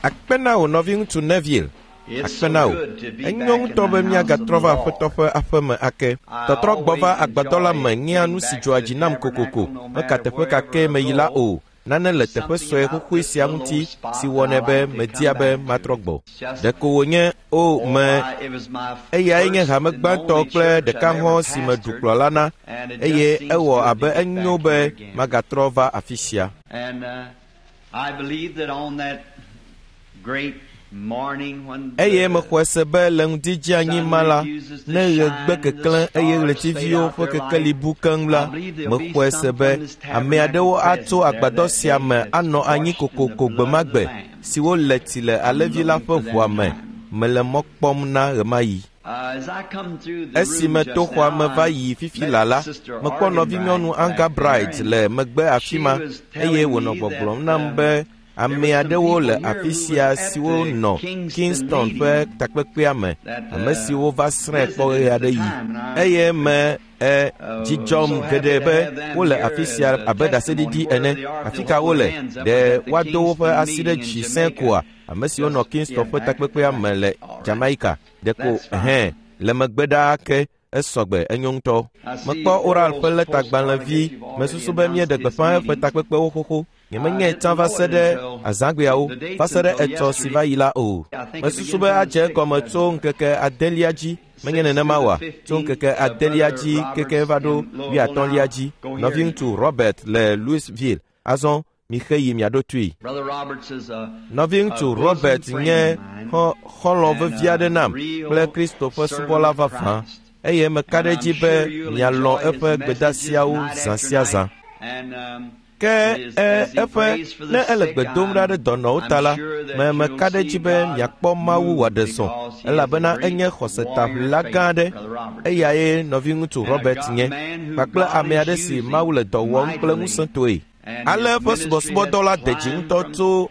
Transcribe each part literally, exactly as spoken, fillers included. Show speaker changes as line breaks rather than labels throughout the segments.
Akpe na wò nɔviŋutsu Neville. Akpe na wò. Enyo ŋutɔ be míagatrɔ va Aƒetɔ ƒe aƒeme ake. Tɔtrɔ gbɔ va agbadɔ la me nyea nu si dzɔa dzi nam kokoko. Meka teƒe ka kee meyi la o. Nane le teƒe sue xoxoe sia ŋuti si wɔnɛ be media be matrɔ gbɔ. Ɖeko wònye o me eyae nye hame gbãtɔ kple ɖeka hɔ̃ si meɖu kplɔla na eye ewɔ abe enyo be magatrɔ va afi sia. Eye mexɔe se be le ŋdi dzeanyi ma la, ne ɣe gbe keklẽ eye ɣletiviwo ƒe kekeli bu keŋ la, mexɔe se be ame aɖewo atso agbadɔ sia me anɔ anyi kokoko gbe ma gbe siwo le tsi le alẽvi la ƒe ʋua me. Mele mɔ kpɔm na ɣemaɣi. Esi meto xɔa me va yi fifi la la, mekpɔ nɔvinyɔnu Anga Bright le megbe afi ma eye wònɔ gbɔgblɔm nam be ame aɖewo le afi sia siwo nɔ Kingston ƒe takpekpea me, ame siwo va srãe kpɔ ɣe aɖe yi. Eye me e dzi dzɔm geɖe be wole afi sia abe ɖaseɖiɖi ene. Afi ka wole? Ɖe woado woƒe asi ɖe dzi sẽe koa? Ame siwo nɔ Kingston ƒe takpekpea me le Jamaica. Ɖeko hẽ le megbe ɖaa ke esɔgbe enyo ŋutɔ. Mekpɔ Oral ƒe lɛtagbalẽvi. Mesusu be míeɖe gbeƒã eƒe takpekpewo xoxo. Nyemenyae tsã va se ɖe azãgbeawo, va se ɖe etsɔ si va yi la o. Mesusu be adze egɔme tso ŋkeke adelia dzi, menye nenema oa? Tso ŋkeke adelia dzi keke va ɖo wuiatɔ̃lia dzi. Nɔviŋutsu Robert le Louisville. Azɔ mixe yi miaɖo toe. Nɔviŋutsu Robert nye xɔlɔ̃ vevi aɖe nam kple Kristo ƒe subɔla vavã eye meka ɖe edzi be mialɔ̃ eƒe gbedasiawo zã sia zã. Ke e eƒe ne ele gbe dom ɖa ɖe dɔnɔwo ta la, me meka ɖe edzi be miakpɔ Mawu wòaɖe zɔ elabena enye xɔsetaʋlila gã aɖe. Eyae nɔviŋutsu Robert nye kpakple ame aɖe si Mawu le dɔ wɔm kple ŋusẽtɔe. Ale eƒe subɔsubɔdɔ la de dzi ŋutɔ tso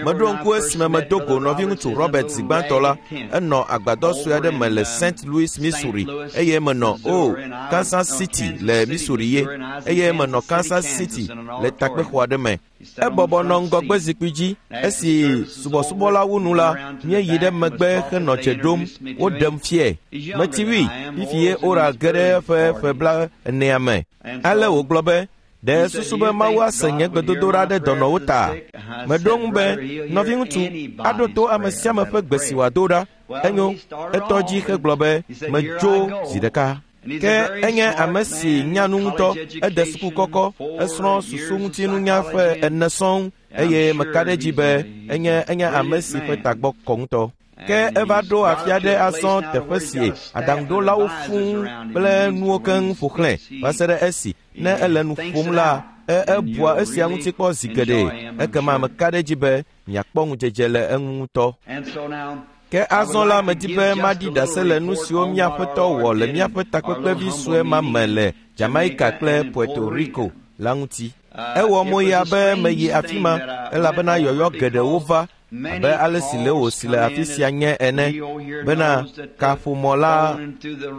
meɖo ŋku esime medo go nɔviŋutsu Robert zi gbãtɔ la, enɔ agbadɔ sue aɖe me le Saint Louis, Missouri eye menɔ o Kansas City le Missouri ye eye menɔ Kansas City le takpexɔ aɖe me. Ebɔbɔ nɔ ŋgɔgbe zikpui dzi. Esi subɔsubɔla wu nu la, míeyi ɖe megbe henɔ dze ɖom. Woɖem fiae. Metsi wui fifi ye Oral ge ɖe eƒe ƒe bla enea me. Ale wògblɔ be, ɖe susu be Mawu ase nye gbedodoɖa ɖe dɔnɔwo ta? Meɖo ŋu be, nɔviŋutsu, aɖo to ame sia ame ƒe gbe si wòado ɖa. Enyo, etɔ dzi hegblɔ be, medzo zi ɖeka. Ke enye ame si nya nu ŋutɔ, ede suku kɔkɔ, esrɔ̃ susuŋutinunya ƒe ene sɔŋ eye meka ɖe edzi be enye enye ame si ƒe tagbɔ kɔ ŋutɔ. Ke eva ɖo afi aɖe azɔ teƒe si aɖaŋuɖolawo fũu kple nuwo keŋ ƒo xlãe va se ɖe esi ne ele nu ƒom la, ebua esia ŋuti kpɔ zi geɖe. Ekema meka ɖe edzi be miakpɔ ŋudzedze le eŋu ŋutɔ. Ke azɔ la medi be maɖi ɖase le nu siwo mía Aƒetɔ wɔ le míaƒe takpekpevi sue ma me le Jamaica kple Puerto Rico la ŋuti. Ewɔ moya be meyi afi ma elabena yɔyɔ geɖewo va abe ale si Leo si le afi sia nye ene bena kaƒomɔ la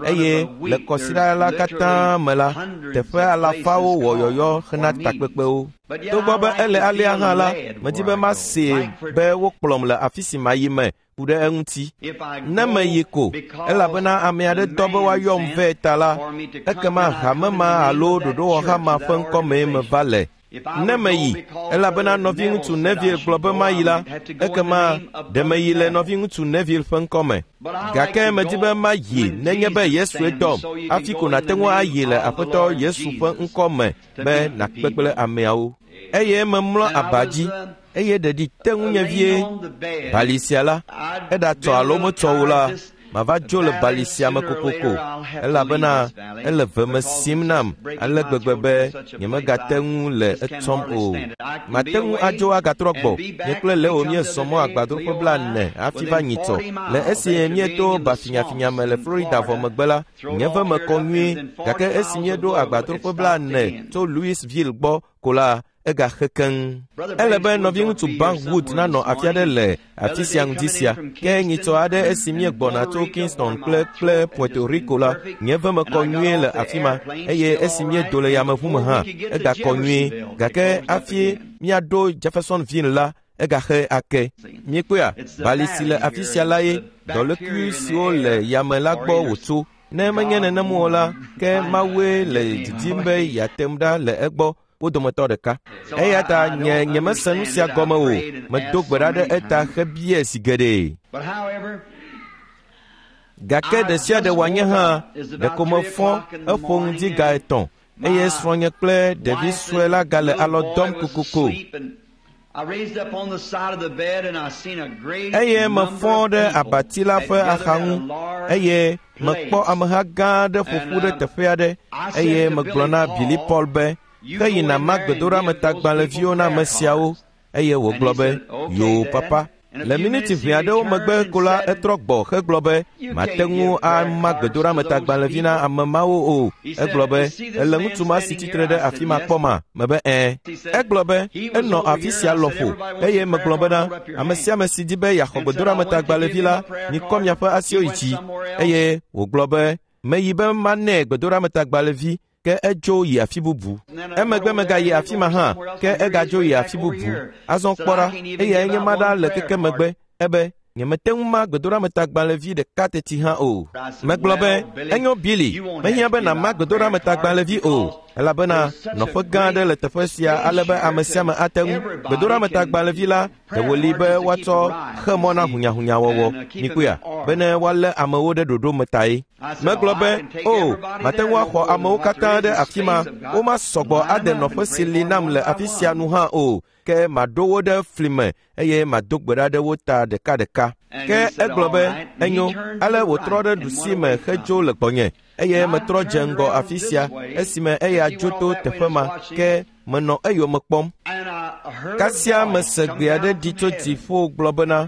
eye le kɔsiɖa la katã me la, teƒe alafawo wɔ yɔyɔ hena takpekpewo. Togbɔ be ele alea hã la, medi be masee be wokplɔm le afi si mayi me ku ɖe eŋuti. Ne meyi ko, elabena ame aɖe dɔ be woayɔm vɛ ta la, ekema hame ma alo ɖoɖowɔha ma ƒe ŋkɔmee meva le. Ne meyi, elabena nɔviŋutsu Neville gblɔ be mayi la, ekema ɖe meyi le nɔviŋutsu Neville ƒe ŋkɔme. Gake medi be mayi nenye be Yesue dɔm, hafi ko nàte ŋu ayi le Aƒetɔ Yesu ƒe ŋkɔme be nàkpe kple ameawo. Eye memlɔ aba dzi, eye ɖeɖi te ŋunye vie. Bali sia la, eɖatsɔ alo metsɔ o la, mava dzo le bali sia me kokoko elabena ele veme sim nam ale gbegbe be nyemegate ŋu le etsɔm o. Mate ŋu adzo agatrɔ gbɔ. Nye kple Leo míezɔ mɔ agbadroƒe blaene hafi va nyitsɔ. Le esi míeto bafinyafinya me le Florida vɔ megbe la, nye ve me kɔ nyuie gake esi míeɖo agbadroƒe blaene tso Louisville gbɔ ko la, egaxe keŋ. Ele be nɔviŋutsu Bankwood nanɔ afi aɖe le afi sia ŋdi sia. Ke nyitsɔ aɖe esi míegbɔna tso Kingston kple kple Puerto Rico la, nye ve mekɔ nyuie le afi ma eye esi míedo le yameʋu me hã, egakɔ nyuie. Gake hafi míaɖo Jeffersonville la, egaxe ake. Míekpɔea, bali si le afi sia la ye dɔlékui siwo le yame la gbɔ wòtso. Ne menye nenem o la, ke Mawue le didim be yeate ŋu ɖa le egbɔ wo dometɔ ɖeka. Eya ta nye nyemese nu sia gɔme o. Medo gbe ɖa ɖe eta hebia zi geɖe. Gake ɖe sia ɖe wòanye hã, ɖeko mefɔ eƒo ŋdi ga etɔ̃ eye srɔ̃nye kple ɖevi sue la gale alɔ dɔm kokoko. Eye mefɔ ɖe abati la ƒe axa ŋu eye mekpɔ ameha gã aɖe ƒo ƒu ɖe teƒe aɖe eye megblɔ na Billy Paul be, ke yina ma gbedoɖametagbalẽviwo na ame siawo. Eye wògblɔ be, yoo papa. Le miniti ʋɛ aɖewo megbe ko la, etrɔ gbɔ hegblɔ be, mate ŋu ama gbedoɖametagbalẽvi na ame mawo o. Egblɔ be, ele ŋutsu ma si tsitre ɖe afi ma kpɔma? Mebe ɛ̃. Egblɔ be, enɔ afi sia lɔƒo eye megblɔ bena, ame sia ame si di be yeaxɔ gbedoɖametagbalẽvi la, mikɔ miaƒe asiwo yi dzi. Eye wògblɔ be, meyi be manɛ gbedoɖametagbalẽvi, ke edzo yi afi bubu. Emegbe megayi afi ma hã, ke egadzo yi afi bubu. Azɔ kpɔ ɖa, eyae nye ma ɖa le keke megbe. Ebe, nyemete ŋu ma gbedoɖametagbalẽvi ɖeka teti hã o. Megblɔ be, enyo Billy, mehiã be nàma gbedoɖametagbalẽvi o, elabena nɔƒe gã aɖe le teƒe sia ale be ame sia ame ate ŋu. Gbedoɖametagbalẽvi la ɖe wòli be woatsɔ xe mɔ na hunyahunyawɔwɔ. Mikpɔea, bene woalé amewo ɖe ɖoɖo me tae. Megblɔ be, o, mate ŋu axɔ amewo katã ɖe afi ma, womasɔgbɔ ade nɔƒe si li nam le afi sia nu hã o, ke maɖo wo ɖe fli me eye mado gbe ɖa ɖe wo ta ɖekaɖeka. Ke egblɔ be, enyo, ale wòtrɔ ɖe ɖusi me hedzo le gbɔnye eye metrɔ dze ŋgɔ afi sia esime eya dzo to teƒe ma, ke menɔ eyome kpɔm. Kasia mese gbe aɖe ɖi tso dziƒo gblɔ bena,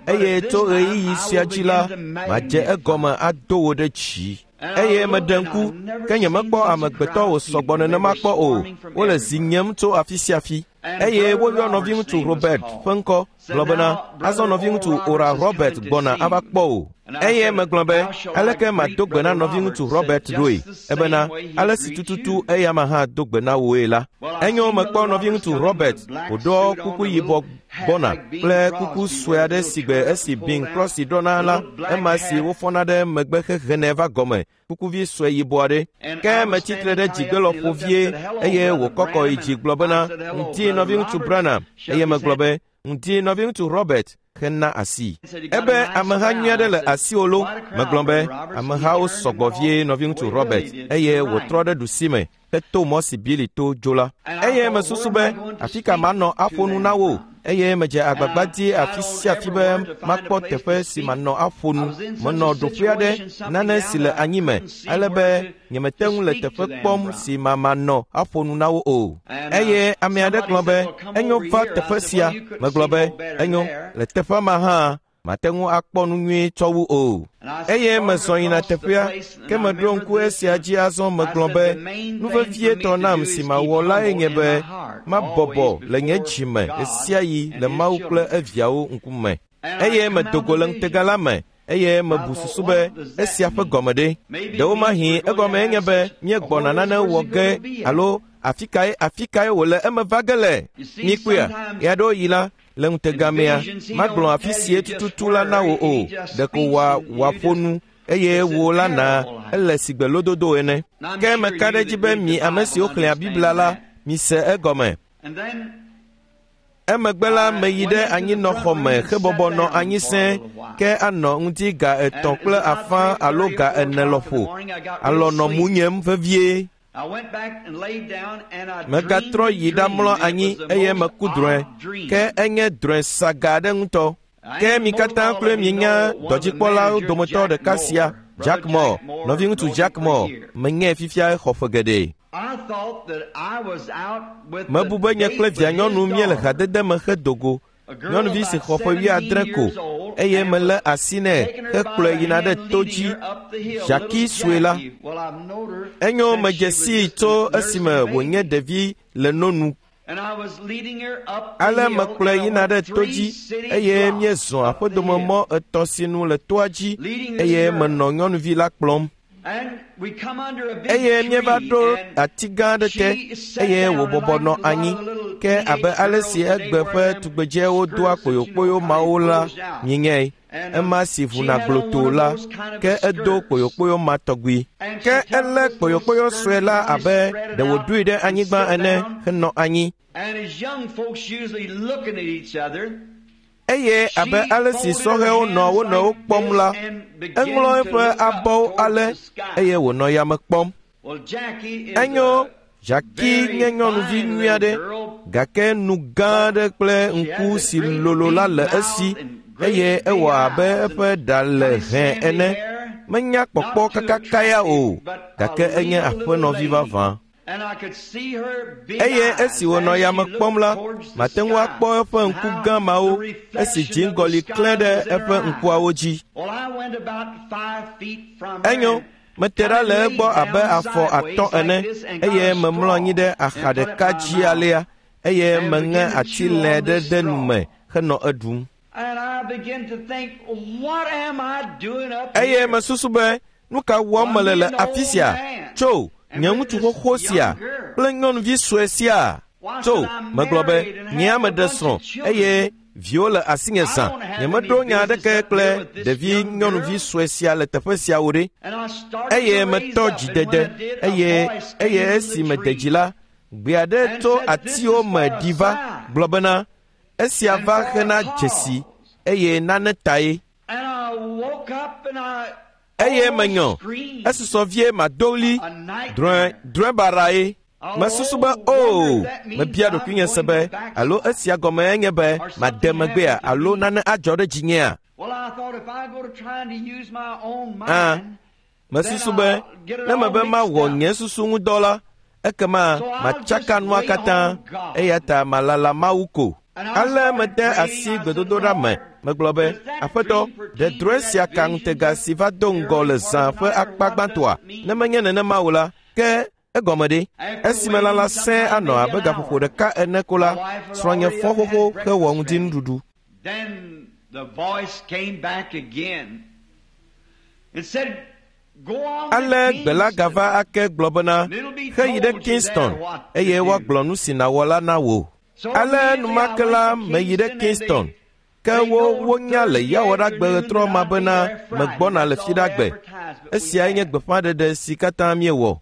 eye tso ɣeyiɣi sia dzi la, madze egɔme ado wò ɖe dzi. Eye meɖe ŋku, ke nyemekpɔ amegbetɔ wòsɔgbɔ nenema kpɔ o. Wole zi nyem tso afi sia afi. Eye woyɔ nɔviŋutsu Robert ƒe ŋkɔ gblɔ bena, azɔ nɔviŋutsu Ora Robert gbɔna ava kpɔ o. Eye megblɔ be, aleke mado gbe na nɔviŋutsu Robert ɖoe? Ebena, ale si tututu eyama hã do gbe na wòe la. Enyo mekpɔ nɔviŋutsu Robert wòɖɔ kuku yibɔ gbɔna kple kuku sue aɖe si gbe esi Bing Crosby ɖɔna la, ema si wofɔna ɖe megbe hehenɛ va gɔme, kukuvi sue yibɔ aɖe. Ke metsi tre ɖe dzigbe lɔƒo vie eye wòkɔkɔ yi dzi gblɔ bena, ŋdi nɔviŋutsu Branham. Eye megblɔ be, ŋdi nɔviŋutsu Robert hena asi. Ebe ameha nyui aɖe le asiwò lo. Megblɔ be, amehawo sɔgbɔ vie nɔviŋutsu Robert. Eye wòtrɔ ɖe ɖusi me heto mɔ si Billy to dzo la. Eye mesusu be, afi ka manɔ aƒo nu na wo? Eye medze agbagba di afi sia afi be makpɔ teƒe si manɔ aƒo nu. Menɔ ɖoƒe aɖe, nane si le anyi me, ale be nyemete ŋu le teƒe kpɔm si mamanɔ aƒo nu na wo o. Eye ame aɖe gblɔ be, enyo va teƒe sia. Megblɔ be, enyo, le teƒea ma hã, mate ŋu akpɔ nu nyuie tsɔ wu o. Eye mezɔ yina teƒea, ke meɖo ŋku esia dzi azɔ megblɔ be, nu vevietɔ nam si mawɔ lae nye be, mabɔbɔ le nye dzi me ɣesiaɣi le Mawu kple eviawo ŋkume. Eye medo go le ŋutega la me, eye mebu susu be esia ƒe gɔme ɖe. Ɖewomahi egɔme nye be míegbɔna nane wɔ ge alo afi kae afi kae wòle eme va ge le. Mikpɔea, ɣeaɖewoɣi la, le ŋutega mea, magblɔ afi sie tututu la na wò o, ɖeko wòa wòaƒo nu eye wò la na ele sigbe lododo ene. Ke meka ɖe edzi be mi ame siwo xlẽa Biblia la, mise egɔme. Emegbe la meyi ɖe anyinɔxɔ me hebɔbɔ nɔ anyi sẽe, ke anɔ ŋdi ga etɔ̃ kple afã alo ga ene lɔƒo. Alɔ nɔ munyem vevie. Megatrɔ yi ɖamlɔ anyi eye meku drɔ̃e, ke enye drɔ̃e saga aɖe ŋutɔ. Ke mi katã kloe mienya dɔdzikpɔlawo dometɔ ɖeka sia, Jack Moore, nɔviŋutsu Jack Moore, menyae fifia xɔ ƒe geɖe. Mebu be nye kple vianyɔnu míele hadede me hedo go. Nyɔnuvi si xɔ ƒe wuiadre ko eye melé asi nɛ hekplɔe yina ɖe to dzi, Jackie sue la. Enyo medze sii tso esime wònye ɖevi le no nu. Ale mekplɔe yina ɖe to dzi eye míezɔ aƒedomemɔ etɔ̃ sinu le toa dzi eye menɔ nyɔnuvi la kplɔm. Eye míeva ɖo ati gã aɖe te eye wòbɔbɔ nɔ anyi. Ke abe ale si egbe ƒe tugbedzewo doa kpoyokpoyo mawo la mienyae, ema si ʋuna gblotoo la, ke edo kpoyokpoyo ma tɔgbi. Ke elé kpoyokpoyo sue la abe ɖe wòɖoe ɖe anyigba ene henɔ anyi. Eye abe ale si sɔhɛwo nɔ wo nɔewo kpɔm la, eŋlɔ eƒe abɔwo ale eye wònɔ yame kpɔm. Enyo, Jackie nye nyɔnuvi nyui aɖe, gake nu gã aɖe kple ŋku si lolo la le esi eye ewɔ abe eƒe ɖa le hẽ ene. Menya kpɔkpɔ kakaka ya o, gake enye aƒenɔvi vavã. Eye esi wònɔ yame kpɔm la, mate ŋu akpɔ eƒe ŋku gã mawo esi dziŋgɔli klẽ ɖe eƒe ŋkuawo dzi. Enyo, mete ɖa le egbɔ abe afɔ atɔ̃ ene eye memlɔ anyi ɖe axa ɖeka dzi alea eye meŋe atilɛ ɖe ɖe nu me henɔ eɖum. Eye mesusu be, nu ka wɔm mele le afi sia? Tso, nye ŋutsu xoxo sia kple nyɔnuvi sue sia. Tso, megblɔ be, nye ame ɖe srɔ̃ eye viwo le asinye zã. Nyemeɖo nya aɖeke kple ɖevi nyɔnuvi sue sia le teƒe sia o ɖe. Eye metɔ dzidede eye eye esi mede dzi la, gbe aɖe tso atiwo me ɖi va gblɔ bena, esia va hena dzesi eye nane tae. Eye menyɔ, esusɔ vie mado ɣli, drɔ̃e drɔ̃e baɖae. Mesusu be, oo, mebia ɖokuinye se be, alo esia gɔme enye be made megbea alo nane adzɔ ɖe dzinyea? Ã, mesusu be, ne mebe mawɔ nye susu ŋu dɔ la, ekema matsaka nua katã, eya ta malala Mawu ko. Ale mede asi gbedodoɖa me. Megblɔ be, Aƒetɔ, ɖe drɔ̃e sia ka ŋutega si va do ŋgɔ le zã ƒe akpa gbãtɔa? Ne menye nenema o la, ke egɔme ɖe. Esime lala sẽe anɔ abe gaƒoƒo ɖeka ene ko la, srɔ̃nye fɔ xoxo hewɔ ŋdinuɖuɖu. Ale gbe la gava ake gblɔ bena, heyi ɖe Kingston eye woagblɔ nu si nàwɔ la na wò. Ale enumake la meyi ɖe Kingston. Ke wo wonya le Yawoɖagbe ɣetrɔ ma bena megbɔna le Fiɖagbe. Esiae nye gbeƒãɖeɖe si katã míewɔ.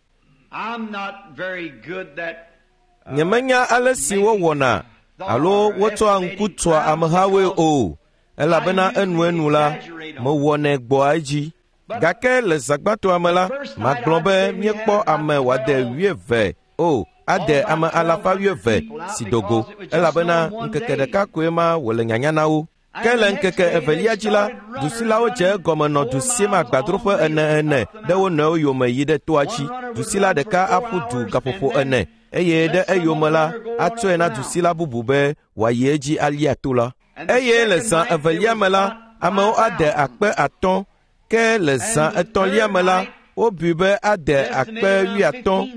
Nyemenya ale si wowɔna alo wotsɔa ŋku tsoa amehawoe o, elabena enuenu la, mewɔnɛ gbɔa edzi. Gake le zã gbãtɔa me la, magblɔ be míekpɔ ame wòade wuieve o, ade ame alafa wuieve si do go, elabena ŋkeke ɖeka koe ma wòle nyanya na wo. Ke le ŋkeke evelia dzi la, dusilawo dze egɔme nɔ du sim agbadroƒe ene ene ɖe wo nɔewo yome yi ɖe toa dzi. Dusila ɖeka aƒu du gaƒoƒo ene eye ɖe eyome la, atsɔe na dusila bubu be wòayi edzi alia to la. Eye le zã evelia me la, amewo ade akpe atɔ̃, ke le zã etɔ̃lia me la, wobui be ade akpe wuiatɔ̃,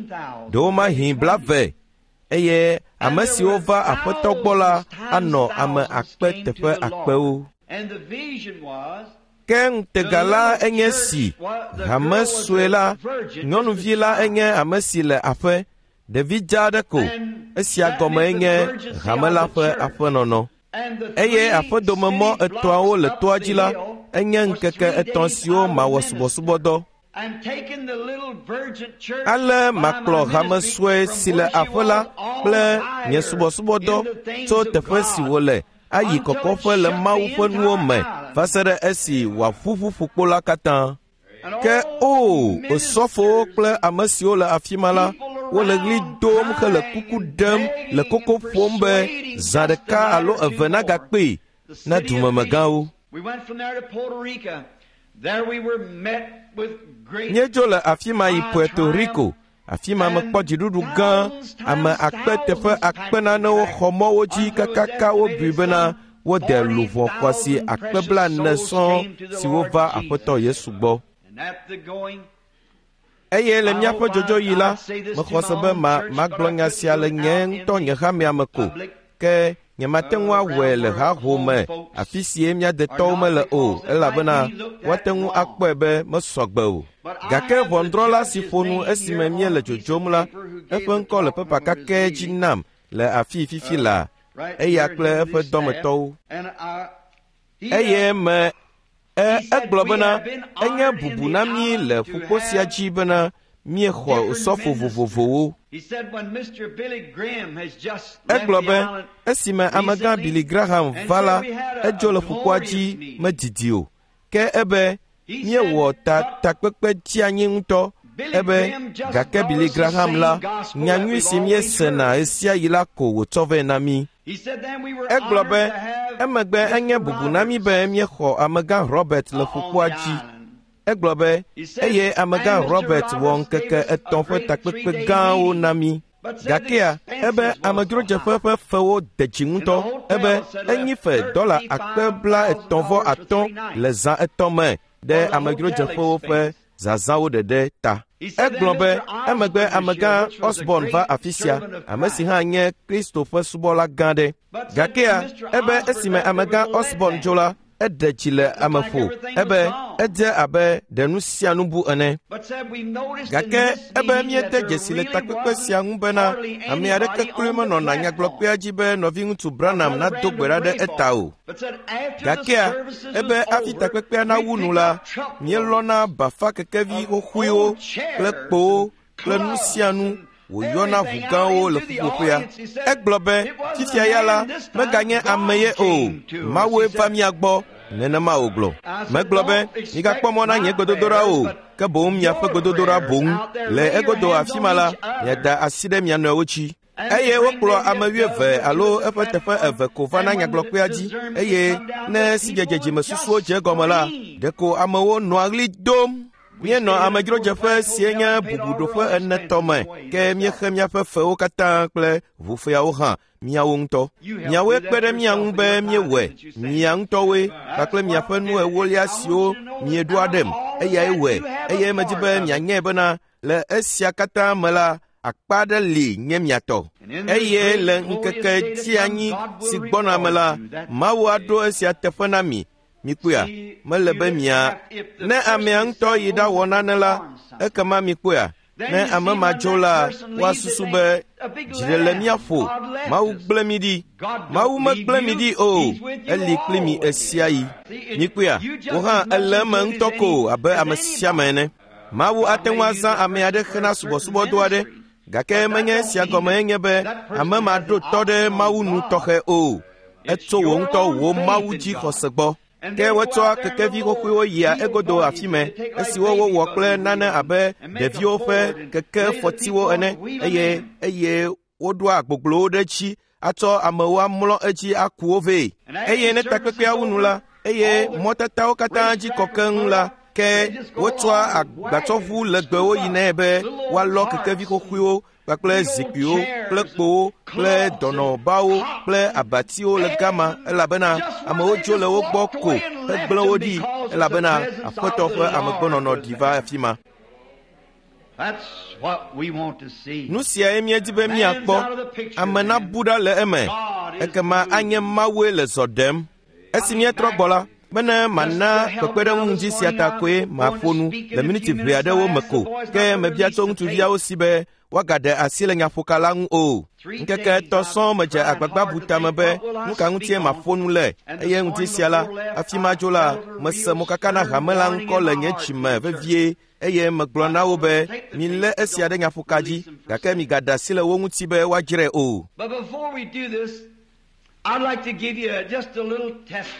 ɖewomahi blave. Eye ame siwo va Aƒetɔ gbɔ la anɔ ame akpe teƒe akpewo. Ke ŋutega la enye si, hame sue la, nyɔnuvi la enye ame si le aƒe, ɖevi dza aɖe ko, esia gɔme enye hame la ƒe aƒenɔnɔ. Eye aƒedomemɔ etɔ̃awo le toa dzi la, enye ŋkeke etɔ̃ siwo mawɔ subɔsubɔdɔ. Ale makplɔ hame sue si le aƒe la kple nye subɔsubɔdɔ tso teƒe si wòle ayi kɔkɔƒe le Mawu ƒe nuwo me va se ɖe esi wòaƒuƒu ƒukpo la katã. Ke o, osɔfowo kple ame siwo le afi ma la, wole ɣli dom hele kuku ɖem le koko ƒom be zã ɖeka alo eve nagakpee na dumemegãwo. Míedzo le afi ma yi Puerto Rico. Afi ma mekpɔ dziɖuɖu gã, ame akpe teƒe akpe nanewo xɔ mɔwo dzi kakaka wobui bena wode luʋɔ xɔasi akpe blaene sɔŋ siwo va Aƒetɔ Yesu gbɔ. Eye le míaƒe dzodzoɣi la, mexɔ se be ma magblɔ nya sia le nye ŋutɔ nye hamea me ko, ke nyemate ŋu awɔe le haho me afi sie mía detɔwo mele o, elabena woate ŋu akpɔe be mesɔ gbe o. Gake ʋɔnudrɔ̃la si ƒo nu esime míele dzodzom la, eƒe ŋkɔ le pepa kakɛ dzi nam le afii fifi laa, eya kple eƒe dɔmetɔwo. Eye me e egblɔ bena enye bubu na mí le ƒukpo sia dzi bena míexɔ osɔfo vovovowo. Egblɔ be esime amegã Billy Graham va la, edzo le ƒukpoa dzi medidi o. Ke ebe míewɔ ta takpekpe dzianyi ŋutɔ. Ebe gake Billy Graham la, nyanyui si míesena ɣesiaɣi la ko wòtsɔ vɛ na mí. Egblɔ be emegbe enye bubu na mí be míexɔ amegã Robert le ƒukpoa dzi. Egblɔ be eye amegã Robert wɔ ŋkeke etɔ̃ ƒe takpekpe gãwo na mí. Gakea ebe amedzrodzeƒe ƒe fewo de dzi ŋutɔ. Ebe enyi fe dɔla akpe bla etɔ̃ vɔ atɔ̃ le zã etɔ̃ me ɖe amedzrodzeƒewo ƒe zazãwo ɖeɖe ta. Egblɔ be emegbe amegã Osborne va afi sia, ame si hã nye Kristo ƒe subɔla gã ɖe. Gakea ebe esime amegã Osborne dzo la, eɖe dzi le ame ƒo. Ebe edze abe ɖe nu sia nu bu ene. Gake ebe míede dzesi le takpekpe sia ŋu bena ame aɖeke kloe menɔna nyagblɔkpea dzi be nɔviŋutsu Branham nado gbe ɖa ɖe eta o. Gakea ebe hafi takpekpea nawu nu la, míelɔna bafa kekevi xoxoewo kple kpowo kple nu sia nu wòyɔna ʋu gãwo le ƒuƒoƒea. Egblɔ be fifia ya la, meganye ame ye o, Mawue va mía gbɔ. Nenema wògblɔ. Megblɔ be migakpɔ mɔ na nye gbedodoɖa o, ke boŋ miaƒe gbedodoɖa boŋ. Le egodo afi ma la, miada asi ɖe mia nɔewo dzi. Eye wokplɔ ame wuieve alo eƒe teƒe eve ko va na nyagblɔkpea dzi. Eye ne sidzedze dzimesusuwo dze egɔme la, ɖeko amewo nɔa ɣli dom. Míenɔ amedzrodzeƒe sie nye bubuɖoƒe ene tɔ me, ke míexe míaƒe fewo katã kple ʋufeawo hã miawo ŋutɔ. Miawoe kpe ɖe mía ŋu be míewɔe, mia ŋutɔwoe kpakple miaƒe nu ewolia siwo mieɖoa ɖem, eyae wɔe. Eye medi be mianyae bena le esia katã me la, akpa aɖe li nye mia tɔ. Eye le ŋkeke dzianyi si gbɔna me la, Mawu aɖo esia teƒe na mi. Mikpɔea, mele be mia ne amea ŋutɔ yi ɖawɔ nane la, ekema mikpɔea, ne ame ma dzo la, woasusu be dzi ɖe le mía ƒo, Mawu gblẽ mi ɖi. Mawu megblẽ mi ɖi o, eli kpli mi ɣesiaɣi. Mikpɔea, wò hã èle eme ŋutɔ ko abe ame sia ame ene. Mawu ate ŋu azã ame aɖe hena subɔsubɔdɔ aɖe, gake menye esia gɔme nye be ame ma ɖo tɔ ɖe Mawu nu tɔxɛ o. Etso wò ŋutɔ wò Mawu dzi xɔse gbɔ. Ke wotsɔa kekevi xoxoewo yia egodo afi me, esiwo wowɔ kple nane abe ɖeviwo ƒe kekefɔtiwo ene, eye eye woɖoa agboglowo ɖe edzi atsɔ amewo amlɔ edzi aku wo vɛ. Eye ne takpekpea wu nu la, eye mɔtatawo katã dzi kɔ keŋ la, ke wotsɔa agbatsɔʋu legbewo yinae be woalɔ kekevi xoxoewo kpakple zikpuiwo kple kpowo kple dɔnɔbawo kple abatiwo le gama, elabena amewo dzo le wo gbɔ ko hegblẽ wo ɖi, elabena Aƒetɔ ƒe amegbɔnɔnɔ ɖi va afi ma. Nu siae míedi be míakpɔ. Ame nabu ɖa le eme, ekema anye Mawue le zɔ ɖem. Esi míetrɔ gbɔ la, bene mana kpekpeɖeŋu ŋdzi sia ta koe maƒo nu le miniti ʋɛ aɖewo me ko, ke mebia tso ŋutsuviawo si be woagaɖe asi le nyaƒoka la ŋu o. Ŋkeke etɔ̃ sɔŋ medze agbagba bu tame be nu ka ŋutie maƒo nu le, eye ŋdi sia la, hafi madzo la, mese mokaka na hame la ŋkɔ le nye dzime vevie, eye megblɔ na wo be milé esia ɖe nyaƒoka dzi, gake migaɖe asi le wo ŋuti be woadzrae o.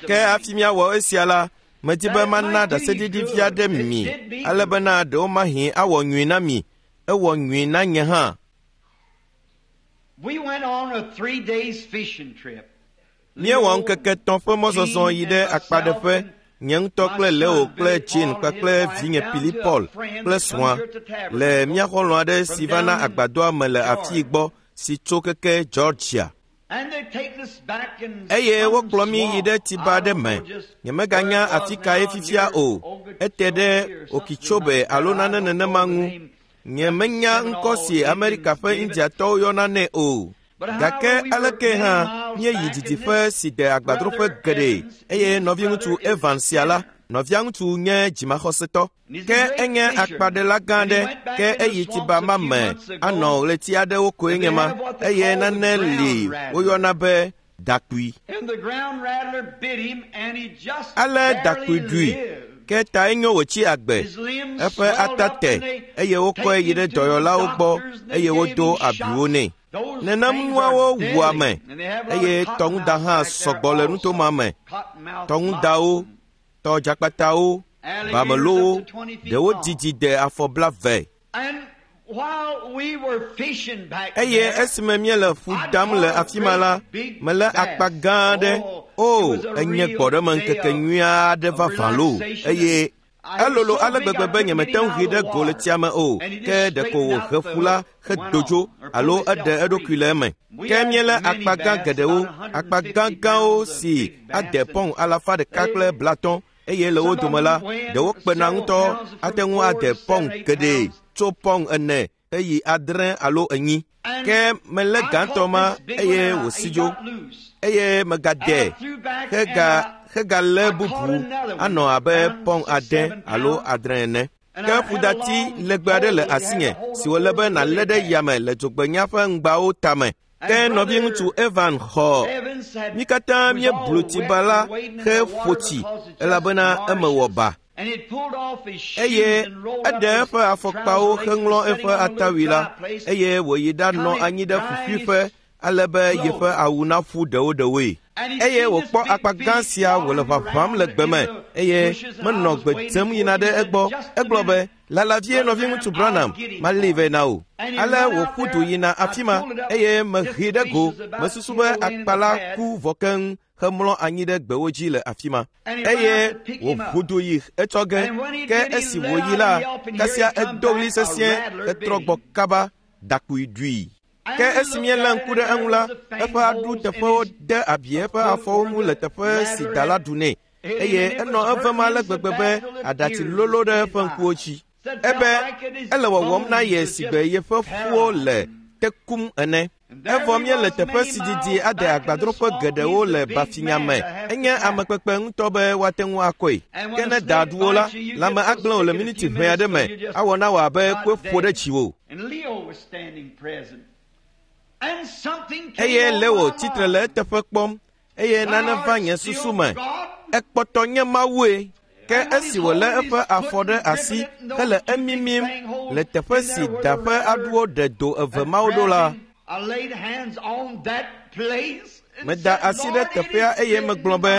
Ke hafi míawɔ esia la, medi be mana ɖaseɖiɖi vi aɖe mi, ale bena ɖewomahi awɔ nyui na mi. Ewɔ nyui na nye hã. Míewɔ ŋkeke etɔ̃ ƒe mɔzɔzɔ yi ɖe akpaɖeƒe, nye ŋutɔ kple Leo kple Jane kpakple vinye Billy Paul kple srɔ̃a le mía xɔlɔ̃ aɖe si va na agbadɔa me le afii gbɔ si tso keke Georgia. Eye wokplɔ mí yi ɖe tsiba aɖe me. Nyemeganya afi kae fifia o. Ete ɖe Okeechobee alo nane nenema ŋu. Nye menya ŋkɔ si Amerika ƒe Indiatɔwo yɔna nɛ o. Gake aleke hã míeyi didiƒe si de agbadroƒe geɖe eye nɔviŋutsu Evans sia la, nɔviaŋutsu nye dzimaxɔsetɔ. Ke enye akpaɖela gã aɖe ke eyi tsiba ma me anɔ ɣleti aɖewo koe nye ma eye nane li woyɔna be dakpui. Ale dakpui ɖui ke tae nyo wòtsi agbe. Eƒe ata te eye wokɔe yi ɖe dɔyɔlawo gbɔ eye wodo abiwo nɛ. Nenem nuawo wu ame eye tɔŋuda hã sɔgbɔ le nuto ma me. Tɔŋudawo, tɔdzakpatawo, bamelowo, ɖewo didi de afɔ blave. Eye esime míele ƒu dam le afi ma la, melé akpa gã aɖe. O, enye gbɔɖemeŋkeke nyui aɖe vavã loo eye elolo ale gbegbe be nyemete ŋu ʋui ɖe go le tsia me o, ke ɖeko wòhe ƒu la hedo dzo alo eɖe eɖokui le eme. Ke míelé akpa gã geɖewo, akpa gãgãwo si ade pɔŋ alafa ɖeka kple blatɔ̃ eye le wo dome la, ɖewo kpena ŋutɔ ate ŋu ade pɔŋ geɖe tso pɔŋ ene heyi adre alo enyi. Ke melé gãtɔ ma eye wòsi dzo eye megade hega hegalé bubu anɔ abe pɔŋ ade alo adre ene. Ke ƒudati legbe aɖe le asinye si wòle be nàlé ɖe yame le dzogbenya ƒe ŋgbawo tame. Ke nɔviŋutsu Evan xɔ. Mí katã míeblu tsiba la heƒo tsi elabena eme wɔ ba. Eye eɖe eƒe afɔkpawo heŋlɔ eƒe atawui la eye wòyi ɖanɔ anyi ɖe ƒuƒuiƒe ale be yeƒe awu naƒu ɖewoɖewoe. Eye wòkpɔ akpa gã sia wòle ʋaʋãm le gbe me eye menɔ gbe tem yina ɖe egbɔ. Egblɔ be, lala vie nɔviŋutsu Branham, malée vɛ na wò. Ale wòƒu du yina afi ma eye meʋui ɖe go. Mesusu be akpa la ku vɔ keŋ hemlɔ anyi ɖe gbewo dzi le afi ma. Eye wòʋu du yi etsɔ ge. Ke esi wòyi la, kasia edo ɣli sesĩe hetrɔ gbɔ kaba dakpui ɖui. Ke esi míelé ŋku ɖe eŋu la, eƒe aɖu teƒewo de abi eƒe afɔwo ŋu le teƒe si da la ɖu nɛ eye enɔ evem ale gbegbe be aɖatsi lolo ɖe eƒe ŋkuwo dzi. Ebe ele wɔwɔm na ye sigbe yeƒe ƒuwo le te kum ene. Evɔ míele teƒe si didi ade agbadroƒe geɖewo le Bafinya me. Enye amekpekpe ŋutɔ be woate ŋu akɔe. Ke ne da ɖu wo la, lãme agblẽ wò le miniti ʋɛ aɖe me awɔ na wò abe kue ƒo ɖe dziwò. Eye Leo tsitre le eteƒe kpɔm eye nane va nye susu me. Ekpɔtɔ nye Mawue. Ke esi wòlé eƒe afɔ ɖe asi hele emimim le teƒe si da ƒe aɖuwo ɖe do eve mawo ɖo la, meda asi ɖe teƒea eye megblɔ be,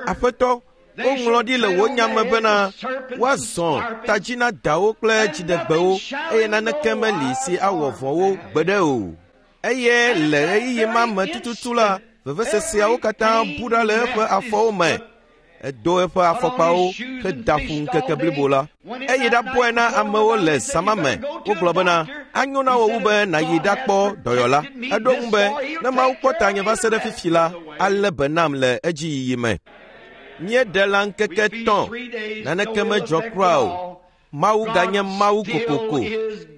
Aƒetɔ, woŋlɔ ɖi le wò nya me bena woazɔ tadzi na dawo kple dziɖegbewo eye naneke meli si awɔ vɔ̃ wo gbeɖe o. Eye le ɣeyiɣi ma me tututu la, veveseseawo katã bu ɖa le eƒe afɔwo me. Edo eƒe afɔkpawo heda ƒu ŋkeke blibo la. Eyi ɖabɔe na amewo le zã me. Wogblɔ bena, anyo na wò wu be nàyi ɖakpɔ dɔyɔla. Eɖo ŋu be, ne Mawu kpɔ tanye va se ɖe fifi la, alé be nam le edziyiyi me. Míeɖe lã ŋkeke tɔ̃, naneke medzɔ kura o. Mawu ganye Mawu kokoko.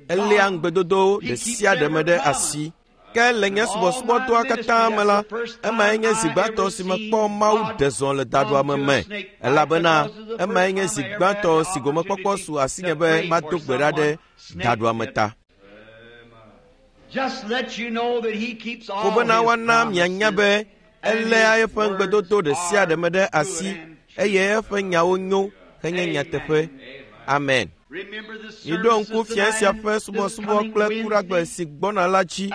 Eléa ŋugbedodo ɖe sia ɖe me ɖe asi. Ke le nye subɔsubɔdɔa katã me la, emae nye zi gbãtɔ si mekpɔ Mawu ɖe zɔ le daɖuame me elabena emae nye zi gbãtɔ si gomekpɔkpɔ su asinye be mado gbe ɖa ɖe daɖuame ta. Ko bena woana mianya be eléa eƒe ŋugbedodo ɖe sia ɖe me ɖe asi eye eƒe nyawo nyo henye nyateƒe. Amen. Miɖo ŋku fia sia ƒe subɔsubɔ kple kuɖagbe si gbɔna la dzi.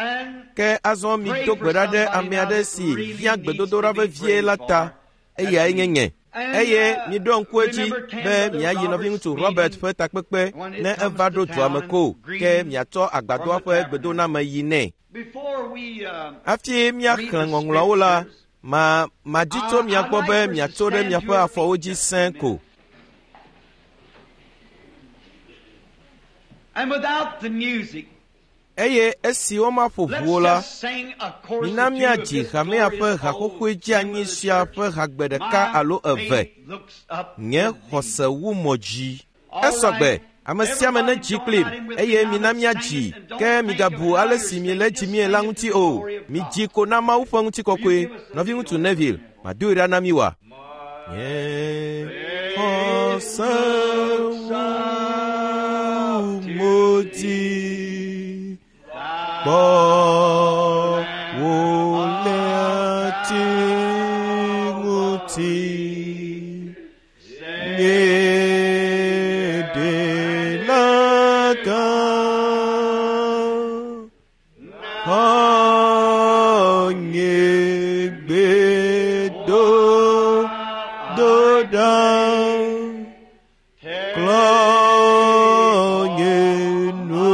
Ke azɔ mido gbe ɖa ɖe ame aɖe si hiã gbedodoɖa vevie la ta. Eyae nye nye. Eye miɖo ŋku edzi be miayi nɔviŋutsu Robert ƒe takpekpe ne eva ɖo dua me ko ke miatsɔ agbadɔa ƒe gbedoname yi nɛ. Hafi míaxlẽ ŋɔŋlɔawo la, ma madi tso mia gbɔ be miatso ɖe miaƒe afɔwo dzi sẽe ko. Eye esi womaƒo ʋuwo la, mina míadzi hamea ƒe haxoxoe dzeanyi sia ƒe hagbe ɖeka alo eve. Nye xɔse wu mɔ dzi. Esɔgbe, Ame sia ame nedzi kplim eye mina míadzi, ke migabu ale si miele dzimie la ŋuti o. Midzi ko na Mawu ƒe ŋutikɔkɔe. Nɔviŋutsu Neville, madoe ɖa na mi wa. Nye xɔse wu mo dzi kpɔ wò le ati ŋuti. Nye ɖela gã, xɔ nye gbedodoɖa, klɔ nye nu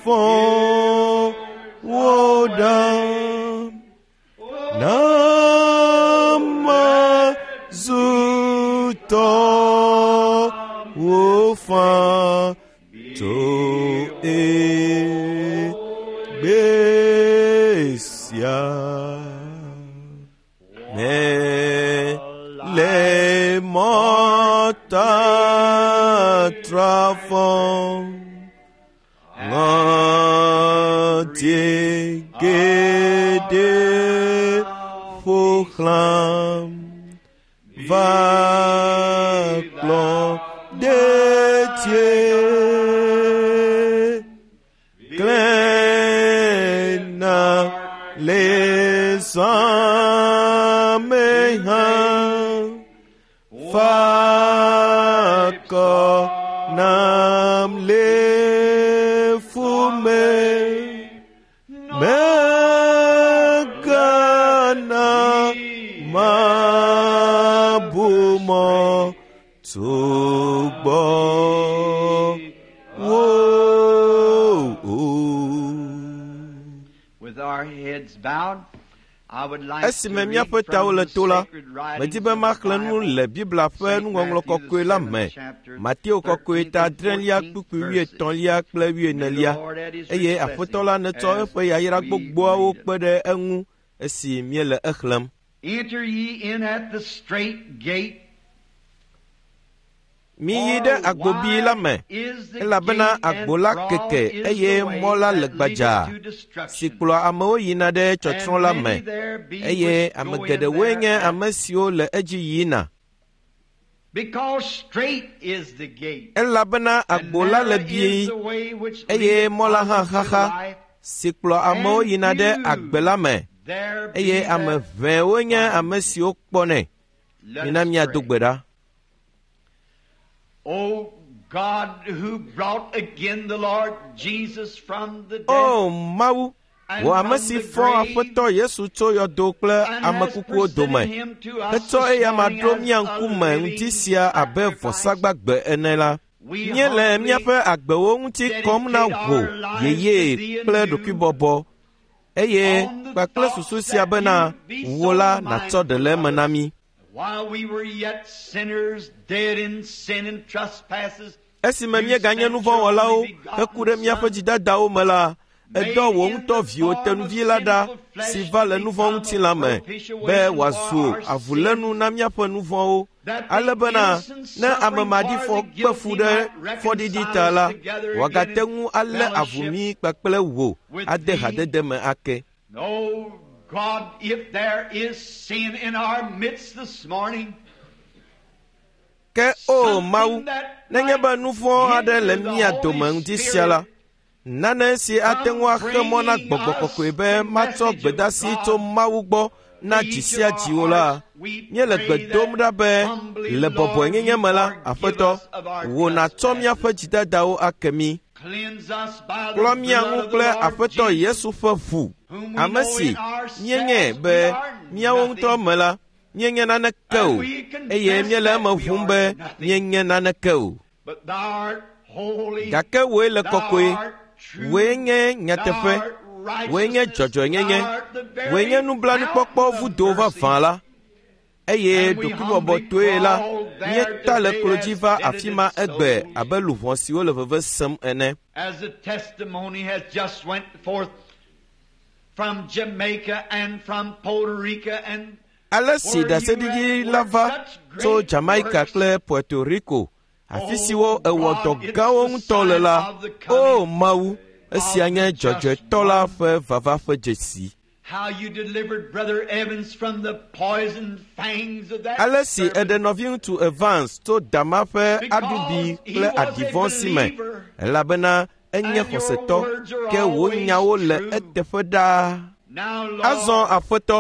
vɔ̃wo ɖa, na mazu tɔwò faa tso egbe sia. Mele mɔtatra fɔm, ŋɔti geɖe ƒo xlãm, va kplɔ detie. Klẽna le zã me hã, fa akɔ nam le fu me. Mègana mabu mɔ tso gbɔwò o.
With our heads bowed, I would like to
Esime
read
míaƒe tawo
from
le
the
to la,
sacred writings
medi be
of the
maxlẽ nu
Bible,
le Biblia ƒe
Saint
nuŋɔŋlɔ
Matthew, the
kɔkɔe la
seventh
me.
chapter,
Mateo kɔkɔe
thirteenth
ta
and
adrelia
fourteenth
kpukpui
verses.
wuietɔ̃lia kple
May the
wuienelia.
Lord add his
Eye
rich
Aƒetɔ
blessing
la netsɔ
as
eƒe yayra
we
gbogboawo
read it.
kpe ɖe eŋu esi míele exlẽm.
Enter ye in at the strait gate,
Miyi
for
ɖe agbobi la
wide
me,
is the
elabena
gate and
agbo la
broad
keke
is
eye
the way
mɔ la le
that leadeth
gbadzaa
to
si
destruction,
kplɔa amewo yina ɖe tsɔtsrɔ̃
and
la
many
me.
there be
Eye
which
ame
go in
geɖewoe nye
thereat.
ame siwo le edzi yina.
Because strait is the gate,
Elabena
and
agbo la le
narrow is
bii
the way which
eye
leadeth
mɔ la hã
unto
xaxa
life,
si kplɔ amewo
and
yina ɖe
few
agbe la me.
there be
Eye ame
that
ʋɛwoe nye
find
ame
it.
siwo kpɔnɛ.
Let
Mina
us
míado
pray.
gbe ɖa.
O God, who brought again the Lord Jesus from the dead
O Mawu,
and
wò ame
from
si
the
fɔ
grave,
Aƒetɔ Yesu tso yɔdo kple
and
ame
has
kukuwo dome,
presented him to us
hetsɔ
this
eya ma
morning
ɖo
as
mía
a
ŋkume ŋdi
living
sia abe
sacrifice,
vɔsagbagbe ene la,
we
míele
humbly
míaƒe agbewo ŋuti kɔm na
dedicate
wò
our lives to
yeye
thee
kple
anew
ɖokuibɔbɔ eye
on the
kpakple
thoughts
susu sia
that
bena
you'd be
wò
so
la nàtsɔ ɖe
mindful
le
of
eme na
us.
mí.
While we were yet sinners, dead in sin and trespasses,
Esime
you
míeganye
sent your
nuvɔ̃wɔlawo
only
heku ɖe
begotten
míaƒe
Son,
dzidadawo me la, edɔ
made
wò
in
ŋutɔ
the
viwò
form of
tenuvi la ɖa
sinful
si
flesh
va
to
le nuvɔ̃
become a
ŋutilã me be
propitiation for
wòazu
our
avulénu
sins,
na míaƒe nuvɔ̃wo
that the
ale bena
innocent
ne ame
suffering for
maɖifɔ
the
kpe fu
guilty
ɖe
might
fɔɖiɖi
reconcile
ta
us
la,
together again
wòagate
in
ŋu alé avu
fellowship
mí kpakple wò
with
ade
thee.
hadede me ake.
Oh God, if there is sin in our midst this morning,
Ke o Mawu,
something that
nenye
might
be nu vɔ̃ aɖe le
hinder the
mía
Holy
dome ŋdi sia la,
Spirit
nane si ate
from
ŋu axe mɔ na
bringing
gbɔgbɔ
us
kɔkɔe be
the
matsɔ
message of
gbedasi tso
God
Mawu gbɔ na
to
dzi
each of
sia
our
dziwo la,
hearts, we
míele
pray
gbe dom
that
ɖa be
humbly,
le
Lord,
bɔbɔenyenye
you
me la,
forgive
Aƒetɔ,
us of our
wò nàtsɔ míaƒe
trespasses.
dzidadawo ake mí.
Cleanse us by the
Klɔ mía
blood
ŋu
of the
kple
Lord
Aƒetɔ
Jesus,
Yesu ƒe ʋu,
whom we
ame
know
si
in
míenye
ourselves
be
we are
míawo ŋutɔ
nothing,
me la, míenye naneke
and
o,
we
eye
confess
míele
that
eme
we
ʋum
are
be
nothing.
míenye naneke o.
But thou art holy,
Gake wòe le
thou
kɔkɔe,
art true,
wòe nye
thou
nyateƒe,
art
wòe nye
righteousness, thou
dzɔdzɔenyenye,
art the
wòe nye
very
nublanuikpɔkpɔ
fountain of
vudo
mercy.
vavã la. Eye
And we humbly
ɖokuibɔbɔtɔe la,
crawl there
míeta le
today
klo dzi
as
va afi ma
penitent
egbe
souls,
abe luʋɔ siwo le veve sem ene.
as the testimony has just went forth from Jamaica and from Puerto Rico and
Ale si
where you
ɖaseɖiɖi
have
la
worked
va
such
tso
great
Jamaica
works,
kple Puerto Rico, afi siwo ewɔ dɔ gãwo ŋutɔ le la, o Mawu, esia nye dzɔdzɔetɔ la ƒe vava ƒe dzesi. Ale si eɖe nɔviŋutsu Evans tso dama ƒe aɖubi kple aɖivɔ̃ si me, elabena enye xɔsetɔ, ke wò nyawo le eteƒe ɖaa. Azɔ Aƒetɔ,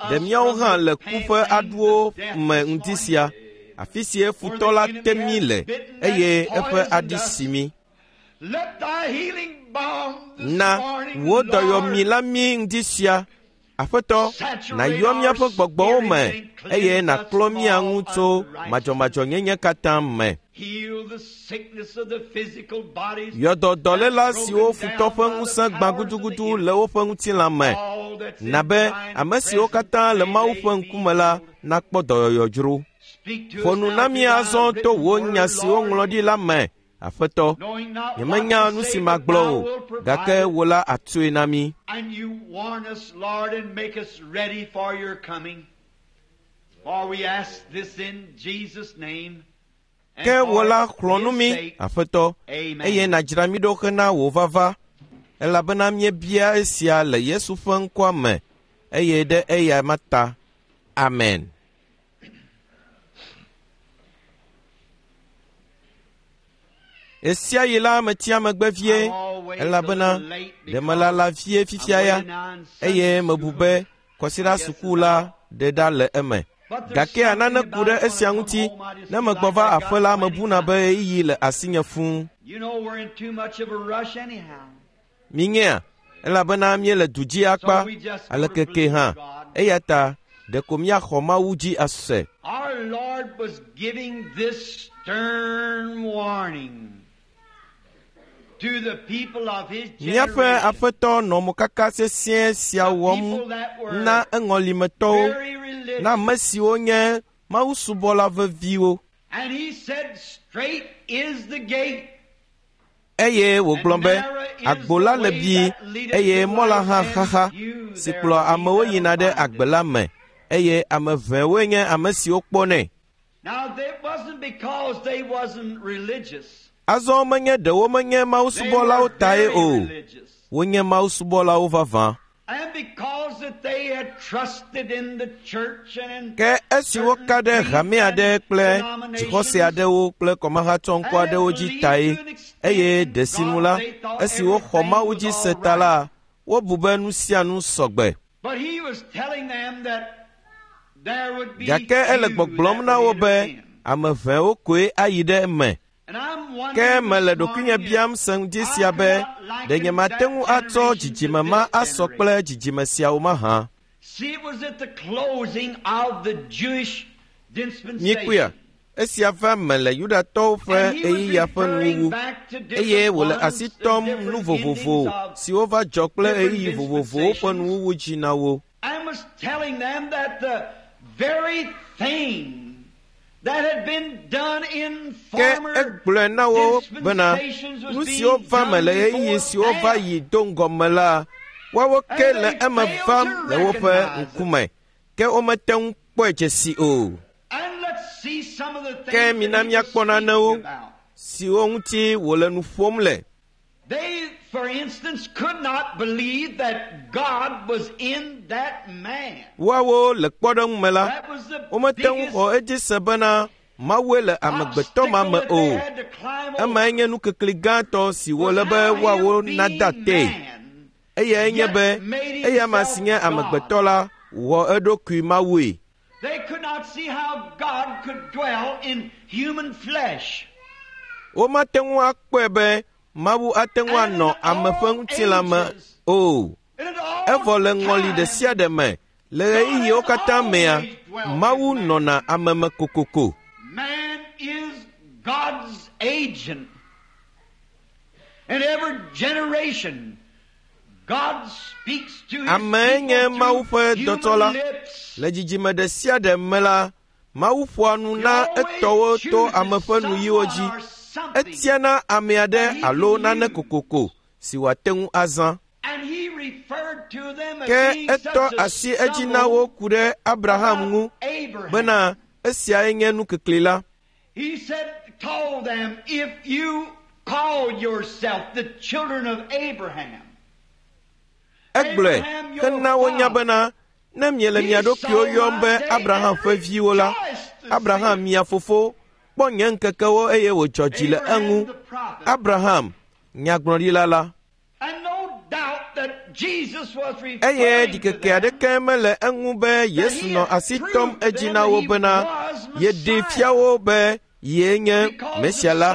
ɖe míawo hã le ku ƒe aɖuwo me ŋdi sia, afi si futɔ la te mí le eye eƒe aɖi si mí. Na wò dɔyɔmi la mí ŋdi sia, Aƒetɔ, nàyɔ míaƒe gbɔgbɔwo me eye nàklɔ mía ŋu tso madzɔmadzɔnyenye katã me. Yɔ dɔ dɔléla siwo futɔ ƒe ŋusẽ gbã gudugudu le woƒe ŋutilã me. Na be ame siwo katã le Mawu ƒe ŋkume la nakpɔ dɔyɔyɔ dzro. Ƒo nu na mí azɔ to wò nya siwo ŋlɔ ɖi la me, Aƒetɔ. Nyemenya nu si magblɔ o, gake wò la àtsoe na mí. Ke wò la xlɔ̃ nu mí, Aƒetɔ, eye nàdzra mí ɖo hena wò vava, elabena míebia esia le Yesu ƒe ŋkɔa me eye ɖe eya ma ta. Amen. Esia yi la metsia megbe vie, elabena ɖe melala vie fifia ya, eye mebu be kɔsiɖa suku la ɖe ɖa le eme. Gake nane ku ɖe esia ŋuti, ne megbɔ va aƒe la mebuna be ɣeyiɣi le asinye fũu. Minyea, elabena míele du dzi akpa alekeke hã, eya ta ɖeko míaxɔ Mawu dzi ase. Míaƒe Aƒetɔ nɔ mokaka sesĩe sia wɔm na eŋɔlimetɔwo, na ame siwo nye mawusubɔla veviwo. Eye wògblɔ be, agbo la le bii eye mɔ la hã xaxa si kplɔa amewo yina ɖe agbe la me, eye ame ʋɛwoe nye ame siwo kpɔnɛ. Azɔ menye ɖewo menye mawusubɔlawo tae o, wonye mawusubɔlawo vavã. Ke esi woka ɖe hame aɖe kple dzixɔse aɖewo kple kɔmahatsɔŋkɔ aɖewo dzi tae, eye ɖe sinu la, esi woxɔ Mawu dzi se ta la, wobu be nu sia nu sɔgbe. Gake ele gbɔgblɔm na wo be ame ʋɛwo koe ayi ɖe eme. Ke mele ɖokuinye biam se ŋdi sia be ɖe nyemate ŋu atsɔ dzidzime ma asɔ kple dzidzime siawo mahã. Míekpɔea, esia va me le Yudatɔwo ƒe ɣeyiɣia ƒe nuwuwu, eye wòle asi tɔm nu vovovo siwo va dzɔ kple ɣeyiɣi vovovowo ƒe nuwuwu dzi na wo. Ke egblɔe na wo bena nu siwo va me le ɣeyiɣi siwo va yi do ŋgɔ me la, woawo ke le eme vam le woƒe ŋkume, ke womete ŋu kpɔe dzesi o. Ke mina míakpɔ nanewo siwo ŋuti wòle nu ƒom le.
They, for instance, could not believe that God was in that man.
Woawo le kpɔɖeŋu me la, womete ŋu xɔ edzi se bena Mawue le amegbetɔ ma me o. Emae nye nukikli gãtɔ si wòle be woawo nada tee. Eyae nye be eya ma si nye amegbetɔ la wɔ eɖokui Mawue.
They could not see how God could dwell in human flesh.
Womate ŋu akpɔe be Mawu ate ŋu anɔ ame ƒe ŋutilã me o. Evɔ le ŋɔli ɖe sia ɖe me, le ɣeyiɣiwo katã mea, Mawu nɔna ame me kokoko.
Man is God's agent. In every generation, God speaks to his
Amee nye
people
Mawu ƒe
through
dɔtɔ la.
human lips.
Le dzidzime ɖe sia ɖe me la, Mawu ƒoa nu na etɔwo to ame ƒe nuyiwo dzi. Etiana ame aɖe alo nane kokoko si wòate ŋu azã.
And he referred to them as
Ke
being
etɔ
such a
asi edzi na wo ku ɖe Abraham ŋu
Abraham.
bena esiae nye nukikli la.
He said, told them, if you call yourself the children of Abraham,
Egblɔe hena wonya bena ne miele mia ɖokuiwo yɔm be Abraham ƒe viwo la, Abraham mia fofo kpɔ nye ŋkekewo eye wòdzɔ dzi le eŋu. Abraham, nyagblɔɖila la.
And no doubt that Jesus was
Eye
referring to
ɖikeke
them.
aɖeke mele eŋu be Yesu nɔ asi tɔm edzi na wo bena yeɖee fia wo be yee nye Mesia la,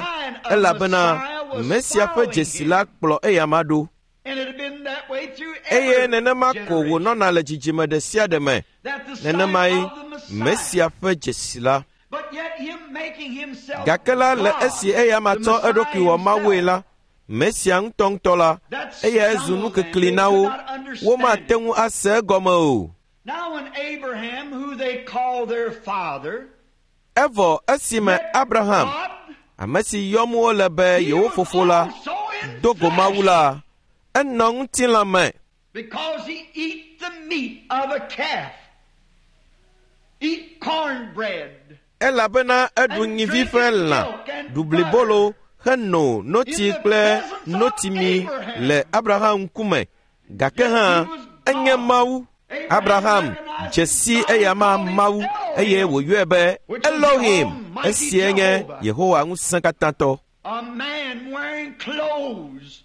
elabena Mesia ƒe dzesi la kplɔ eyama ɖo.
And it had been that way through
Eye
every
nenema ko
generation.
wònɔna le dzidzime ɖe sia ɖe me.
That the sign
Nenemae
of the Messiah.
Mesia ƒe dzesi la.
But yet him making himself
Gake la le
God,
esi eyama
the
tsɔ
Messiah
eɖokui wɔ Mawue
himself,
la, Mesia ŋutɔŋutɔ la, eyae zu nukekli na wo. Womate ŋu ase egɔme o.
Now when Abraham, who they call their father,
Evɔ esime
met
Abraham,
God,
ame si yɔm wole be
he
yewo
was
fofo la,
also in
do go Mawu
flesh
la, enɔ ŋutilã me
because he eat the meat of a calf, eat cornbread,
elabena eɖu nyivi ƒe lã, ɖu blibolo heno notsi kple notimi le Abraham ŋkume. Gake hã enye Mawu. Abraham dze si eyama Mawu eye wòyɔe be Elohim. Esie nye Yehowa ŋusẽkatãtɔ.
a man wearing clothes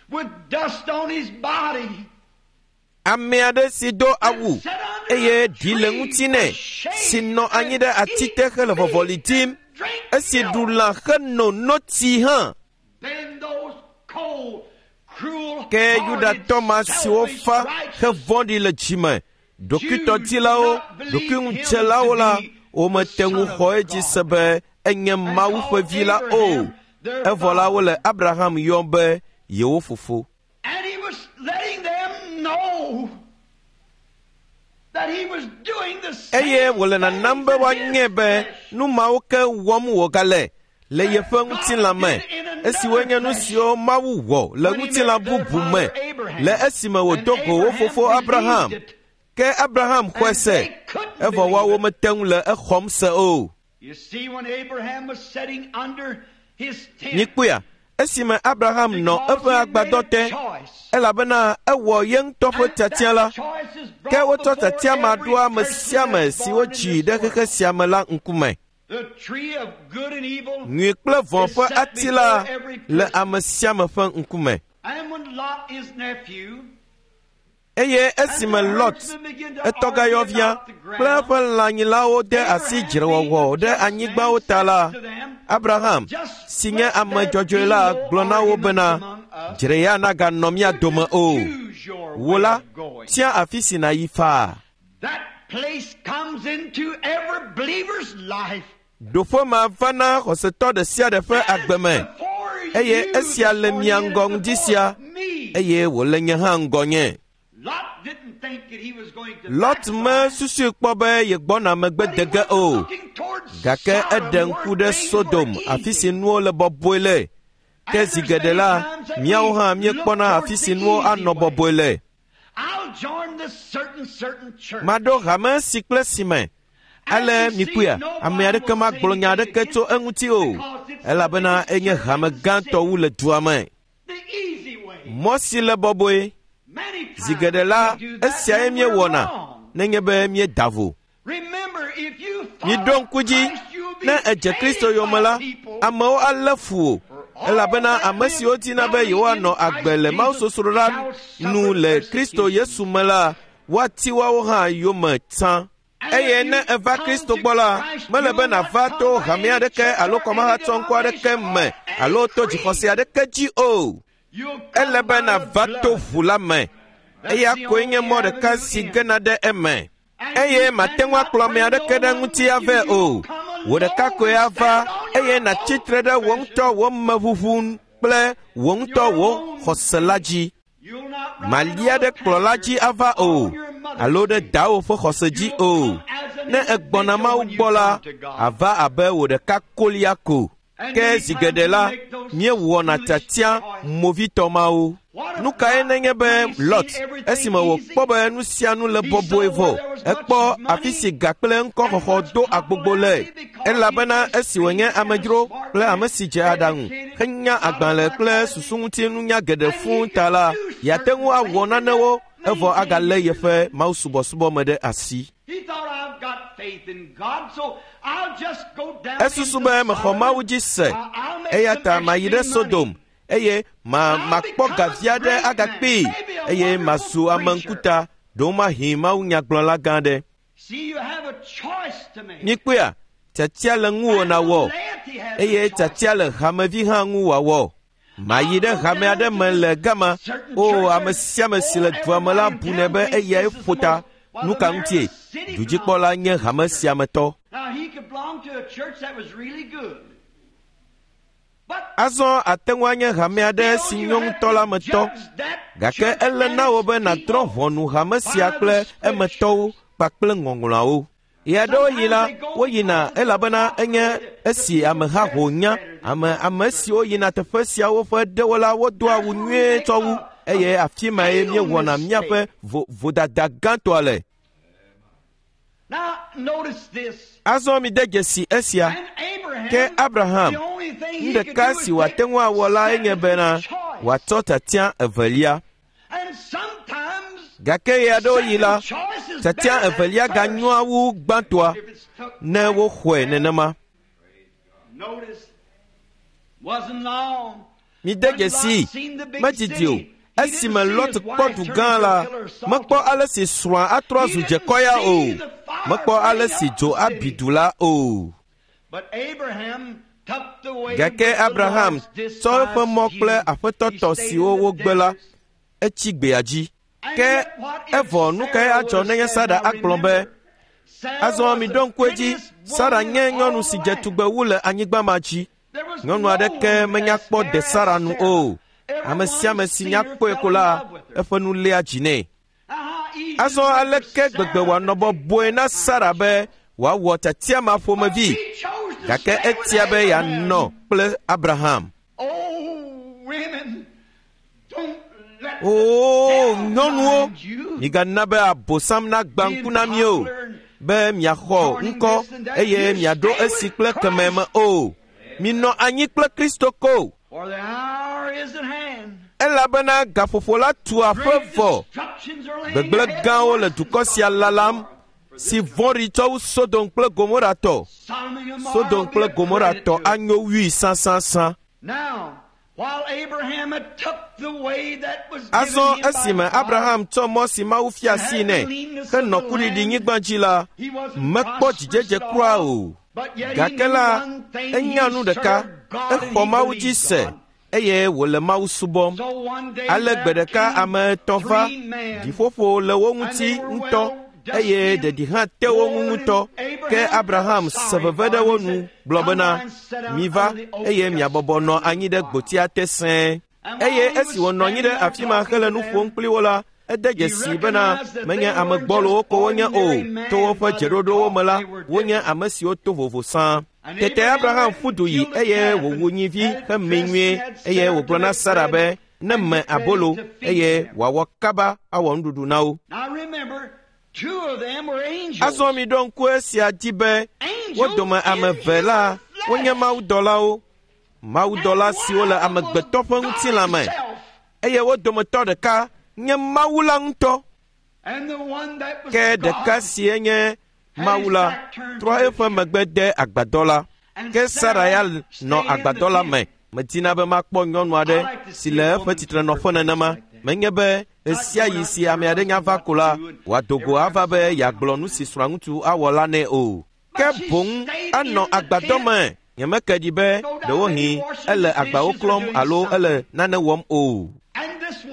with dust on his body.
Ame aɖe si do awu eye ɖi le ŋuti nɛ, si nɔ anyi ɖe ati te hele vɔvɔli dim, esi ɖu lã heno notsi hã.
Then those cold, cruel,
Ke Yudatɔ ma siwo fa hevɔ̃ɖi le dzime, ɖokuitɔdilawo, ɖokuiŋudzelawo la, womete ŋu xɔ edzi se be enye Mawu ƒe vi la o. Evɔ la wole Abraham yɔm be yewo fofo.
And he was letting them know that he was doing the same
Eye wòle nanam be
things in
woanye
his
be
flesh.
nu mawo ke wɔm wògale le yeƒe ŋutilã me, esiwoe nye nu siwo Mawu wɔ le ŋutilã bubu me le esime wòdo go wo fofo Abraham. Ke Abraham xɔe se, evɔ woawo mete ŋu le exɔm se o.
You see, when Abraham was sitting under his tent,
Mikpɔea, esime Abraham nɔ
because
eƒe
he had made
agbadɔ
a
te,
choice,
elabena ewɔ ye ŋutɔ ƒe
and
tiatia la,
that choice is
ke
brought
wotsɔ
before
tiatia ma
every
ɖo ame
person
sia ame
that's
si
born in
wodzi
this
ɖe xexe
world.
sia me la ŋkume.
The tree of good and evil
Nyui kple vɔ̃
is
ƒe
set
ati la
before every
le
person.
ame sia ame ƒe ŋkume.
And when Lot, his nephew,
Eye
and
esime
the
Lot,
herdsmen began to
etɔgayɔvia
argue about the
kple
ground,
eƒe lãnyilawo de asi
Abraham, being
dzrewɔwɔ
the
ɖe
just man,
anyigbawo ta
said
la,
to them,
Abraham,
Just
si nye
let
ame
there
dzɔdzɔe
be
la,
no
gblɔ na wo
arguments
bena,
among us.
dzre ya naganɔ mía
You
dome
just
o.
choose your
Wò
way
la,
of going.
tia afi si nàyi faa.
That place comes into every believer's life.
Ɖoƒe ma va na xɔsetɔ ɖe sia ɖe ƒe
That is
agbe me
before
eye
you
esia
this
le
morning,
mia
and
ŋgɔ
it's
ŋdi
before
sia
me.
eye wòle nye hã ŋgɔnye.
Lot didn't think that he was going to
Lot
backslide,
mesusui kpɔ be yegbɔna megbe
but he
de ge
wasn't
o.
looking towards
Gake
Sodom
eɖe
where
ŋku ɖe
things were
Sodom, afi si
easy.
nuwo le bɔbɔe le. Ke
And
zi
there's
geɖe
many
la,
times that
míawo
we
hã
look
míekpɔna
towards
afi si
the
nuwo
easy
anɔ
way.
bɔbɔe le.
I'll join this certain certain church.
Maɖo hame si kple si me.
And
Ale
you see,
mikpɔea, ame
nobody
aɖeke
will say
magblɔ nya
anything
aɖeke tso
against it
eŋuti o,
because it's the
elabena
biggest
enye
church
hame
in the
gãtɔ
city.
wu le dua me.
The easy way.
Mɔ si le bɔbɔe.
Many
Zi
times
geɖe la,
we do that
esiae
when we're
míewɔna
wrong.
nenye be míeda vo.
Remember, if you
Miɖo
follow
ŋku dzi,
Christ, you'll be
ne èdze Kristo
hated
yome
by
la,
people.
amewo alé fu wò elabena
All
ame
that
siwo
live
dina be
godly in
yewoanɔ agbe
Christ
le
Jesus
mawusosroɖa
shall
nu
suffer
le Kristo
persecution.
Yesu me la, woati woawo hã yome tsã.
And
Eye
if
ne
you
èva
come
Kristo
to
gbɔ la,
Christ,
mele
you
be
will not
nàva
come
to
by
hame
any
aɖeke
church
alo
or any
kɔmahatsɔŋkɔ aɖeke
denomination
me
or any
alo to
creed.
dzixɔse aɖeke dzi o.
You'll
Ele
come
be
by the
nàva to
blood.
ʋu la me.
That's
Eya
the
koe nye
only
mɔ ɖeka
avenue
si
in.
gena ɖe eme.
And
Eye
you
mate ŋu
cannot
akplɔ ame
bring
aɖeke
no
ɖe
one
ŋuti
with you.
avɛ
You'll
o.
come
Wò ɖeka
alone
koe
and
ava
stand on
eye
your
nàtsi
own
tre ɖe wò ŋutɔ
confession,
wò meʋuʋu kple wò ŋutɔ
your
wò
own
xɔse la
faith.
dzi.
You'll not ride
Màlia
on
ɖe
a
kplɔla
pastor
dzi ava o
on your mother's
alo ɖe
faith.
dawò ƒe xɔse dzi
You'll
o.
come as an
Ne ègbɔna
individual
Mawu
when you
gbɔ la,
come to God.
àva abe wò ɖeka kolia ko. Ke zi geɖe la, míewɔna tiatia movitɔ mawo. Nu kae nenye be Lot, esime wòkpɔ be nu sia nu le bɔbɔe vɔ, ekpɔ afi si ga kple ŋkɔxɔxɔ do agbogbo le, elabena esi wònye amedzro kple ame si dze aɖaŋu henya agbalẽ kple susuŋutinunya geɖe fũu ta la, yeate ŋu awɔ nanewo evɔ agalé yeƒe mawusubɔsubɔ me ɖe asi. Esusu be mexɔ Mawu dzi se, eya ta mayi ɖe Sodom eye ma makpɔ gavi aɖe agakpee eye mazu ame ŋkuta ɖewomahi mawunyagblɔla gã aɖe. Mikpɔea, tiatia le ŋuwò nàwɔ eye tiatia le hamevi hã ŋu wòawɔ. Mayi ɖe hame aɖe me le gama. O, ame sia ame si le dua me la bunɛ be eyae ƒo ta. Nu ka ŋutie? Dudzikpɔla nye hame sia me tɔ. Azɔ ate ŋu anye hame aɖe si nyo ŋutɔ la me tɔ, gake ele na wò be nàdrɔ̃ ʋɔnu hame sia kple emetɔwo kpakple ŋɔŋlɔawo. Ɣeaɖewoɣi la, woyina elabena enye esi ameha ho nya. Ame ame siwo yina teƒe siawo ƒe ɖewo la wodoa awu nyuie tsɔ wu eye afi mae míewɔna míaƒe vodada gãtɔa le. Azɔ mide dzesi esia. Ke Abraham, nu ɖeka si wòate ŋu awɔ la enye bena wòatsɔ tiatia evelia. Gake ɣeaɖewoɣi la, tiatia evelia ganyoa wu gbãtɔa ne woxɔe nenema. Mide dzesii, medidi o. Esime Lot kpɔ du gã la, mekpɔ ale si srɔ̃a atrɔ azu dzekɔya o. Mekpɔ ale si dzo abi du la o. Gake Abraham tsɔ eƒe mɔ kple aƒetɔ tɔ siwo wogbe la, etsi gbea dzi. Ke evɔ nu kae adzɔ nenye Sara agblɔ be, azɔ miɖo ŋku edzi, Sara nye nyɔnu si dze tugbe wu le anyigba ma dzi. Nyɔnu aɖeke menya kpɔ de Sara nu o. Ame sia ame si nya kpɔe ko la, eƒe nu léa dzi nɛ. Azɔ aleke gbegbe wòanɔ bɔbɔe na Sara be wòawɔ tiatia ma ƒomevi, gake etia be yeanɔ kple Abraham. Oo, nyɔnuwo, migana be abosam nagbã ŋku na mi o, be miaxɔ ŋkɔ eye miaɖo esi kple keme me o. Minɔ anyi kple Kristo ko. Elabena gaƒoƒo la tu aƒe vɔ. Gbegblẽ gãwo le dukɔ sia lalam, si vɔ̃ɖi tsɔ wu Sodom kple Gomora tɔ. Sodom kple Gomora tɔ anyo wui sãsãsã. Azɔ esime Abraham tsɔ mɔ si Mawu fia asi nɛ henɔ kuɖiɖinyigba dzi la, mekpɔ dzidzedze kura o. Gake la, enya nu ɖeka, exɔ Mawu dzi se eye wòle Mawu subɔm. Ale gbe ɖeka ame etɔ̃ va, ɖiƒoƒo le wo ŋuti ŋutɔ eye ɖeɖi hã te wo ŋu ŋutɔ. Ke Abraham se veve ɖe wo nu gblɔ bena, miva eye miabɔbɔ nɔ anyi ɖe gbotia te sẽe. Eye esi wònɔ anyi ɖe afi ma hele nu ƒom kpli wo la, ede dzesi bena menye ame gbɔlowo ko wonye o. To woƒe dzeɖoɖowo me la, wonye ame siwo to vovo sãa. Tete Abraham ƒu du yi eye wòwu nyivi hemee nyuie eye wògblɔ na Sara be ne me abolo eye wòawɔ kaba awɔ nuɖuɖu na wo. Azɔ miɖo ŋku esia dzi be wo dome ame eve la wonye mawudɔlawo, mawudɔla siwo le amegbetɔ ƒe ŋutilã me, eye wo dometɔ ɖeka nye Mawu la ŋutɔ. Ke ɖeka sie nye Mawu la trɔ eƒe megbe de agbadɔ la. Ke Sara ya nɔ agbadɔ la me. Medina be makpɔ nyɔnu aɖe si le eƒe tsitrenɔƒe nenema. Menye be ɣesiaɣi si ame aɖe nya va ko la, wòado go ava be yeagblɔ nu si srɔ̃aŋutsu awɔ la nɛ o. Ke boŋ anɔ agbadɔ me. Nyemeke ɖi be ɖewohĩ ele agbawo klɔm alo ele nane wɔm o.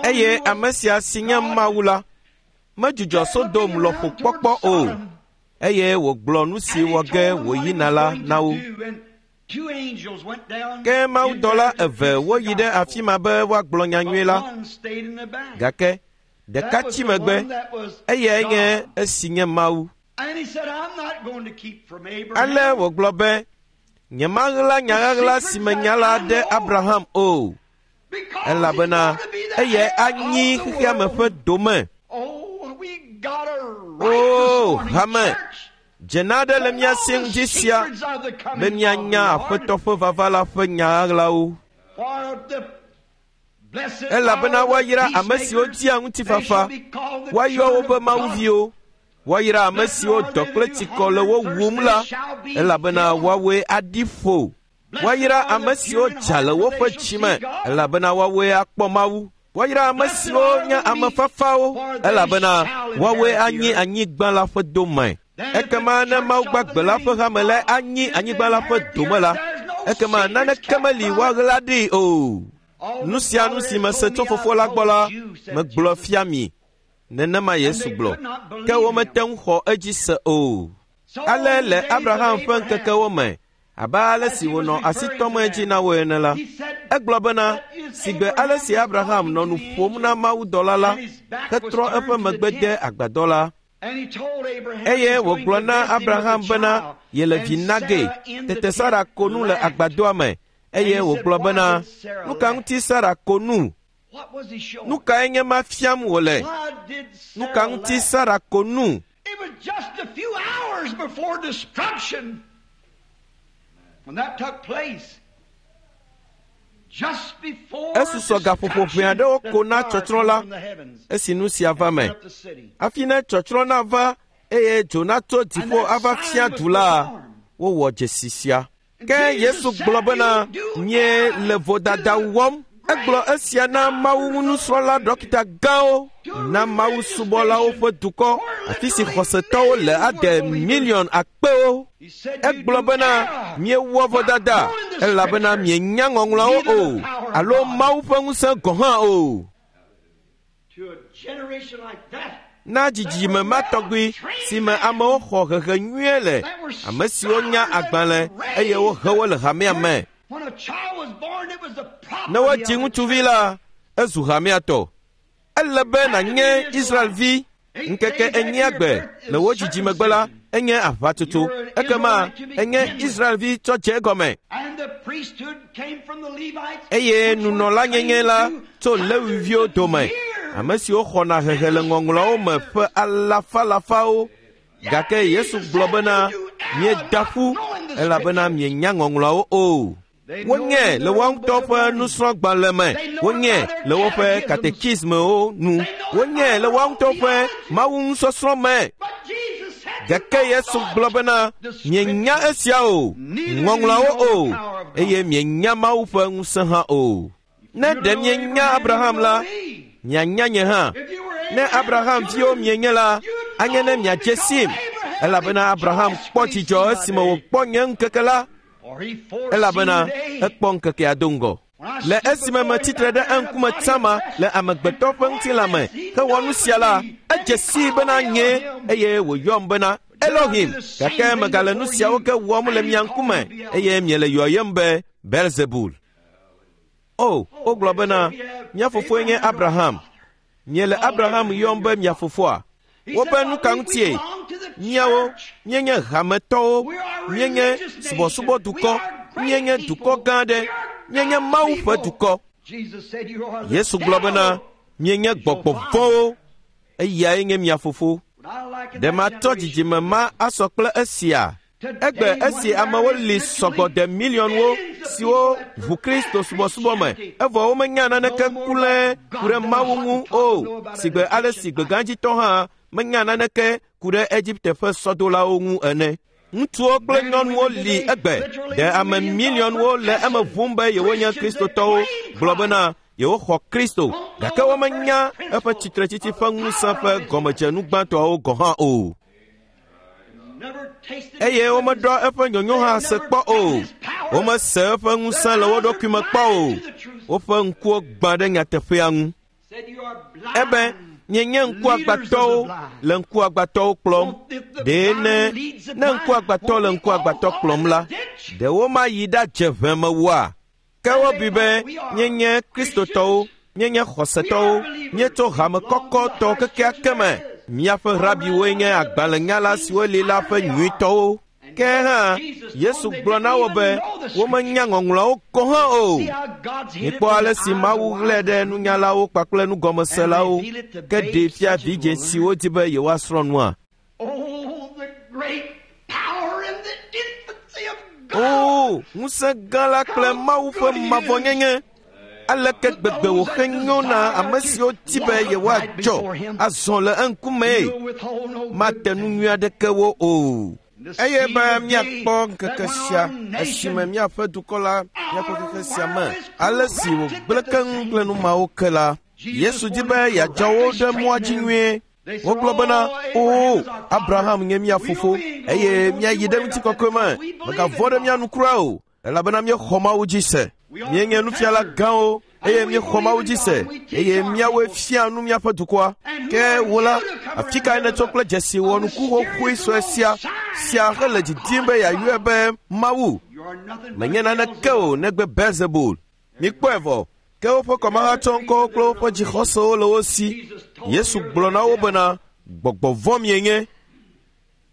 Eye ame sia si nye Mawu la, medzudzɔ Sodom lɔƒo kpɔkpɔ o, eye wògblɔ nu si wɔ ge wòyina la na wo. Ke mawudɔla eve woyi ɖe afi ma be woagblɔ nyanyui la, gake ɖeka tsi megbe, eyae nye esi nye Mawu. Ale wògblɔ be, Nyemaɣla nya ɣaɣla si me nya la ɖe Abraham o, elabena eyae anyi xexea me ƒe dome. Oo, hame, dzena aɖe le mía si ŋdi sia be míanya Aƒetɔ ƒe vava la ƒe nya ɣaɣlawo. Elabena woayra ame siwo dia ŋutifafa, woayɔ wo be mawuviwo. Woayra ame siwo dɔ kple tsikɔ le wo wum la, elabena woawoe aɖi ƒo. Woayra ame siwo dza le woƒe dzi me, elabena woawoe akpɔ Mawu. Woayra ame siwo nye ame fafawo, elabena woawoe anyi anyigba la ƒe dome. Ekema ne Mawu gbagbe la ƒe hame lae anyi anyigba la ƒe dome la, ekema naneke meli woaɣla ɖi o. Nu sia nu si mese tso Fofo la gbɔ la, megblɔ fia mi. Nenema Yesu gblɔ, ke womete ŋu xɔ edzi se o. Ale le Abraham ƒe ŋkekewo me, abe ale si wònɔ asi tɔm edzi na wo ene la, egblɔ bena, sigbe ale si Abraham nɔ nu ƒom na mawudɔla la, hetrɔ eƒe megbe de agbadɔ la. Eye wògblɔ na Abraham bena yele vi na ge. Tete Sara ko nu le agbadɔa me, eye wògblɔ bena, nu ka ŋuti Sara ko nu? Nu kae nye ma fiam wòle? Nu ka ŋuti Sara ko nu?
It was just a few hours before destruction when that took place. Just before
Esusɔ gaƒoƒo ʋɛ aɖewo ko na tsɔtsrɔ̃ la, esi nu sia va me. Hafi ne tsɔtsrɔ̃ nava eye dzo natso dziƒo ava fia du la, wowɔ dzesi sia. Ke Yesu gblɔ bena, mie le vodada wɔm. Egblɔ esia na Mawu ŋu nusrɔ̃la ɖɔkita gãwo, na Mawu subɔlawo ƒe dukɔ, afi si xɔsetɔwo le ade miliɔn akpewo. Egblɔ bena, miewɔ vodada, elabena mienya ŋɔŋlɔawo o, alo Mawu ƒe ŋusẽ gɔ̃ hã o. Na dzidzime ma tɔgbi si me amewo xɔ hehe nyuie le, ame siwo nya agbalẽ eye wohe wo le hamea me. Ne wodzi ŋutsuvi la, ezu hamea tɔ. Ele be nànye Israelvi ŋkeke enyia gbe le wo dzidzimegbe la, enye aʋatsotso. Ekema enye Israelvi tsɔ dze egɔme. Eye nunɔlanyenye la tso Lewiviwo dome, ame siwo xɔna hehe le ŋɔŋlɔawo me ƒe alafalafawo. Gake Yesu gblɔ bena, mieda ƒu, elabena mienya ŋɔŋlɔawo o. Wonye le woa ŋutɔ ƒe nusrɔ̃gbalẽ me, wonye le woƒe katekismewo nu, wonye le woa ŋutɔ ƒe mawunusɔsrɔ̃ me. Gake Yesu gblɔ bena, mienya esia o, ŋɔŋlɔawo o, eye mienya Mawu ƒe ŋusẽ hã o. Ne ɖe mienya Abraham la, mianya nye hã. Ne Abraham viwo mienye la, anye ne miadze sim, elabena Abraham kpɔ dzidzɔ esime wòkpɔ nye ŋkeke la, elabena ekpɔ ŋkekea do ŋgɔ. Le esime metsitre ɖe eŋkume tsama le amegbetɔ ƒe ŋutilã me hewɔ nu sia la, edze sii bena nye eye wòyɔm bena Elohim. Gake megale nu siawo ke wɔm le mia ŋkume eye miele yɔyem be Belzebul. O, wogblɔ bena, mía fofoe nye Abraham. Miele Abraham yɔm be mia fofoa. Wobe nu ka ŋutie? Míawo míenye hametɔwo, míenye subɔsubɔdukɔ, míenye dukɔ gã aɖe, míenye Mawu ƒe dukɔ. Yesu gblɔ bena, mienye gbɔgbɔ vɔ̃wo, eyae nye mia fofo. Ɖe matsɔ dzidzime ma asɔ kple esia? Egbe esi amewo li sɔgbɔ de miliɔnwo siwo ʋu Kristo subɔsubɔ me, evɔ womenya naneke kulae ku ɖe Mawu ŋu o, sigbe ale si gbegãdzitɔ hã menya naneke ku ɖe Egipte ƒe sɔdolawo ŋu ene. Ŋutsuwo kple nyɔnuwo li egbe, ɖe ame miliɔnwo le eme ʋum be yewonye Kristotɔwo, gblɔ bena yewoxɔ Kristo, gake womenya eƒe tsitretsitsi ƒe ŋusẽ ƒe gɔmedzenu gbãtɔawo gɔ̃ hã o. Eye womeɖɔ eƒe nyonyo hã se kpɔ o. Womese eƒe ŋusẽ le wo ɖokui me kpɔ o. Woƒe ŋkuwo gbã ɖe nyateƒea ŋu. Ebe mienye ŋkuagbãtɔwo le ŋkuagbãtɔwo kplɔm. Ɖe ne ne ŋkuagbãtɔ le ŋkuagbãtɔ kplɔm la, ɖe womayi ɖadze ʋe me woa? Ke wobui be míenye Kristotɔwo, míenye xɔsetɔwo, míetso hame kɔkɔtɔ kekeake me. Míaƒe rabiwoe nye agbalẽnyala siwo li la ƒe nyuitɔwo. Ke hã Yesu gblɔ na wo be womenya ŋɔŋlɔawo gɔ̃ hã o. Mikpɔ ale si Mawu ɣlae ɖe nunyalawo kpakple nugɔmeselawo ke ɖee fia vidzĩ siwo di be yewoasrɔ̃ nua. O, ŋusẽ gã la kple Mawu ƒe mavɔnyenye! Aleke gbegbe wòhe nyo na ame siwo di be yewoadzɔ azɔ le eŋkumee! Mate nu nyui aɖeke wo o. Eye be míakpɔ ŋkeke sia esime míaƒe dukɔ la míaƒe xexe sia me ale si wògblẽ keŋ kple nu mawo ke la, Yesu di be yeadzɔ wo ɖe mɔa dzi nyuie. Wogblɔ bena, "Oo, Abraham nye mía fofo, eye míayi ɖe ŋutikɔkɔe me. Mègavɔ̃ ɖe mía nu kura o, elabena míexɔ Mawu dzi se. Míenye nufiala gãwo, eye míexɔ Mawu dzi se, eye míawoe fia nu míaƒe dukɔa. Ke wò la, afi kae nètso kple dzesi wɔnuku xoxoe sue sia sia hele didim be yeayɔe be Mawu? Menye naneke o negbe Beelzebul." Mikpɔe vɔ, ke woƒe kɔmahatsɔŋkɔwo kple woƒe dzixɔsewo le wo si. Yesu gblɔ na wo bena, "Gbɔgbɔ vɔ̃ mienye.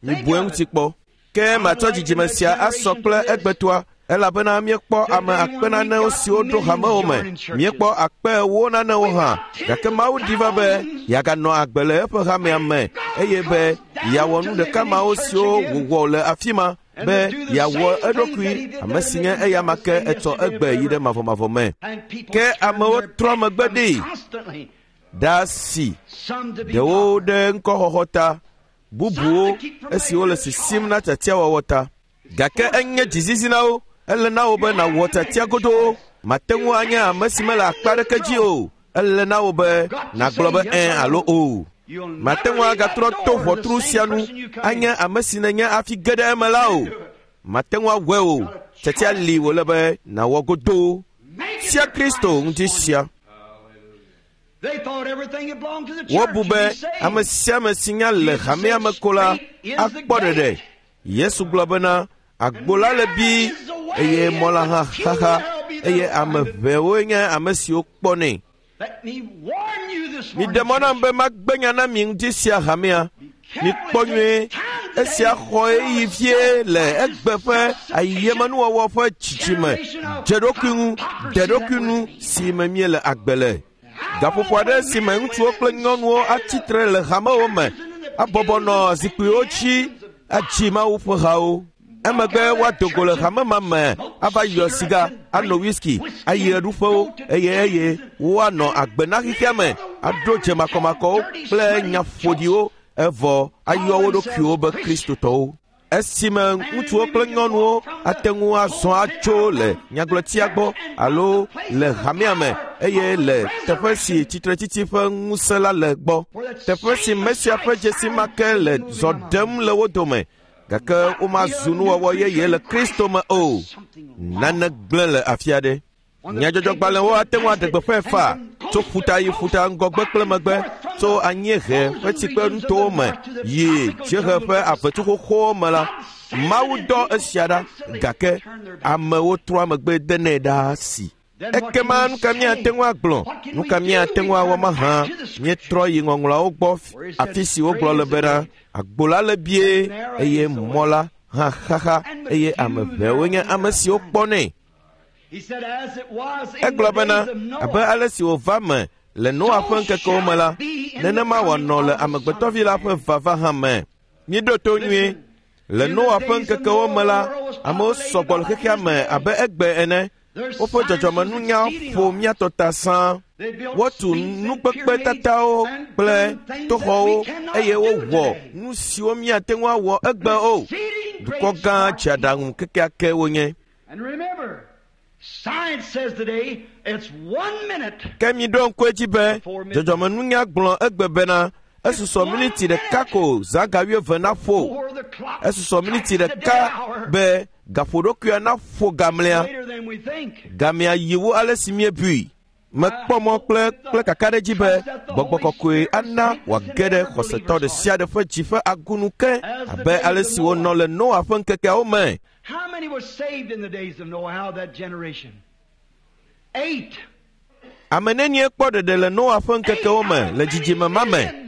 Mibu eŋuti kpɔ. Ke matsɔ dzidzime sia asɔ kple egbetoa, elabena míekpɔ ame akpe nanewo siwo ɖo hamewo me. Míekpɔ akpe ewo nanewo hã. Gake Mawu di va be yeaganɔ agbe le eƒe hamea me eye be yeawɔ nu ɖeka mawo siwo wòwɔ le afi ma be yeawɔ eɖokui ame si nye eyama ke etsɔ egbe yi ɖe mavɔmavɔ me. Ke amewo trɔ megbe ɖee ɖe asi, ɖewo ɖe ŋkɔxɔxɔ ta, bubuwo esiwo le sisim na tiatiawɔwɔ ta. Gake enye dzizizi na wo. Ele na wo be nàwɔ tiatia godoo. Mate ŋu anye ame si mele akpa aɖeke dzi o. Ele na wo be nàgblɔ be ɛ̃ alo o. Mate ŋu agatrɔ to ʋɔtru sia nu anye ame si nènye hafi ge ɖe eme la o. Mate ŋu awɔe o. Tiatia li wòle be nàwɔ godoo. Sia Kristo ŋuti sia. Wobu be ame sia ame si nya le hamea me ko la akpɔ ɖeɖe. Yesu gblɔ bena, agbo la le bii eye mɔ la hã xaxa eye ame ʋɛwoe nye ame siwo kpɔnɛ. Miɖe mɔ nam be magbe nya na mi ŋuti sia hamea. Mikpɔ nyuie, esia xɔ ɣeyiɣi vie le egbe ƒe ayemenuwɔwɔ ƒe dzidzime, dze ɖokui ŋu, ɖe ɖokui nu si me míele agbe le. Gaƒoƒo aɖe si me ŋutsuwo kple nyɔnuwo atsi tre le hamewo me, abɔbɔ nɔ zikpuiwo dzi adzi Mawu ƒe hawo. Emegbe woado go le hame ma me ava yɔ siga, ano whisky, ayi ɣeɖuƒewo eye eye woanɔ agbe na xexea me, aɖo dze makɔmakɔwo kple nya ƒoɖiwo evɔ ayɔ wo ɖokuiwo be Kristotɔwo. Esime ŋutsuwo kple nyɔnuwo ate ŋu azɔ atso le nyagblɔtia gbɔ alo le hamea me eye le teƒe si tsitretsitsi ƒe ŋusẽ la le gbɔ, teƒe si Mesia ƒe dzesi ma ke le zɔ ɖem le wo dome, gake womazu nuwɔwɔ yeye le Kristo me o. Nane gblẽ le afi aɖe. Nyadzɔdzɔgbalẽwo ate ŋu aɖe gbeƒãe faa tso ƒuta yi ƒuta ŋgɔgbe kple megbe, tso anyiehe ƒe tsikpenutowo me yi dziehe ƒe avetsu xoxowo me la, Mawu dɔ esia ɖa, gake amewo trɔa megbe denɛ ɖaa si. Ekema nu ka míate ŋu agblɔ? Nu ka míate ŋu awɔ mahã? Míetrɔ yi ŋɔŋlɔawo gbɔ afi si wogblɔ le bena, agbo la le bie eye mɔ la hã xaxa eye ame ʋɛwoe nye ame siwo kpɔnɛ. Egblɔ bena, abe ale si wòva me le Noa ƒe ŋkekewo me la, nenema wòanɔ le Amegbetɔvi la ƒe vava hã me. Míeɖo to nyuie. Le Noa ƒe ŋkekewo me la, amewo sɔgbɔ le xexea me abe egbe ene. Woƒe dzɔdzɔmenunya ƒo mía tɔ ta sãa. Wotu nukpekpetatawo kple toxɔwo eye wowɔ nu siwo míate ŋu awɔ egbe o. Dukɔ gã dzeaɖaŋu kekeake wonye. Ke miɖo ŋku edzi be dzɔdzɔmenunya gblɔ egbe bena esusɔ miniti ɖeka ko zã ga wuieve naƒo. Esusɔ miniti ɖeka be gaƒoɖokuia naƒo gamlea. Gamea yi wu ale si míebui. Mekpɔ mɔ kple kple kakaɖedzi be gbɔgbɔ kɔkɔe ana wòage ɖe xɔsetɔ ɖe sia ɖe ƒe dzi ƒe agunu ke abe ale si wonɔ le Noa ƒe ŋkekeawo me.
How many were saved in the days of Noah, that generation? Eight.
Ame nenie kpɔ ɖeɖe le Noa ƒe ŋkekewo me le dzidzime ma me?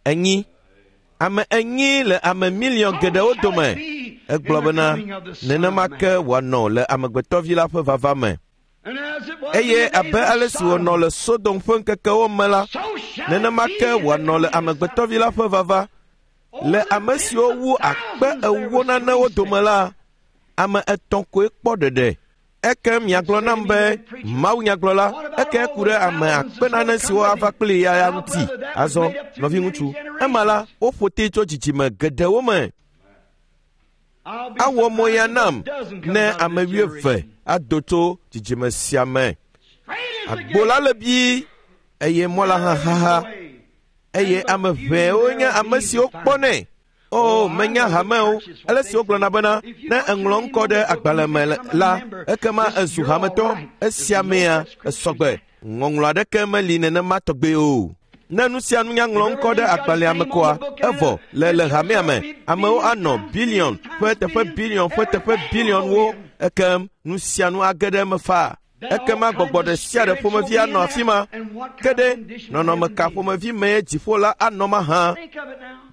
Enyi. Ame enyi le ame miliɔn geɖewo dome. Egblɔ bena nenema ke wòanɔ le amegbetɔvi la ƒe vava me. Eye abe ale si wònɔ le Sodom ƒe ŋkekewo me la, nenema ke wòanɔ le amegbetɔvi la ƒe vava. Le ame siwo wu akpe ewo nanewo dome la, ame etɔ̃ koe kpɔ ɖeɖe. Eke miagblɔ nam be Mawu nyagblɔla, eke ku ɖe ame akpe nane siwo ava kpli ya ya ŋuti. Azɔ, nɔviŋutsu, ema la, woƒo te tso dzidzime geɖewo me. Awɔ mo ya nam ne ame wuieve ado tso dzidzime sia me. Agbo la le bii eye mɔ la hã xaxa eye ame ʋɛwo nye ame siwo kpɔnɛ. O, menya hamewo, ale si wogblɔna bena ne eŋlɔ ŋkɔ ɖe agbalẽ me la, ekema ezu hametɔ, esia mea esɔgbe. Ŋɔŋlɔ aɖeke meli nenema tɔgbe o. Ne nu sia nu nyaŋlɔ ŋkɔ ɖe agbalẽa me koa, evɔ le le hamea me, amewo anɔ biliɔn ƒe teƒe biliɔn ƒe teƒe biliɔnwo, ekem nu sia nu age ɖe eme faa. Ekema gbɔgbɔ ɖe sia ɖe ƒomevi anɔ afi ma. Ke ɖe nɔnɔme ka ƒomevi mee dziƒo la anɔ mahã?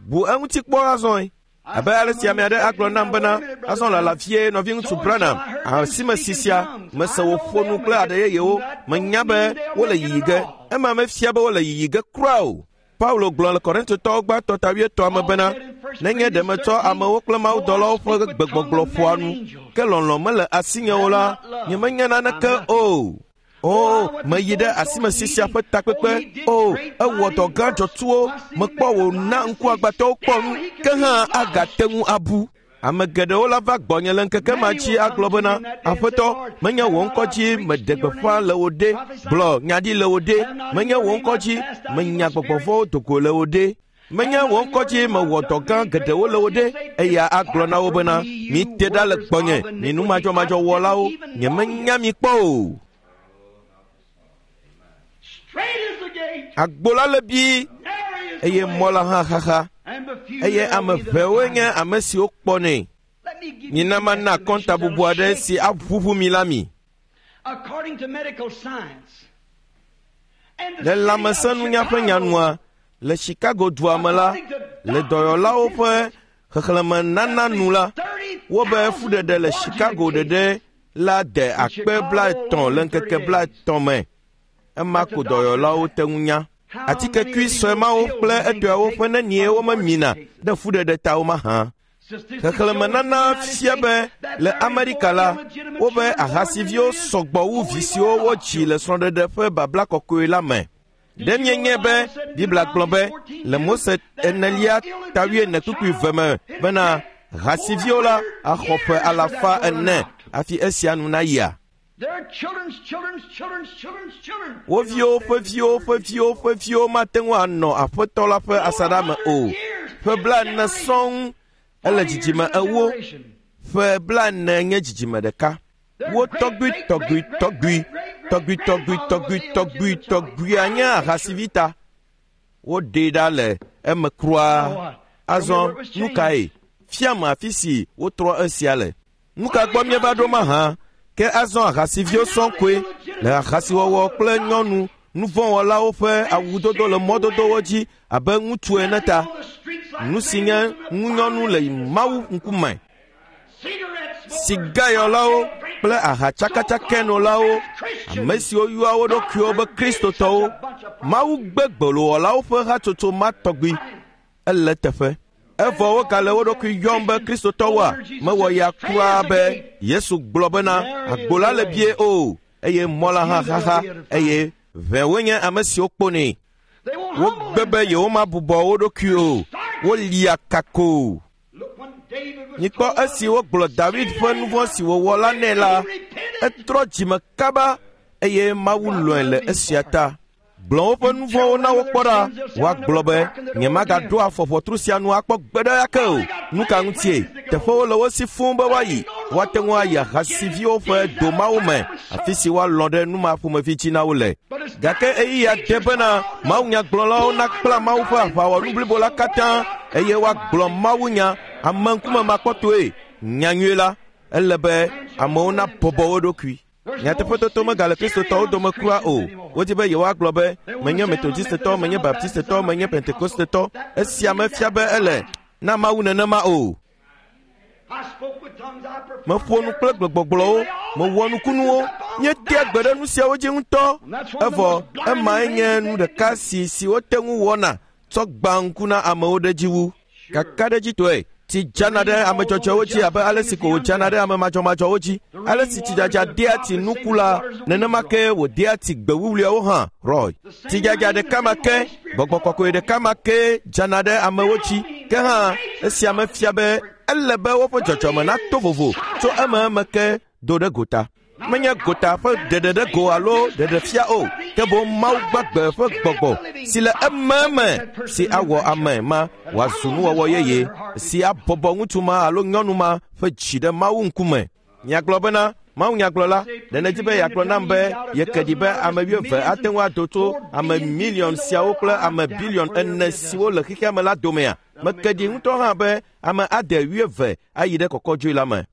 Bu eŋuti kpɔ azɔe. Abe ale si ame aɖe agblɔ nam bena azɔ lala vie nɔviŋutsu Branham, asime si sia, mese wòƒo nu kple aɖe yeyewo, menya be wole yiyi ge. Ema mefia be wole yiyi ge kura o. Paulo gblɔ le Korintotɔwo gbãtɔ ta wuietɔ̃a me bena, nenye ɖe metsɔ amewo kple mawudɔlawo ƒe gbegbɔgblɔ ƒoa nu, ke lɔlɔ̃ mele asinye o la, nyemenya naneke o. O, meyi ɖe asimesi sia ƒe takpekpe. O, ewɔ dɔ gã dzɔtsuwo, mekpɔ wòna ŋkuagbãtɔwo kpɔ nu, ke hã agate ŋu abu. Ame geɖewo la va gbɔnye le ŋkeke ma dzi agblɔ bena, Aƒetɔ, menye wò ŋkɔ dzi meɖe gbeƒã le wò ɖe, gblɔ nya ɖi le wò ɖe, menye wò ŋkɔ dzi menya gbɔgbɔ vɔ̃wo do go le wò ɖe, menye wò ŋkɔ dzi mewɔ dɔ gã geɖewo le wò ɖe. Eya agblɔ na wo bena, mite ɖa le gbɔnye, mi numadzɔmadzɔwɔlawo, nyemenya mi kpɔ o. Agbo la le bii eye mɔ la hã xaxa eye ame ʋɛwoe nye ame siwo kpɔnɛ. Mina mana akɔntabubu aɖe si aʋuʋu mi la mi. Le lãmesẽnunya ƒe nyanua, le Chicago dua me la, le dɔyɔlawo ƒe xexlẽme nana nu la, wobe fuɖeɖe le Chicago ɖeɖe la de akpe blaetɔ̃ le ŋkeke blaetɔ̃ me. Ema ko dɔyɔlawo te ŋu nya. Atikekui sue mawo kple etɔeawo ƒe nenie womemina ɖe fuɖeɖe ta wo mahã. Xexlẽme nana fia be le Amerika la, wobe ahasiviwo sɔgbɔ wu vi siwo wodzi le srɔ̃ɖeɖe ƒe babla kɔkɔe la me. Ɖe mienye be Biblia gblɔ be le Mose enelia ta wuiene kpukpui ve me bena hasiviwo la axɔ ƒe alafa ene hafi esia nu nayia? Wo viwo ƒe viwo ƒe viwo ƒe viwo mate ŋu anɔ Aƒetɔ la ƒe asaɖa me o. Ƒe blaene sɔŋ ele dzidzime ewo, ƒe blaene nye dzidzime ɖeka. Wo tɔgbui tɔgbui tɔgbui tɔgbui tɔgbui tɔgbui tɔgbui tɔgbuia nye ahasivi ta. Woɖee ɖa le eme kura. Azɔ nu kae? Fiam afi si wotrɔ esia le. Nu ka gbɔ míeva ɖo mahã? Ke azɔ ahasiviwo sɔŋ koe le ahasiwɔwɔ kple nyɔnu nuvɔ̃wɔlawo ƒe awudodo le mɔdodowo dzi abe ŋutsu ene ta. Nu si nye ŋunyɔnu le Mawu ŋkume. Sigayɔlawo kple ahatsakatsakɛnolawo, ame siwo yɔa wo ɖokuiwo be Kristotɔwo, Mawu gbe gbolowɔlawo ƒe hatsotso ma tɔgbi. Ele teƒe. Evɔ wogale wo ɖokui yɔm be Kristotɔwoa, mewɔ ya kura be Yesu gblɔ bena agbo la le bie o, eye mɔ la hã xaxa, eye ʋɛwoe nye ame siwo kpɔnɛ. Wogbe be yewomabubɔ wo ɖokui o, wolia kako. Mikpɔ esi wogblɔ David ƒe nu vɔ̃ si wòwɔ la nɛ la, etrɔ dzime kaba eye Mawu lɔ̃e le esia ta. Gblɔ woƒe nu vɔ̃wo na wo kpɔ ɖa, woagblɔ be nyemagaɖo afɔ ʋɔtru sia nu akpɔ gbe ɖe ake o. Nu ka ŋutie? Teƒewo le wo si fũu be woayi. Woate ŋu ayi ahasiviwo ƒe domawo me, afi si woalɔ̃ ɖe nu ma ƒomevi dzi na wo le. Gake eya de bena mawunyagblɔlawo nakpla Mawu ƒe aʋawɔnu blibo la katã eye woagblɔ mawunya ameŋkume makpɔtɔe. Nyanyui la, ele be amewo nabɔbɔ wo ɖokui. Nyateƒetoto megale Kristotɔwo dome kura o. Wodi be yewoagblɔ be menye Metodistetɔ, menye Baptistetɔ, menye Pentekostetɔ. Esia mefia be ele na Mawu nenema o. Meƒo nu kple gbegbɔgblɔwo, mewɔ nukunuwo, míetea gbe ɖe nu siawo dzi ŋutɔ. Evɔ emae nye nu ɖeka si si wote ŋu wɔna tsɔ gbã ŋku na amewo ɖe dzi wu. Kakaɖedzitɔe, tsi dzana ɖe ame dzɔdzɔewo dzi abe ale si ko wòdzana ɖe ame madzɔmadzɔwo dzi. Ale si tsidzadza dea tsi nuku la, nenema ke wòdea tsi gbe wuwluiawo hã. Roy. Tsidzadza ɖeka ma ke, gbɔgbɔ kɔkɔe ɖeka ma ke dzana ɖe amewo dzi. Ke hã, esia mefia be ele be woƒe dzɔdzɔme nato vovo tso ememe ke do ɖe gota. Menye gota ƒe ɖeɖe ɖe go alo ɖeɖefia o, ke boŋ Mawu gbagbe ƒe gbɔgbɔ si le ememe si awɔ ame ma wòazu nuwɔwɔ yeye si abɔbɔ ŋutsu ma alo nyɔnu ma ƒe dzi ɖe Mawu ŋkume. Miagblɔ bena, Mawu nyagblɔla, ɖe nèdi be yeagblɔ nam be yeke ɖi be ame wuieve ate ŋu ado tso ame miliɔn siawo kple ame biliɔn ene siwo le xexea me la domea? Meke ɖi ŋutɔ hã be ame ade wuieve ayi ɖe kɔkɔdzoe la me.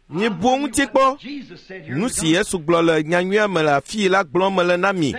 Mibu ŋuti kpɔ. Nu si Yesu gblɔ le nyanyuia me le afii la gblɔm mele na mi.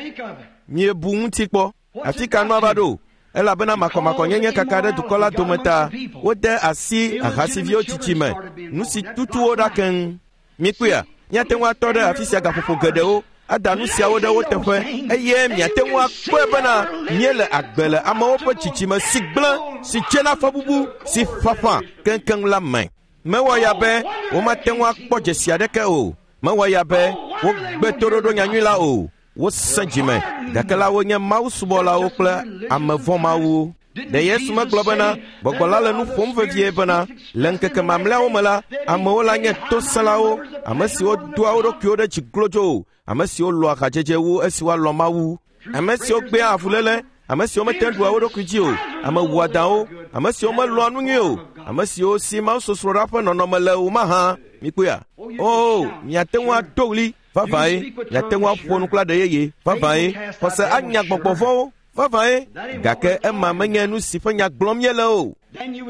Miebu ŋuti kpɔ. Afi ka nua va ɖo? Elabena makɔmakɔnyenye kaka ɖe dukɔ la dome ta wode asi ahasiviwo tsitsi me. Nu si tutu wo ɖa keŋ. Mikpɔea, miate ŋu atɔ ɖe afi sia gaƒoƒo geɖewo ada nu siawo ɖe wo teƒe eye miate ŋu akpɔe bena míele agbe le amewo ƒe tsitsime si gblẽ, si tsena fɔbubu, si ƒaƒã keŋkeŋ la me. Mewɔ ya be womate ŋu akpɔ dzesi aɖeke o. Mewɔ ya be wogbe toɖoɖo nyanyui la o. Wosẽ dzime, gake la wonye Mawu subɔlawo kple ame vɔ̃mawu. Ɖe Yesu megblɔ bena gbɔgbɔ la le nu ƒom vevie bena le ŋkeke mamlɛawo me la, amewo la nye tosẽlawo, ame siwo doa wo ɖokuiwo ɖe dzi glodzo, ame siwo lɔ̃a hadzedze wu esi woalɔ̃ Mawu, ame siwo gbea avuléle, ame siwo mete ŋu ɖua wo ɖokui dzi o, ame wɔadãwo, ame siwo melɔ̃a nu nyui o, ame siwo si mawusosroɖa ƒe nɔnɔme le o mahã. Mikpɔea? O, miate ŋu ado ɣli vavãe, miate ŋu aƒo nu kple aɖe yeye vavãe, xɔse anya gbɔgbɔ vɔ̃wo vavãe, gake ema menye nu si ƒe nya gblɔm míele o.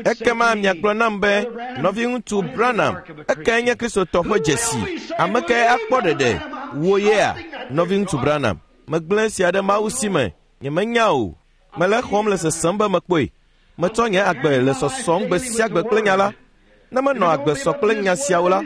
Ekema miagblɔ nam be, nɔviŋutsu Branham, ekae nye Kristotɔ ƒe dzesi? Ame kae akpɔ ɖeɖe? Wò yea, nɔviŋutsu Branham? Megblẽ esia ɖe Mawu si me. Nyemenya o. Mele xɔm le sesem be mekpɔe. Metsɔ nye agbe le sɔsɔm gbe sia gbe kple nya la. Ne menɔ agbe sɔ kple nya siawo la,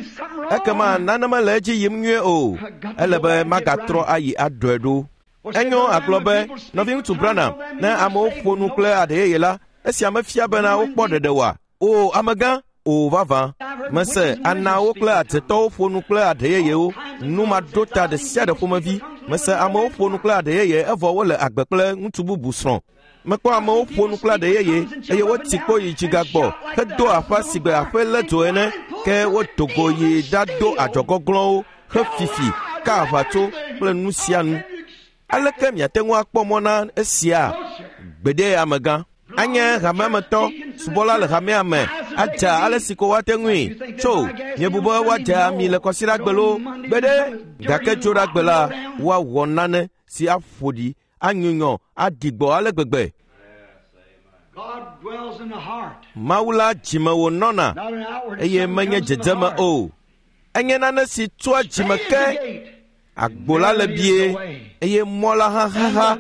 ekema nane mele edzi yim nyuie o. Ele be magatrɔ ayi aɖɔe ɖo. Enyo agblɔ be, nɔviŋutsu Branham, ne amewo ƒo nu kple aɖe yeye la, esia mefia bena wokpɔ ɖeɖe oa? O, amegã, o vavã. Mese anawo kple adzetɔwo ƒo nu kple aɖe yeyewo, nu maɖo ta ɖe sia ɖe ƒomevi. Mese amewo ƒo nu kple aɖe yeye evɔ wole agbe kple ŋutsu bubu srɔ̃. Mekpɔ amewo ƒo nu kple aɖe yeye eye wotsi kpo yi dzigagbɔ hedo aƒa si gbe aƒe lé dzo ene, ke wodo go yi ɖado adzɔgɔglɔ̃wo hefifi ka aʋatso kple nu sia nu. Aleke miate ŋu akpɔ mɔ na esia? Gbeɖe amegã. Anye hameametɔ, subɔla le hamea me, adza ale si ko woate ŋui. Tso, miebu be woadze ami le kɔsiɖagbe loo? Gbeɖe, gake tso ɖagbe la, woawɔ nane si aƒo ɖi, anyunyɔ, aɖi gbɔ ale gbegbe. Mawu la dzime wònɔna eye menye dzedzeme o. Enye nane si tsoa dzime ke. Agbo la le bie eye mɔ la hã xaxa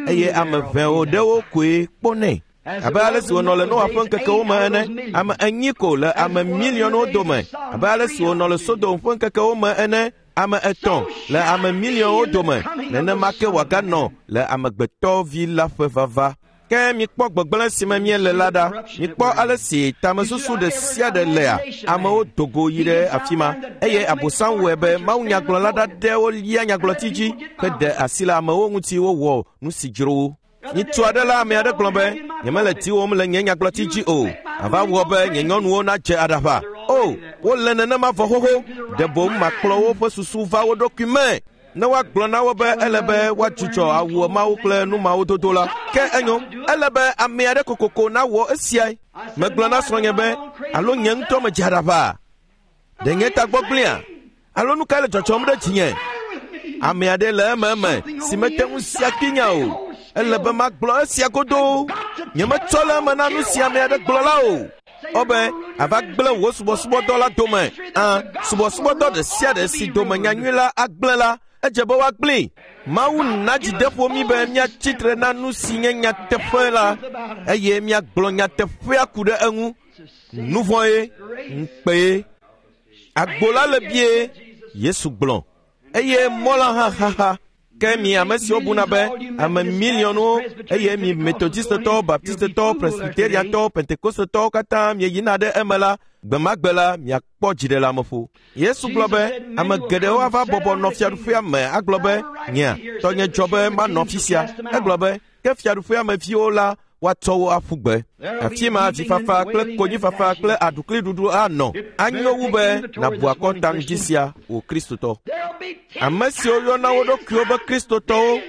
eye ame ʋɛwo ɖewo koe kpɔnɛ. Abe ale si wònɔ le Noa ƒe ŋkekewo me ene, ame enyi ko le ame miliɔnwo dome. Abe ale si wònɔ le Sodom ƒe ŋkekewo me ene, ame etɔ̃ le ame miliɔnwo dome. Nenema ke wòaganɔ le amegbetɔvi la ƒe vava. Ke mikpɔ gbegblẽ si me míele la ɖa. Mikpɔ ale si tamesusu ɖe sia ɖe lea. Amewo do go yi ɖe afi ma eye Abosam wɔe be mawunyagblɔla ɖaɖɛwo lia nyagblɔti dzi heɖe asi le amewo ŋuti wowɔ nu si dzro wo. Nyitsu aɖe la ame aɖe gblɔ be, nyemele diwòm le nye nyagblɔti dzi o. Ava wɔ be nye nyɔnuwo nadze aɖaʋa. O, wole nenema vɔ xoxo. Ɖe boŋ makplɔ woƒe susu va wo ɖokui me. Ne woagblɔ na wo be ele be woadzudzɔ awu mawo kple nu mawo dodo la, ke enyo, ele be ame aɖe kokoko nawɔ esiae. Megblɔ na srɔ̃nye be, alo nye ŋutɔ medze aɖaʋa? Ɖe nye tagbɔ gblẽa? Alo nu kae le dzɔdzɔm ɖe dzinye? Ame aɖe le ememe si mete ŋu sia kpinya o. Ele be magblɔ esia godoo. Nyemetsɔ le eme na nu si ame aɖe gblɔ la o. Wobe ava gblẽ wò subɔsubɔdɔ la dome. Ã, subɔsubɔdɔ ɖe sia ɖe si dome nyanyui la agblẽ la, Edze be woagblẽe. Mawu na dzideƒo mí be míatsi tre na nu si nye nyateƒe la eye míagblɔ nyateƒea ku ɖe eŋu. Nu vɔ̃ ye, ŋukpe ye. Agbo la le bie, Yesu gblɔ, eye mɔ la hã xaxa. Ke mi ame siwo buna be ame miliɔnwo eye mi Metodistetɔwo, Baptistetɔwo, Presbyteriatɔwo, Pentekostetɔwo katã mieyina ɖe eme la, gbe ma gbe la miakpɔ dziɖeleameƒo. Yesu gblɔ be ame geɖewo ava bɔbɔ nɔ fiaɖuƒea me agblɔ be nyea tɔnye dzɔ be manɔ afi sia. Egblɔ be ke fiaɖuƒea me viwo la woatsɔ wo aƒu gbe. Afi ma vifafa kple konyifafa kple aɖukliɖuɖu anɔ. Anyo wu be nàbu akɔnta ŋdi sia wò Kristotɔ. Ame siwo yɔna wo ɖokuiwo be Kristotɔwo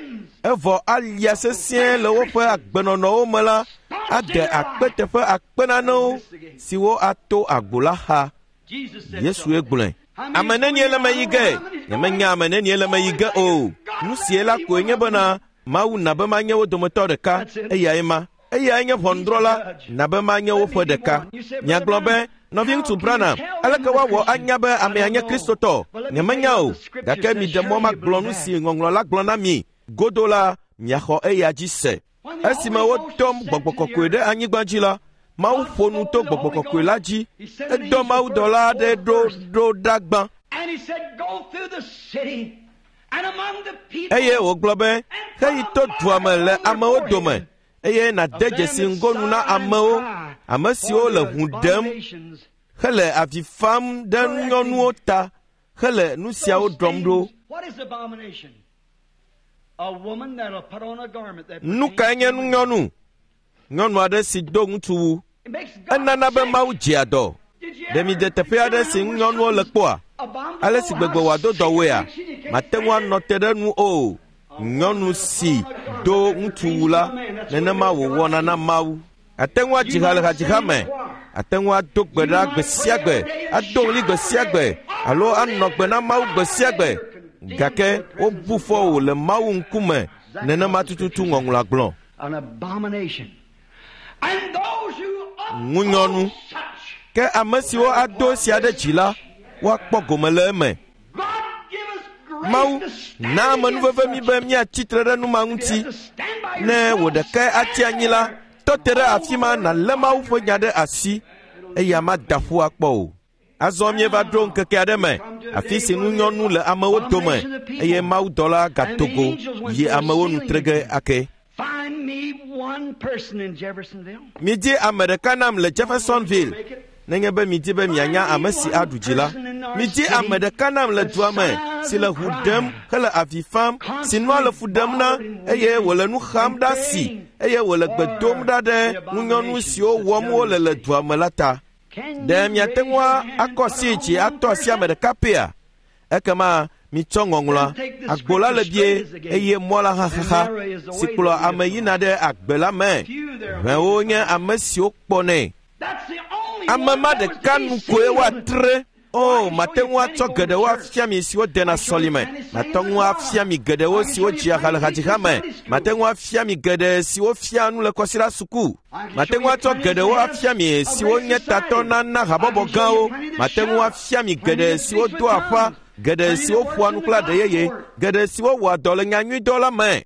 evɔ alia sesĩe le woƒe agbenɔnɔwo me la ade akpe teƒe akpe nanewo siwo ato agbo la xa. Yesue gblɔe. Ame nenie le me yi ge? Nyemenya ame nenie le me yi ge o. Nu sie la koe nye bena Mawu na be manye wo dometɔ ɖeka, eyae ma. Eyae nye ʋɔnudrɔ̃la, na be manye woƒe ɖeka. Miagblɔ be, nɔviŋutsu Branham, aleke woawɔ anya be amea nye Kristotɔ? Nyemenya o, gake miɖe mɔ magblɔ nu si ŋɔŋlɔ la gblɔ na mi. Godo la, miaxɔ eya dzi se. Esime wodɔ gbɔgbɔ kɔkɔe ɖe anyigba dzi la, Mawu ƒo nu to gbɔgbɔ kɔkɔe la dzi. Edɔ mawudɔla aɖe ɖo ɖo ɖa gbã. Eye wògblɔ be, heyi to dua me le amewo dome, eye nàde dzesi ŋgonu na amewo, ame siwo le ʋu ɖem, hele avi fam ɖe nyɔnuwo ta, hele nu siawo ɖɔm ɖo. Nu kae nye nunyɔnu? Nyɔnu aɖe si do ŋutsuwu. Enana be Mawu dzea dɔ. Ɖe mi de teƒe aɖe si ŋunyɔnuwo le kpɔa? Ale si gbegbe wòado dɔwɔea, mate ŋu anɔ te ɖe nu o. Nyɔnu si do ŋutsuwu la, nenema wòwɔna na Mawu. Ate ŋu adzi ha le hadziha me, ate ŋu ado gbe ɖa gbe sia gbe, ado ɣli gbe sia gbe, alo anɔ gbe na Mawu gbe sia gbe. Gake wobu fɔ wò le Mawu ŋkume, nenema tututu ŋɔŋlɔa gblɔ. Ŋunyɔnu. Ke ame siwo ado esia ɖe dzi la, woakpɔ gome le eme. Mawu na amenuveve mi be míatsi tre ɖe nu ma ŋuti. Ne wò ɖekae atsi anyi la, tɔ te ɖe afi ma nàlé Mawu ƒe nya ɖe asi, eya mada ƒu akpɔ o. Azɔ míeva ɖo ŋkeke aɖe me, afi si ŋunyɔnu le amewo dome, eye mawudɔla gato go yi amewo nu tre ge ake. Midi ame ɖeka nam le Jeffersonville, nenye be midi be mianya ame si aɖu dzi la. Midi ame ɖeka nam le dua me si le ʋu ɖem hele avi fam, si nua le fu ɖem na eye wòle nu xam ɖe asi eye wòle gbe dom ɖa ɖe ŋunyɔnu siwo wɔm wole le dua me la ta. Ɖe miate ŋu akɔ asi dzi atɔ asi ame ɖeka pɛa? Ekema mitsɔ ŋɔŋlɔa. Agbo la le bie eye mɔ la hã xaxa si kplɔ ame yina ɖe agbe la me. Ʋewo nye ame siwo kpɔnɛ. Ame ma ɖeka nu koe woatre. O, mate ŋu atsɔ geɖewo afia mi siwo dena sɔlime. Mate ŋu afia mi geɖewo siwo dzia ha le hadziha me. Mate ŋu afia mi geɖe siwo fia nu le kɔsiɖa suku. Mate ŋu atsɔ geɖewo afia mi siwo nye tatɔ na na habɔbɔ gãwo. Mate ŋu afia mi geɖe siwo doa aƒa, geɖe siwo ƒoa nu kple aɖe yeye, geɖe siwo wɔa dɔ le nyanyuidɔ la me.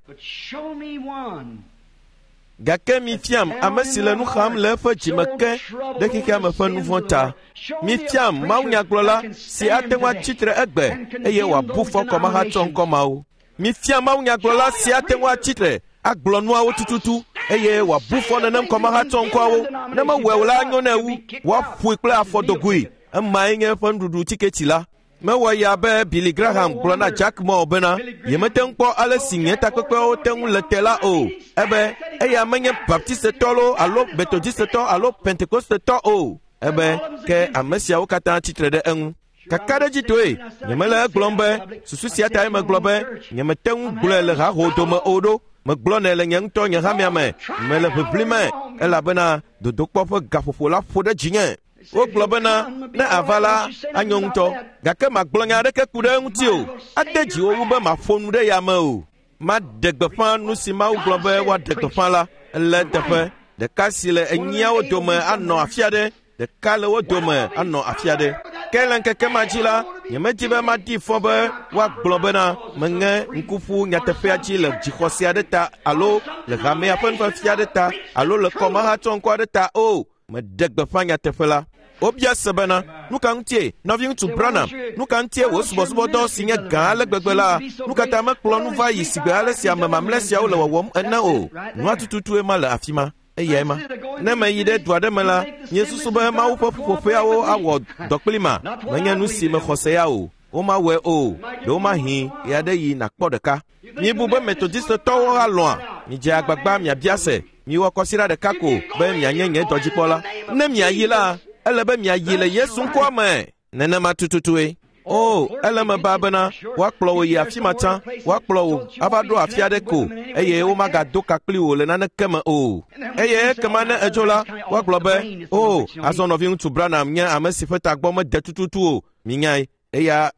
Gake mifiam ame si le nu xam le eƒe dzime ke ɖe xexea me ƒe nu vɔ̃ ta. Mifiam mawunyagblɔla si ate ŋu atsi tre egbe eye wòabu fɔ kɔmahatsɔ ŋkɔ mawo. Mifiam mawunyagblɔla si ate ŋu atsi tre agblɔ nuawo tututu eye wòabu fɔ nenem kɔmahatsɔ ŋkɔawo. Ne mewɔe o la, anyo nɛ wu woaƒoe kple afɔdogoe. Emae nye eƒe nuɖuɖu tiketi la. Mewɔ ya be Billy Graham gblɔ na Jack Moore bena yemete ŋu kpɔ ale si nye takpekpewo te ŋu le te la o. Ebe eya menye Baptistetɔ loo alo Metodistetɔ alo Pentekostetɔ o. Ebe ke ame siawo katã tsitre ɖe eŋu. Kakaɖedzitoe, nyemele egblɔm be susu sia tae megblɔ be nyemete ŋu gblɔe le haho dome o ɖo. Megblɔnɛ le nye ŋutɔ nye hamea me. Mele ʋiʋli me elabena dodokpɔ ƒe gaƒoƒo la ƒo ɖe dzinye. Wogblɔ bena ne ava la anyo ŋutɔ, gake magblɔ nya aɖeke ku ɖe eŋuti o. Ade dziwò wu be maƒo nu ɖe ya me o. Maɖe gbeƒã nu si Mawu gblɔ be woaɖe gbeƒã la le teƒe ɖeka si le enyiawo dome anɔ afi aɖe, ɖeka le wo dome anɔ afi aɖe. Ke Gake le ŋkeke ma dzi la, nyemedi be maɖi fɔ be woagblɔ bena meŋe ŋku ƒu nyateƒea dzi le dzixɔse aɖe ta alo le hamea ƒe nufiafia aɖe ta alo le kɔmahatsɔŋkɔ aɖe ta o. Meɖe gbeƒã nyateƒe la. Wobia se bena, nu ka ŋutie, nɔviŋutsu Branham, nu ka ŋutie wò subɔsubɔdɔ si nye gã ale gbegbe la, nu ka ta mekplɔ nu va yi sigbe ale si ame mamlɛ siawo le wɔwɔm ene o? Nua tututue ma le afi ma. Eyae ma. Ne meyi ɖe du aɖe me la, miesusu be Mawu ƒe ƒuƒoƒeawo awɔ dɔ kpli ma. Menye nu si mexɔ se ya o. Womawɔe o. Ɖewomahi ɣe aɖe yi nàkpɔ ɖeka. Miebu be Metodistetɔwo alɔ̃a? Midze agbagba miabia se. Miwɔ kɔsiɖa ɖeka ko be mianye nye dɔdzikpɔla. Ne miayi la, ele be miayi le Yesu ŋkɔa me. Nenema tututue. O, ele me ba bena woakplɔ wò yi afi ma tsã, woakplɔ wò ava ɖo afi aɖe ko, eye womagado ka kpli wò le naneke me o. Eye ekema ne edzo la, woagblɔ be, o, azɔ nɔviŋutsu Branham nye ame si ƒe tagbɔ mede tututu o. Minyae, eya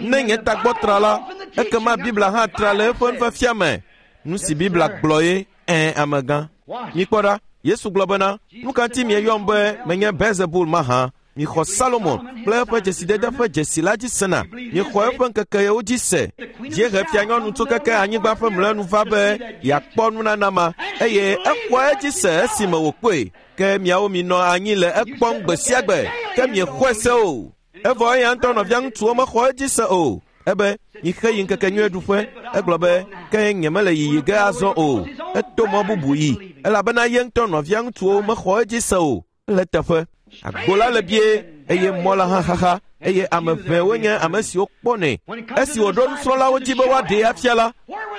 ne nye tagbɔ tra la, ekema Biblia hã tra le eƒe nufiafia me. Nu si Biblia gblɔ ye, ẽ, amegã. Mikpɔ ɖa, Yesu gblɔ bena, nu ka ŋuti mieyɔm be menye Beelzebul mahã? Mixɔ Salomon kple eƒe dzesidede ƒe dzesi la dzi sena. Mixɔ eƒe ŋkekewo dzi se. Dziehe fianyɔnu tso keke anyigba ƒe mlɔenu va be yeakpɔ nunana ma, eye exɔ edzi se esime wòkpɔe. Ke miawo minɔ anyi le ekpɔm gbe sia gbe, ke miexɔe se o. Evɔ eya ŋutɔ nɔvia ŋutsuwo mexɔ edzi se o. Ebe, mixe yi ŋkekenyuie ɖuƒe. Egblɔ be, ke nyemele yiyi ge azɔ o. Eto mɔ bubu yi, elabena ye ŋutɔ nɔvia ŋutsuwo mexɔ edzi se o. Le teƒe. Agbo la le bie, eye mɔ la hã xaxa, eye ame ʋɛwo nye ame siwo kpɔnɛ. Esi wòɖo nusrɔ̃lawo dzi be woaɖee afia la,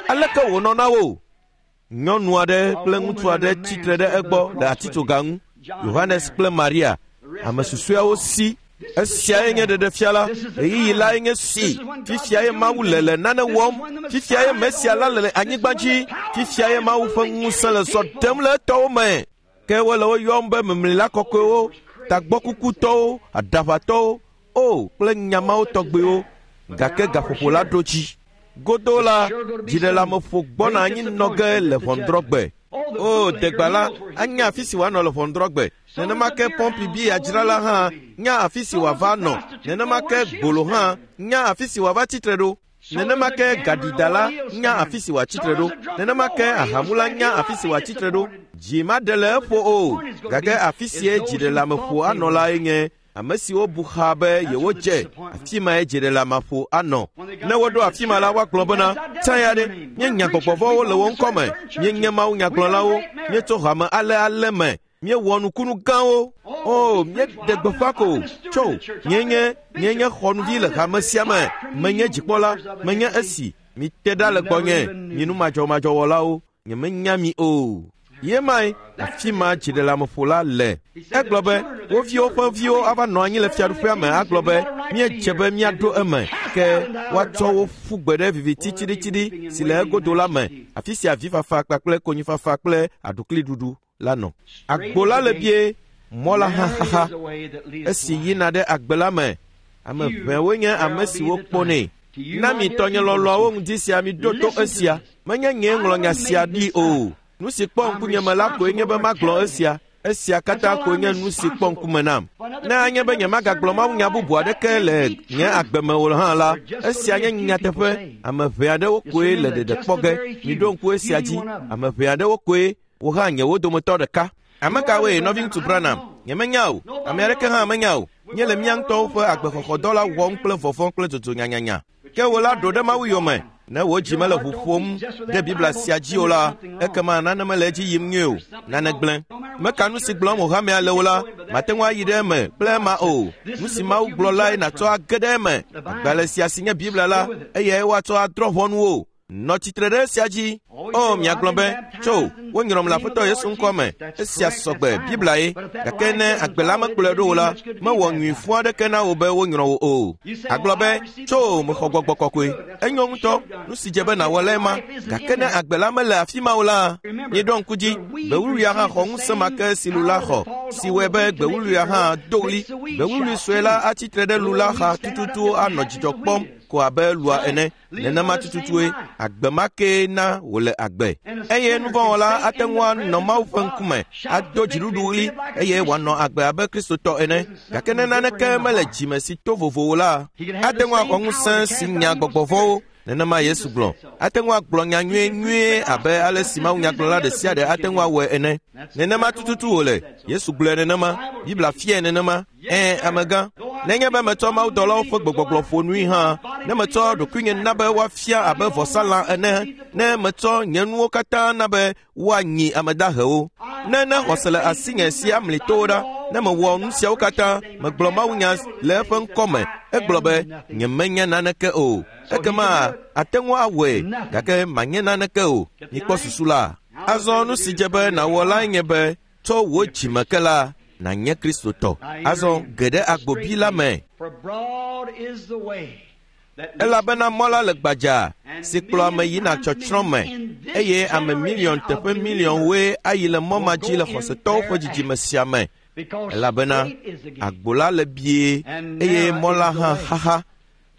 aleke wònɔ na wo? Nyɔnu aɖe kple ŋutsu aɖe tsitre ɖe egbɔ le atitsoga ŋu, Yohanes kple Maria. Ame susɔeawo si. Esiae nye ɖeɖefia la, ɣeyiɣi lae nye si. Fifiae Mawu le le nane wɔm. Fifiae Mesia la le le anyigba dzi. Fifiae Mawu ƒe ŋusẽ le zɔ ɖem le etɔwo me. Ke wole wo yɔm be memlila kɔkɔewo, tagbɔkukutɔwo, aɖaʋatɔwo, o kple nyamawo tɔgbewo. Gake gaƒoƒo la ɖo dzi. Godo la, dziɖeleameƒo gbɔna anyi nɔ ge le ʋɔnudrɔ̃gbe. O, degba la anya afi si wòanɔ le ʋɔnudrɔ̃gbe. Nenema ke pɔmpi bia dzrala hã nya afi si wòava nɔ. Nenema ke gbolo hã nya afi si wòava tsitre ɖo. Nenema ke gaɖidala nya afi si wòatsitre ɖo. Nenema ke ahamula nya afi si wòatsitre ɖo. Dzi maɖe le eƒo o. Gake afi sie dziɖeleameƒo anɔ lae nye ame siwo bu xa be yewodze. Afi mae dziɖeleameƒo anɔ. Ne woɖo afi ma la, woagblɔ bena, tsã ya ɖe, míenya gbɔgbɔvɔ̃wo le wo ŋkɔ me, míenye mawunyagblɔlawo, míetso hame ale ale me, míewɔ nukunu gãwo. O, míeɖe gbeƒã ko. Tso, míenye míenye xɔnuvi le hame sia me. Menye dzikpɔla, menye esi. Mite ɖa le gbɔnye, mi numadzɔmadzɔwɔlawo. Nyemenya mi o. Ye mae, afi ma dziɖeleameƒo la le. Egblɔ be, wo viwo ƒe viwo ava nɔ anyi le fiaɖuƒea me agblɔ be, míedze be míaɖo eme, ke woatsɔ wo ƒu gbe ɖe viviti tsiɖitsiɖi si le egodo la me, afi sia avifafa kpakple konyifafa kple aɖukliɖuɖu la nɔ. Agbo la le bie, mɔ la hã xaxa. Esi yina ɖe agbe la me, ame ʋɛwoe nye ame siwo kpɔnɛ. Na mi tɔnyelɔlɔ̃awo ŋdi sia miɖo to esia. Menye nyee ŋlɔ nya sia ɖi o. Nu si kpɔ ŋkunyeme la koe nye be magblɔ esia. Esia katã koe nye nu si kpɔ ŋkume nam. Ne anye be nyemagagblɔ mawunya bubu aɖeke le nye agbe me o hã la, esia nye nyateƒe. Ame ʋɛ aɖewo koe le ɖeɖe kpɔ ge. Miɖo ŋku esia dzi. Ame ʋɛ aɖewo koe, wò hã nye wo dometɔ ɖeka. Ame kawoe, nɔviŋutsu Branham? Nyemenya o. Ame aɖeke hã menya o. Míele mía ŋutɔwo ƒe agbexɔxɔdɔ la wɔm kple vɔvɔ̃ kple dzodzo nyanyanya. Ke wò la ɖo ɖe Mawu yome. Ne wò dzi mele ʋu ƒom ɖe Biblia sia dzi o la, ekema nane mele edzi yim nyuie o. Nane gblẽ. Meka nu si gblɔm wò hamea le o la, mate ŋu ayi ɖe eme kple ema o. Nu si Mawu gblɔ lae nàtsɔ age ɖe eme. Agbalẽ sia si nye Biblia la, eyae woatsɔ adrɔ̃ ʋɔnu wò. Nɔ tsitre ɖe esia dzi. O, miagblɔ be, tso, wonyrɔm le Aƒetɔ Yesu ŋkɔ me. Esia sɔgbe, Biblia ye. Gake ne agbe la mekplɔe ɖo o la, mewɔ nyui fũ aɖeke na wò be wonyrɔ wò o. Agblɔ be, tso, mexɔ gbɔgbɔ kɔkɔe. Enyo ŋutɔ, nu si dze be nàwɔ lae ma. Gake ne agbe la mele afi ma o la, mieɖo ŋku dzi, gbewuluia hã xɔ ŋusẽ ma ke si lu la xɔ, si wɔe be gbewuluia hã do ɣli. Gbewului sue la atsi tre ɖe lu la xa tututu anɔ dzidzɔ kpɔm. ko abe lua ene. Nenema tututue agbe ma kee na wòle agbe. Eye nuvɔ̃wɔla ate ŋu anɔ Mawu ƒe ŋkume, ado dziɖuɖuɣli eye wòanɔ agbe abe Kristotɔ ene. Gake ne naneke mele dzime si to vovo o la, ate ŋu axɔ ŋusẽ si nya gbɔgbɔ vɔ̃wo. Nenema Yesu gblɔ. Ate ŋu agblɔ nya nyuie nyuie abe ale si mawunyagblɔla ɖe sia ɖe ate ŋu awɔe ene. Nenema tututu wòle. Yesu gblɔe nenema. Biblia fiae nenema. Ɛ̃, amegã. Nenye be metsɔ mawudɔlawo ƒe gbegbɔgblɔ ƒo nui hã, ne metsɔ ɖokuinye na be woafia abe vɔsalã ene, ne metsɔ nye nuwo katã na be woanyi ame dahewo, ne ne xɔse le asinye si amli towo ɖa, ne mewɔ nu siawo katã, megblɔ mawunya le eƒe ŋkɔme, egblɔ be nyemenya naneke o. Ekema ate ŋu awɔe, gake manye naneke o. Mikpɔ susu la. Azɔ nu si dze be nàwɔ lae nye be tsɔ wò dzime ke la, nànye Kristotɔ. Azɔ ge ɖe agbobi la me. Elabena mɔ la le gbadza si kplɔ ame yina tsɔtsrɔ̃ me, eye ame miliɔn teƒe miliɔnwoe ayi le mɔ ma dzi le xɔsetɔwo ƒe dzidzime sia me. Elabena agbo la le bie eye mɔ la hã xaxa.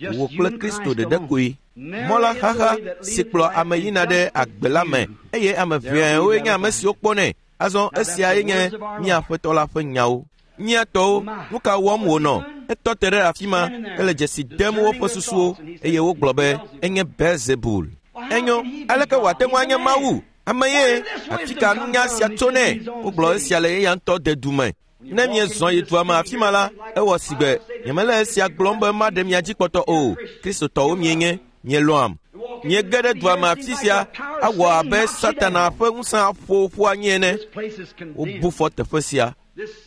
Wò kple Kristo ɖeɖe koe. Mɔ la xaxa si kplɔ ame yina ɖe agbe la me, eye ame ʋɛawoe nye ame siwo kpɔnɛ. Azɔ esiae nye mía Aƒetɔ la ƒe nyawo. Mía tɔwo, nu ka wɔm wònɔ? Etɔ te ɖe afi ma, ele dzesi dem woƒe susuwo, eye wogblɔ be enye Beelzebul. Enyo, aleke wòate ŋu anye Mawu? Ame ye, afi ka nunya sia tso nɛ? Wogblɔ esia le eya ŋutɔ dedu me. Ne miezɔ yi dua me afi ma la, ewɔ sigbe nyemele esia gblɔm be maɖe mia dzi kpɔtɔ o. Kristotɔwo mienye, mielɔ̃am. Miege ɖe dua me afi sia awɔ abe Satana ƒe ŋusẽ aƒo ƒu anyi ene. Wobu fɔ teƒe sia.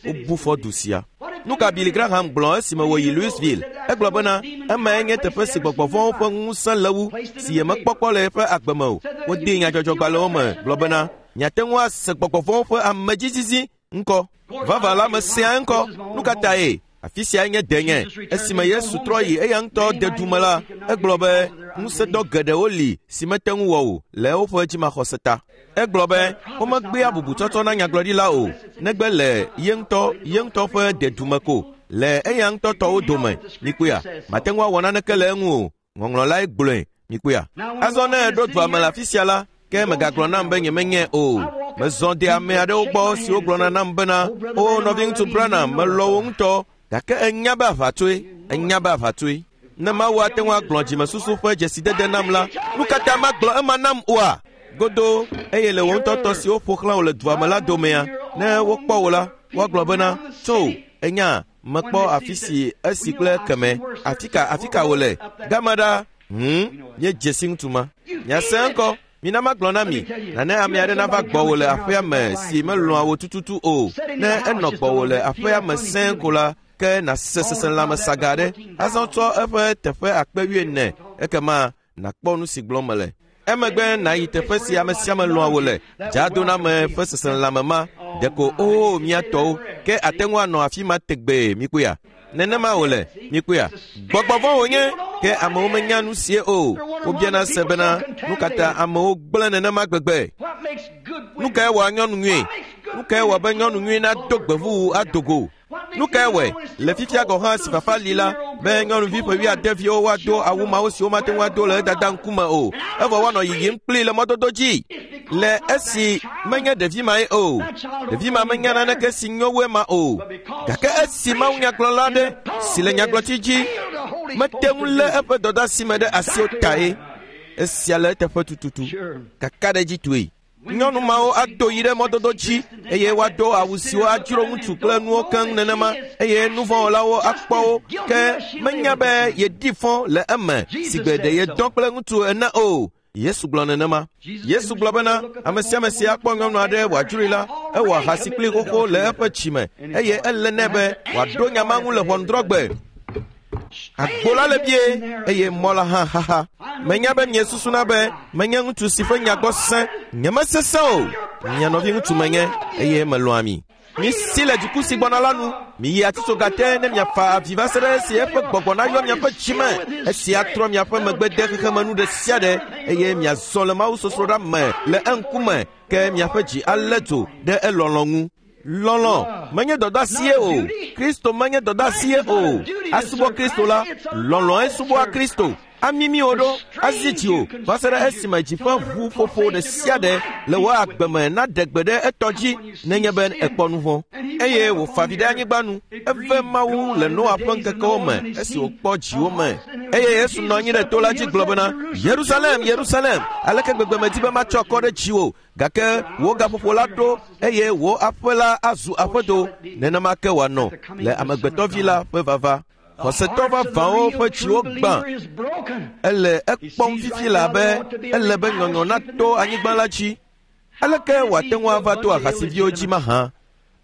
Wobu fɔ du sia. Nu ka Billy Graham gblɔ esime wòyi Louisville? Egblɔ bena emae nye teƒe si gbɔgbɔ vɔ̃wo ƒe ŋusẽ le wu si yemekpɔkpɔ le eƒe agbe me o. Wodee nyadzɔdzɔgbalẽwo me gblɔ bena miate ŋu ase gbɔgbɔ vɔ̃wo ƒe amedzizizi ŋkɔ. Vava la mesea ŋkɔ. Nu ka tae? Afi siae nye denye. Esime Yesu trɔ yi eya ŋutɔ dedu me la, egblɔ be ŋusẽdɔ geɖewo li si mete ŋu wɔ o le woƒe dzimaxɔse ta. Egblɔ be womegbea bubutsɔtsɔ na nyagblɔɖila o, negbe le ye ŋutɔ ye ŋutɔ ƒe dedume ko, le eya ŋutɔ tɔwo dome. Mikpɔea, mate ŋu awɔ naneke le eŋu o. Ŋɔŋlɔ lae gblɔe. Mikpɔea. Azɔ ne eɖo dua me le afi sia la, ke megagblɔ nam be nyemenyae o. Mezɔ de ame aɖewo gbɔ siwo gblɔna nam bena, o nɔviŋutsu Branham, melɔ̃ wò ŋutɔ, gake enya be aʋatsoe, enya be aʋatsoe. Ne Mawu ate ŋu agblɔ dzimesusu ƒe dzesidede nam la, nu ka ta magblɔ ema nam oa? Godo, eye le wò ŋutɔ tɔ siwo ƒo xlã wò le dua me la domea, ne wokpɔ wò la, woagblɔ bena, tso, enya, mekpɔ afi si esi kple keme, afi ka afi ka wòle, gama ɖa, hũm, nye dzesi ŋutsu ma. Miase ŋkɔ. Mina magblɔ na mi, nane ame aɖe nava gbɔwò le aƒea me si melɔ̃a wò tututu o. Ne enɔ gbɔwò le aƒea me sẽe ko la, ke nàse seselãme saga aɖe. Azɔ tsɔ eƒe teƒe akpe wuiene, ekema nàkpɔ nu si gblɔm mele. Emegbe nàyi teƒe si ame sia ame lɔ̃a wò le, dzadoname ƒe seselãme ma, ɖeko oo mía tɔwo, ke ate ŋu anɔ afi ma tegbee, mikpɔea? Nenema wòle, mikpɔea? Gbɔgbɔ vɔ̃ wònye, ke amewo menya nu sie o. Wobiana se bena, nu ka ta amewo gblẽ nenema gbegbe? Nu kae wɔa nyɔnu nyui? Nu kae wɔ be nyɔnu nyui nado gbevuwu ado go? Nu kae wɔe le fifia gɔ̃ hã si fafa li la be nyɔnuvi ƒe wuiadeviwo woado awu mawo siwo mate ŋu ado le edada ŋkume o, evɔ woanɔ yiyim kplii le mɔdodo dzi? Le esi menye ɖevi mae o. Ɖevi ma menya naneke si nyo wu ema o. Gake esi mawunyagblɔla aɖe si le nyagblɔtsi dzi mete ŋu lé eƒe dɔdeasi me ɖe asi o tae. Esia le eteƒe tututu. Kakaɖedzi toe. Nyɔnu mawo ado yi ɖe mɔdodo dzi eye woado awu siwo adzro ŋutsu kple nuwo keŋ nenema, eye nuvɔ̃wɔlawo akpɔ wo, ke menya be yeɖi fɔ le eme si gbe ɖe yedɔ kple ŋutsu ene o. Yesu gblɔ nenema. Yesu gblɔ bena ame sia ame si akpɔ nyɔnu aɖe wòadzroe la, ewɔ ahasi kpli xoxo le eƒe dzime, eye ele nɛ be wòaɖo nya ma ŋu le ʋɔnudrɔ̃gbe. Agbo la le bie eye mɔ la hã xaxa. Menya be miesusuna be menye ŋutsu si ƒe nya gbɔ sẽ. Nyemesesẽ o. Mia nɔvi ŋutsu menye eye melɔ̃a mi. Misi le dziku si gbɔna la nu. Miyi atitsoga te ne miafa avi va se ɖe esi eƒe gbɔgbɔ nayɔ miaƒe dzime. Esia trɔ miaƒe megbe de xexemenu ɖe sia ɖe eye miazɔ le mawusosroɖa me le eŋkume, ke miaƒe dzi alé dzo ɖe elɔlɔ̃ ŋu. Lɔlɔ̃ menye dɔdeasie o. Kristo menye dɔdeasie o. Asubɔ Kristo la, lɔlɔ̃e subɔa Kristo. Amimi wò ɖo, azi dziwò va se ɖe esime dzi ƒe ʋuƒoƒo ɖe sia ɖe le wò agbe me naɖe gbe ɖe etɔ dzi nenye be èkpɔ nu vɔ̃. Eye wòfa avi ɖe anyigba nu. Eve Mawu le Noa ƒe ŋkekewo me esi wòkpɔ dziwo me. Eye Yesu nɔ anyi ɖe to la dzi gblɔ bena, Yerusalem, Yerusalem, aleke gbegbe medi be matsɔ akɔ ɖe dziwò, gake wò gaƒoƒo la ɖo eye wò aƒe la azu aƒedo. Nenema ke wòanɔ le Amegbetɔvi la ƒe vava. Xɔsetɔ vavãwo ƒe dziwo gbã. Ele ekpɔm fifi la be ele be nyɔnyɔ nato anyigba la dzi. Aleke wòate ŋu ava to ahasiviwo dzi mahã?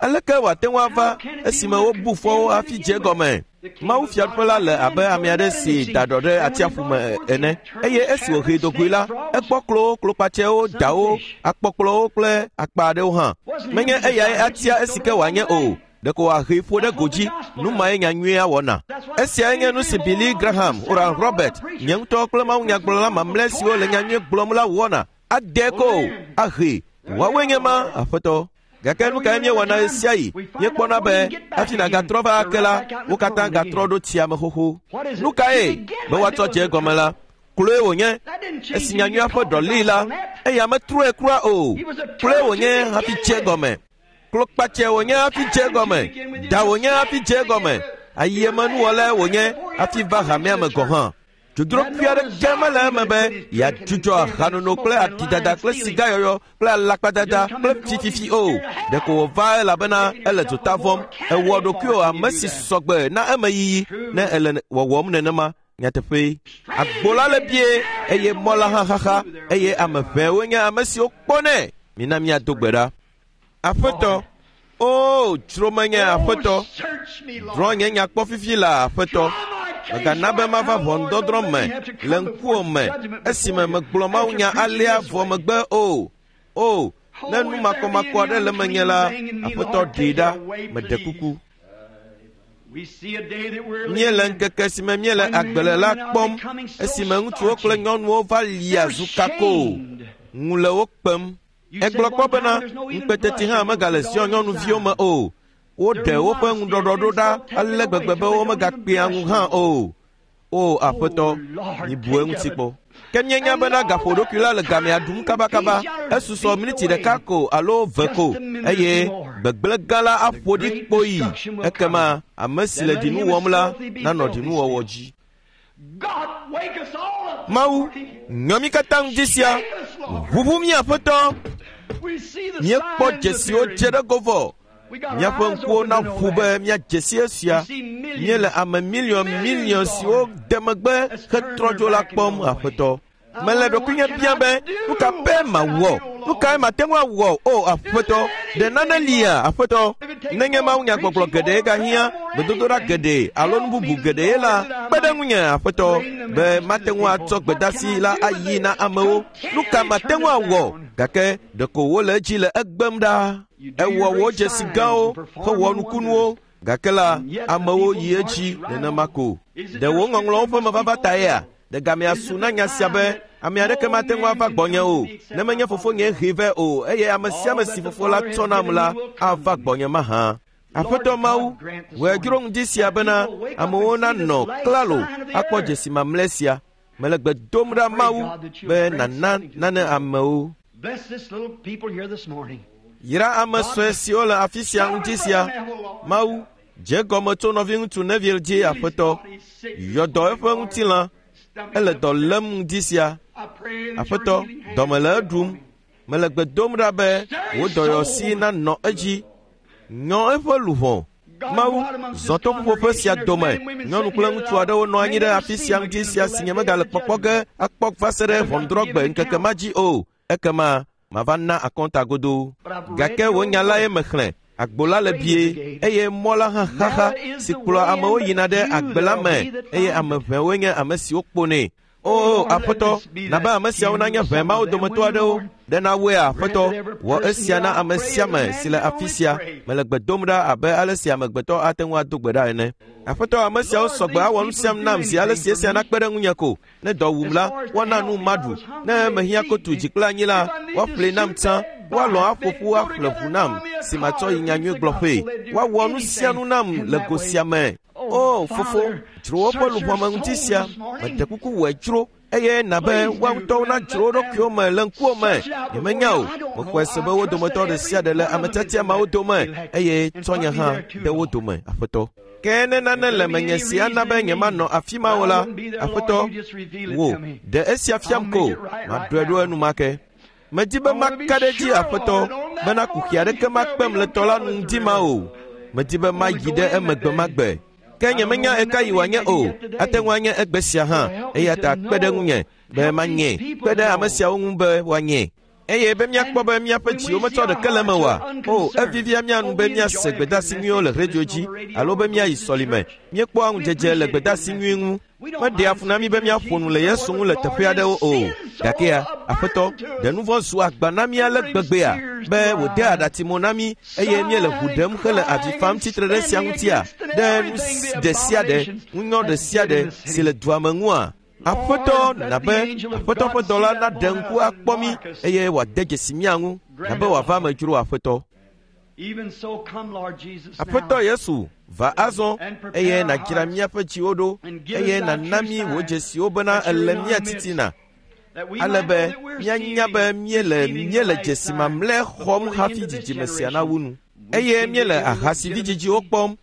Aleke wòate ŋu ava esime wobu fɔwo hafi dze egɔme? Mawu fiaɖuƒe la le abe ame aɖe si da ɖɔ ɖe atsiaƒu me ene eye esi wòhee dogoe la, ekpɔ klowo, klokpatsɛwo, dawo, akpɔkplɔwo kple akpa aɖewo hã. Menye eyae atia esi ke wòanye o. Ɖeko wòahee ƒo ɖe godzi. Nu mae nya nyuia wɔna. Esiae nye nu si Billy Graham, Oral Robert, nye ŋutɔ kple mawunyagblɔla mamlɛ siwo le nya nyui gblɔm la wɔna. Ade ko ahee. Woawoe nye ma, aƒetɔ. Gake nu kae míewɔna ɣe sia ɣi? Míekpɔna be hafi nàgatrɔ va ake la, wo katã gatrɔ ɖo tsia me xoxo. Nu kae? Be woatsɔ dze egɔme la, kloe wònye. Esi nyanyuia ƒe ɖɔ lii la, eya metrɔe kura o. Kloe wònye hafi dze egɔme. Klokpatsɛ wònye hafi dze egɔme. Da wònye hafi dze egɔme. Ayemenuwɔlae wònye hafi va hamea me gɔ̃ hã. Dzodzro aɖeke mele eme be yeadzudzɔ ahanono kple atidada kple sigayɔyɔ kple alakpadada kple fififi o. Ɖeko wòva elabena ele dzota vɔ̃m. Ewɔ ɖokuiwò ame si sɔgbe na emeyiyi ne ele wɔwɔm nenema. Nyateƒee. Agbo la le bie eye mɔ la hã xaxa eye ame ʋɛwoe nye ame siwo kpɔnɛ. Mina míado gbe ɖa. Aƒetɔ, o dzro menye aƒetɔ, drɔ̃ nye nya kpɔ fifi la aƒetɔ. Mègana be mava ʋɔnudɔdrɔ̃ me le ŋkuwò me esime megblɔ mawunya alea vɔ megbe o. O, ne nu makɔmakɔ aɖe le menye la, aƒetɔ ɖee ɖa, meɖe kuku. Míele ŋkeke si me míele agbe le la kpɔm esime ŋutsuwo kple nyɔnuwo va lia zu kako. Ŋu le wo kpem. Egblɔ kpɔ bena ŋukpeteti hã megale Zion nyɔnuviwo me o. Woɖe woƒe ŋuɖɔɖɔɖo ɖa ale gbegbe be womegakpea ŋu hã o. O aƒetɔ, mibu eŋuti kpɔ. Ke míenya bena gaƒoɖokui la le gamea ɖum kabakaba. Esusɔ miniti ɖeka ko alo ve ko eye gbegblẽ gã la aƒo ɖi kpoyi. Ekema ame si le ɖinu wɔm la nanɔ ɖinuwɔwɔ dzi. Mawu, nyɔ mí katã ŋdi sia. Ʋuʋu mí aƒetɔ. Míekpɔ dzesiwo dze ɖe go vɔ. Míaƒe ŋkuwo naʋu be míadze si esia. Míele ame miliɔn miliɔn siwo de megbe hetrɔ dzo la kpɔm aƒetɔ. Mele ɖokuinye biam be nu ka pɛ mawɔ? Nu kae mate ŋu awɔ? O aƒetɔ, ɖe nane lia aƒetɔ? Nenye mawunyagbɔgblɔ geɖe gahiã, gbedodoɖa geɖe alo nu bubu geɖe la, kpe ɖe ŋunye aƒetɔ be mate ŋu atsɔ gbedasi la ayi na amewo. Nu ka mate ŋu awɔ? Gake ɖeko wole edzi le egbem ɖaa. Ewɔ wò dzesi gãwo hewɔ nukunuwo, gake la amewo yi edzi nenema ko. Ɖe wò ŋɔŋlɔwo ƒe mevava taea? Ɖe gamea su na nya sia be ame aɖeke mate ŋu ava gbɔnye o, ne menye fofonye hee vɛ o, eye ame sia ame si fofo la tsɔ nam la ava gbɔnye mahã. Aƒetɔ Mawu, wòe dzro ŋdi sia bena amewo nanɔ klalo akpɔ dzesi mamlɛ sia. Mele gbe dom ɖa Mawu be nàna nane amewo. Yra ame sue siwo le afi sia ŋdi sia. Mawu, dze gɔme tso nɔviŋutsu Neville dzi aƒetɔ. Yɔ dɔ eƒe ŋutilã. Ele dɔ lém ŋdi sia. Aƒetɔ, dɔme le eɖum. Mele gbe dom ɖa be wò dɔyɔsi nanɔ edzi. Nyɔ eƒe luʋɔ. Mawu, zɔ to ƒuƒoƒe sia dome. Nyɔnu kple ŋutsu aɖewo nɔ anyi ɖe afi sia ŋdi sia si nye megale kpɔkpɔ ge akpɔ va se ɖe ʋɔnudrɔ̃gbe ŋkeke ma dzi o. Ekema mava na akɔnta godoo. Gake wò nya lae mexlẽ. Agbo la le bie eye mɔ la hã xaxa si kplɔa amewo yina ɖe agbe la me eye ame ʋɛwoe nye ame siwo kponɛ. O aƒetɔ, na be ame siawo nanye ʋɛ mawo dometɔ aɖewo. Ɖe nawɔe aƒetɔ, wɔ esia na ame sia ame si le afi sia. Mele gbe dom ɖa abe ale si amegbetɔ ate ŋu ado gbe ɖa ene. Aƒetɔ, ame siawo sɔgbe awɔ nu siam nam zi ale si esia nakpe ɖe ŋunye ko. Ne dɔ wum la, woana nu maɖu. Ne mehiã kotu dzi kple anyi la, woaƒlee nam tsã. Woalɔ̃ aƒo ƒu aƒle ʋu nam si matsɔ yi nyanyui gblɔƒee. Woawɔ nu sia nu nam le go sia me. O fofo, dzro woƒe luʋɔ me ŋuti sia, meɖe kuku wɔe dzro eye na be woa ŋutɔwo nadzro wo ɖokuiwo me le ŋkuwò me. Nyemenya o, mexɔe se be wo dometɔ ɖe sia ɖe le ame tiatia mawo dome eye tsɔ nye hã ɖe wo dome, Aƒetɔ. Ke ne nane le menye si ana be nyemanɔ afi ma o la, Aƒetɔ, wò, ɖe esia fiam ko, maɖɔe ɖo enumake. Medi be maka ɖe edzi, Aƒetɔ, bena kuxi aɖeke makpem le tɔ la nu ŋdi ma o. Medi be mayi ɖe eme gbe ma gbe. Ke nyemenya ɣeka yi wòanye o, ate ŋu anye egbe sia hã, eya ta kpe ɖe ŋunye be manye, kpe ɖe ame siawo ŋu be woanye. Eye be míakpɔ be míaƒe dziwo metsɔ ɖeke le eme oa? O, evivia mía nu be míase gbedeasi nyuiwo le redio dzi alo be míayi sɔlime. Míekpɔa ŋudzedze le gbedeasi nyui ŋu. Meɖea fu na mí be míaƒo nu le Yesu ŋu le teƒe aɖewo o. Gakea, Aƒetɔ, ɖe nu vɔ̃ zu agba na mí ale gbegbea be wòde aɖatsi mo na mí eye míele ʋu ɖem hele avi fam tsitre ɖe sia ŋutia, ɖe nu ɖe sia ɖe, ŋunyɔ ɖe sia ɖe si le dua me ŋua? Aƒetɔ, na be Aƒetɔ ƒe dɔla naɖe ŋku akpɔ mí eye wòade dzesi mía ŋu, na be wòava eme dzro Aƒetɔ. Aƒetɔ Yesu, va azɔ eye nàdzra míaƒe dziwo ɖo eye nàna mí wò dzesiwo bena èle mía titina, ale be míanya be míele míele dzesi mamlɛ xɔm hafi dzidzime sia nawu nu. Eye míele ahasividzidziwo kpɔm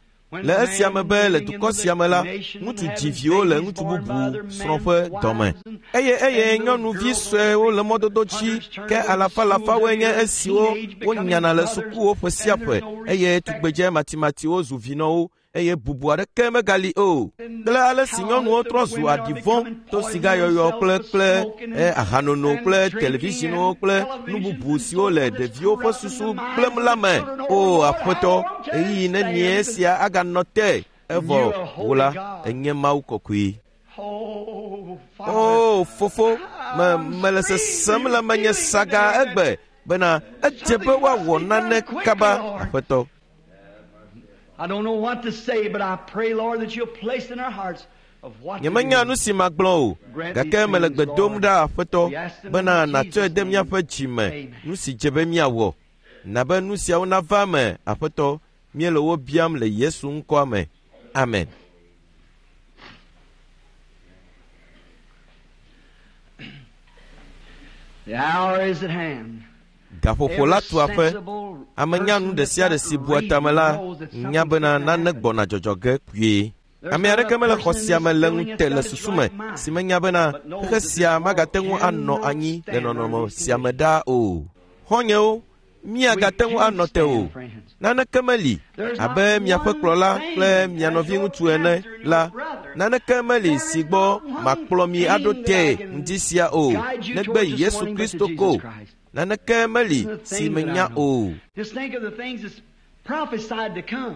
le esia me be le dukɔ sia me la, ŋutsu dzi viwo le ŋutsu bubu srɔ̃ ƒe dɔme. Eye eye nyɔnuvi suewo le mɔdodo dzi, ke alafalafawoe nye esiwo wonyana le sukuwo ƒe sia ƒe, eye tugbedze matimatiwo zu vinɔwo eye bubu aɖeke megali o. Kple ale si nyɔnuwo trɔ zu aɖi vɔ̃ to sigayɔyɔ kple kple ahanono kple televisionwo kple nu bubu siwo le ɖeviwo ƒe susu gblẽm la me. O Aƒetɔ, ɣeyiɣi nenie sia aganɔ te evɔ wò la, ènye Mawu kɔkɔe. O fofo, me mele sesem le menye saga egbe bena edze be woawɔ nane kaba, Aƒetɔ. Nyemenya nu si magblɔ o, gake mele gbe dom ɖa, Aƒetɔ, bena nàtsɔe de míaƒe dzi me nu si dze be míawɔ. Na be nu siawo nava eme, Aƒetɔ, míele wo biam le Yesu ŋkɔa me. Amen. Gaƒoƒo la tu aƒe. Ame nyanu ɖe sia ɖe si bua tame la nya bena nane gbɔna dzɔdzɔ ge kpuie. Ame aɖeke mele xɔ sia me le ŋute le susu me si menya bena xexe sia magate ŋu anɔ anyi le nɔnɔme sia me ɖaa o. Xɔ̃nyewo, míagate ŋu anɔ te o. Naneke meli abe miaƒe kplɔla kple mia nɔviŋutsu ene la, naneke meli si gbɔ makplɔ mi aɖo tee ŋdi sia o, negbe Yesu Kristo ko. Naneke meli si menya o.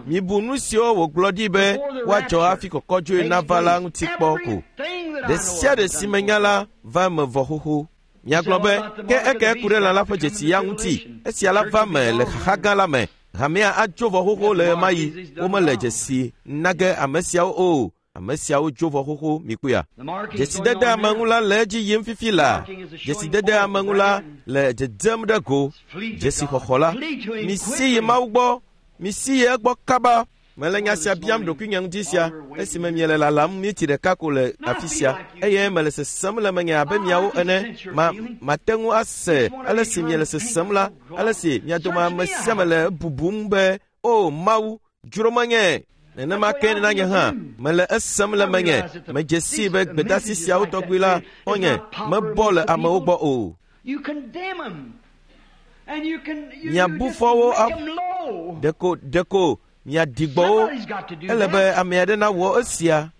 Mibu nu siwo wògblɔ ɖi be woadzɔ hafi kɔkɔdzoe nava la ŋuti kpɔ ko. Ɖe sia ɖe si menya la va eme vɔ xoxo. Miagblɔ be, ke eke ku ɖe lã la ƒe dzesi ya ŋuti. Esia la va me le xaxa gã la me. Hamea adzo vɔ xoxo le ɣemaɣi. Womele dzesi na ge ame siawo o. Ame siawo dzo vɔ xoxo, mikpɔea. Dzesidede ame ŋu la le edzi yim fifi laa. Dzesidede ame ŋu la le dzedzem ɖe go. Dzesixɔxɔ la, misi yi Mawu gbɔ, misi yi egbɔ kaba. Mele nya sia biam ɖokuinye ŋuti sia esime miele lalam miniti ɖeka ko le afi sia eye mele sesem le menye abe miawo ene. Ma mate ŋu ase ale si miele sesem la, ale si mia dome ame sia ame le bubum be, O Mawu, dzro menye. Nenema ke na nye hã mele esem le menye. Medze sii be gbedeasi siawo tɔgbi la xɔ̃nye mebɔ le amewo gbɔ o. Miabu fɔ wo ɖeko ɖeko miaɖi gbɔ wo. Ele be ame aɖe nawɔ esia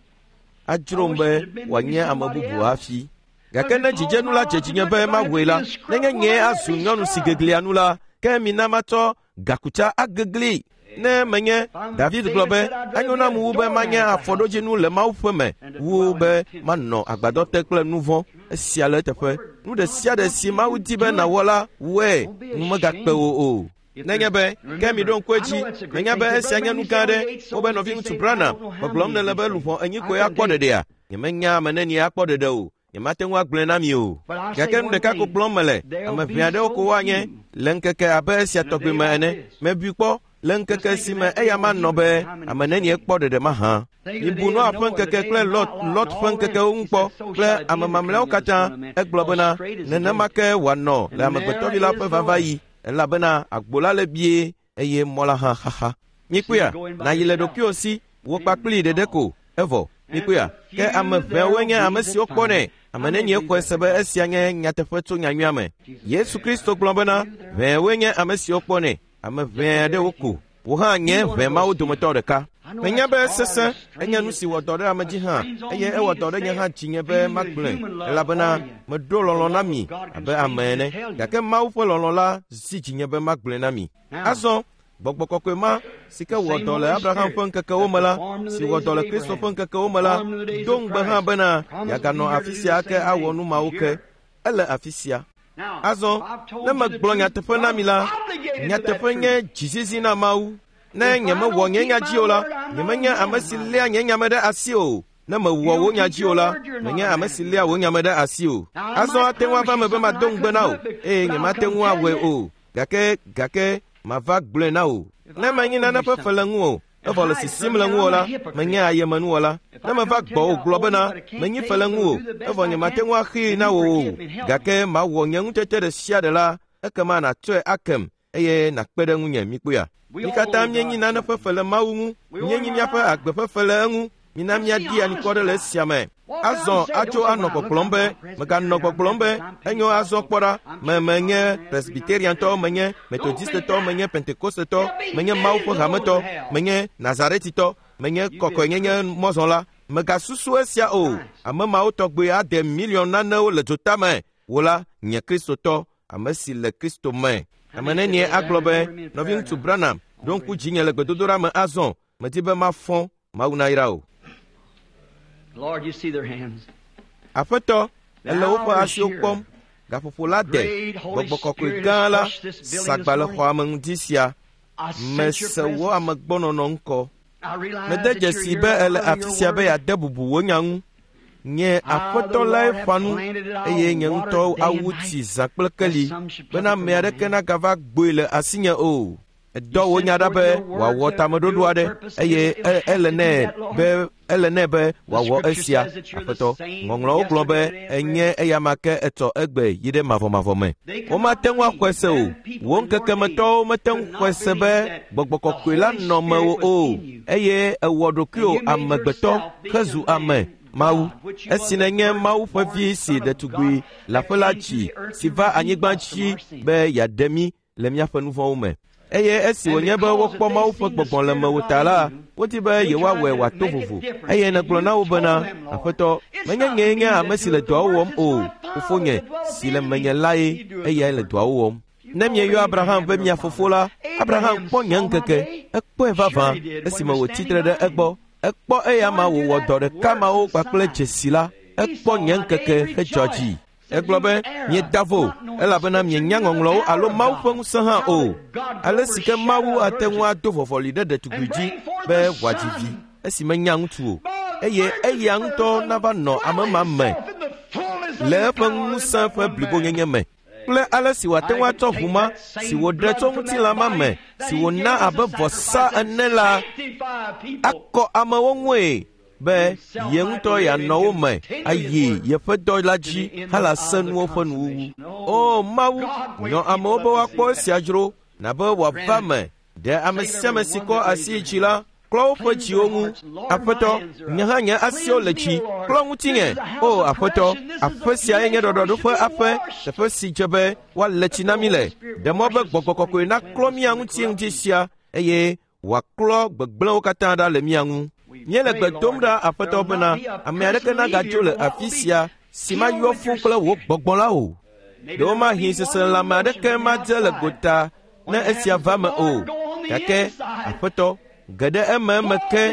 adzrom be wòanye ame bubu hafi. Gake ne dzidzenu la dze dzinye be mawɔe la, nenye nyee azu nyɔnu si geglia nu la, ke mina matsɔ gakutsa agegli. Ne menye David gblɔ be enyo nam wu be manye afɔɖodzinu le Mawu ƒe me wu be manɔ agbadɔ te kple nu vɔ̃. Esia le eteƒe. Nu ɖe sia ɖe si Mawu di be nàwɔ la, wɔe. Nu megakpe wò o. Nenye be ke mi ɖo ŋku edzi, menya be esia nye nu gã aɖe. Wobe nɔviŋutsu Branham, gbɔgblɔm nele be luʋɔ enyi koe akpɔ ɖeɖea? Nyemenya ame nenie akpɔ ɖeɖe o. Nyemate ŋu agblɔe na mi o. Gake nu ɖeka ko gblɔm mele, ame ʋɛ aɖewo ko woanye le ŋkeke abe esia tɔgbi me ene. Mebui kpɔ Le ŋkeke si me eya manɔ be ame nenie kpɔ ɖeɖe mahã. Mibu Noa ƒe ŋkeke kple Lot Lot ƒe ŋkekewo ŋu kpɔ kple ame mamlɛawo katã. Egblɔ bena nenema ke wòanɔ le amegbetɔvi la ƒe vavaɣi elabena agbo la le bie eye mɔ la hã xaxa. Mikpɔea, nàyi le ɖokuiwò si, wò kpakpli ɖeɖe ko, evɔ. Mikpɔea, ke ame ʋɛwoe nye ame siwo kpɔnɛ. Ame nenie xɔe se be esia nye nyateƒe tso nyanyuia me. Yesu Kristo gblɔ bena ʋɛwoe nye ame siwo kpɔnɛ. Ame ʋɛ aɖewo ko. Wò hã nye ʋɛ mawo dometɔ ɖeka. Menya be sesẽ enye nu si wɔ dɔ ɖe ame dzi hã eye ewɔ dɔ ɖe nye hã dzinye be magblɔe elabena meɖo lɔlɔ̃ na mi abe ame ene gake Mawu ƒe lɔlɔ̃ la zi dzinye be magblɔe na mi. Azɔ gbɔgbɔ kɔkɔe ma si ke wɔ dɔ le Abraham ƒe ŋkekewo me la, si wɔ dɔ le Kristo ƒe ŋkekewo me la, do ŋugbe hã bena yeaganɔ afi sia ake awɔ nu mawo ke. Ele afi sia. Azɔ ne megblɔ nyateƒe na mi la, nyateƒe nye dzizizi na Mawu. Ne nyemewɔ nye nya dzi o la, nyemenye ame si léa nye nya me ɖe asi o. Ne mewɔ wò nya dzi o la, menye ame si léa wò nya me ɖe asi o. Azɔ ate ŋu ava me be mado ŋugbe na wò eye nyemate ŋu awɔe o. Gake gake mava gblɔe na wò. Ne menyi nane ƒe fe le ŋuwò, evɔ le sisim le ŋuwò la, menye ayemenuwɔla. Ne meva gbɔwò gblɔ bena menyi fe le ŋuwò, evɔ nyemate ŋu axee na wò o, gake mawɔ nye ŋutete ɖe sia ɖe la, ekema nàtsɔe akem eye nàkpe ɖe ŋunye. Mikpɔea? Mi katã míenyi nane ƒe fe le Mawu ŋu, míenyi míaƒe agbe ƒe fe le eŋu. Mina míadi anyikɔ ɖe le esia me. Azɔ atso anɔ gbɔgblɔm be, meganɔ gbɔgblɔm be, enyo azɔ kpɔ ɖa, me menye Presbyteriantɔ, menye Methodistetɔ, menye Pentecostetɔ, menye Mawu ƒe hametɔ, menye Nazaretitɔ, menye kɔkɔenyenye mɔzɔla. Megasusu esia o. Ame mawo tɔgbe ade miliɔn nanewo le dzotame. Wò la, nye Kristotɔ, ame si le Kristo me. Ame nenie agblɔ be, nɔviŋutsu Branham, ɖo ŋku dzinye le gbedodoɖa me azɔ, medi be mafɔ Mawu nayra o.
Lord, you see their hands.
Aƒetɔ, ele woƒe asiwo kpɔm. Gaƒoƒo la de. Gbɔgbɔ kɔkɔe gã la sagba le xɔa me ŋdi sia. Mese wò amegbɔnɔnɔ ŋkɔ. Mede dzesi be ele afi sia be yeade bubu wò nya ŋu. Nye aƒetɔ lae ƒã nu eye nye ŋutɔ awu tsi zã kple keli bena ame aɖeke nagava gboe le asinye o. Edɔ wò nya ɖa be wòawɔ tameɖoɖo aɖe eye ele nɛ be ele nɛ be wòawɔ esia. Aƒetɔ, ŋɔŋlɔwo gblɔ be enye eyama ke etsɔ egbe yi ɖe mavɔmavɔ me. Womate ŋu axɔe se o. Wò ŋkekemetɔwo mete ŋu xɔe se be gbɔgbɔ kɔkɔe la nɔ mewò o eye ewɔ ɖokuiwò amegbetɔ hezu ame. Mawu, esi nenye Mawu ƒe vi si ɖetugbui leaƒe la dzi si va anyigba dzi be yeaɖe mí le míaƒe nu vɔ̃wo me. Eye esi wònye be wokpɔ Mawu ƒe gbɔgbɔ le mewò ta la, wodi be yewoawɔe wòato vovo. Eye nègblɔ na wo bena, Aƒetɔ, menye nyee nye ame si le dɔawo wɔm o, fofonye si le menye lae, eyae le dɔawo wɔm. Ne mieyɔ Abraham be mia fofo la, Abraham kpɔ nye ŋkeke, ekpɔe vavã esime wòtsi tre ɖe egbɔ. Ekpɔ eya ma wòwɔ dɔ ɖeka mawo kpakple dzesi la, ekpɔ nye ŋkeke hedzɔ dzi. Egblɔ be, mieda vo, elabena mienya ŋɔŋlɔwo alo Mawu ƒe ŋusẽ hã o. Ale si ke Mawu ate ŋu ado vɔvɔli ɖe ɖetugbui dzi be wòadzi vi esi menya ŋutsu o, eye eya ŋutɔ nava nɔ ame ma me le eƒe ŋusẽ ƒe blibonyenye me kple ale si wòate ŋu atsɔ ʋu ma si wòɖe tso ŋutilã ma me si wòna abe vɔsa ene la akɔ amewo ŋue be ye ŋutɔ yeanɔ wo me ayi yeƒe dɔ la dzi halase nuwo ƒe nuwuwu. O Mawu, nyɔ amewo be woakpɔ esia dzro nabe wòava me ɖe ame sia ame si kɔ asi yi dzi la klɔ woƒe dziwo ŋu. Aƒetɔ, nye hã nye asiwo le dzi, klɔ ŋutinye. O Aƒetɔ, aƒe siae nye ɖɔɖɔɖo ƒe aƒe, teƒe si dze be woalé tsi na mí le. Ɖe mɔ be gbɔgbɔ kɔkɔe naklɔ mía ŋuti ŋdi sia eye wòaklɔ gbegblẽwo katã ɖa le mía ŋu. Míele gbe dom ɖa Aƒetɔ bena ame aɖeke nagadzo le afi sia si mayɔ fũu kple wò gbɔgbɔ la o. Ɖewomahi seselãme aɖeke madze le gota ne esia va me o. Gake Aƒetɔ, ge ɖe ememe ke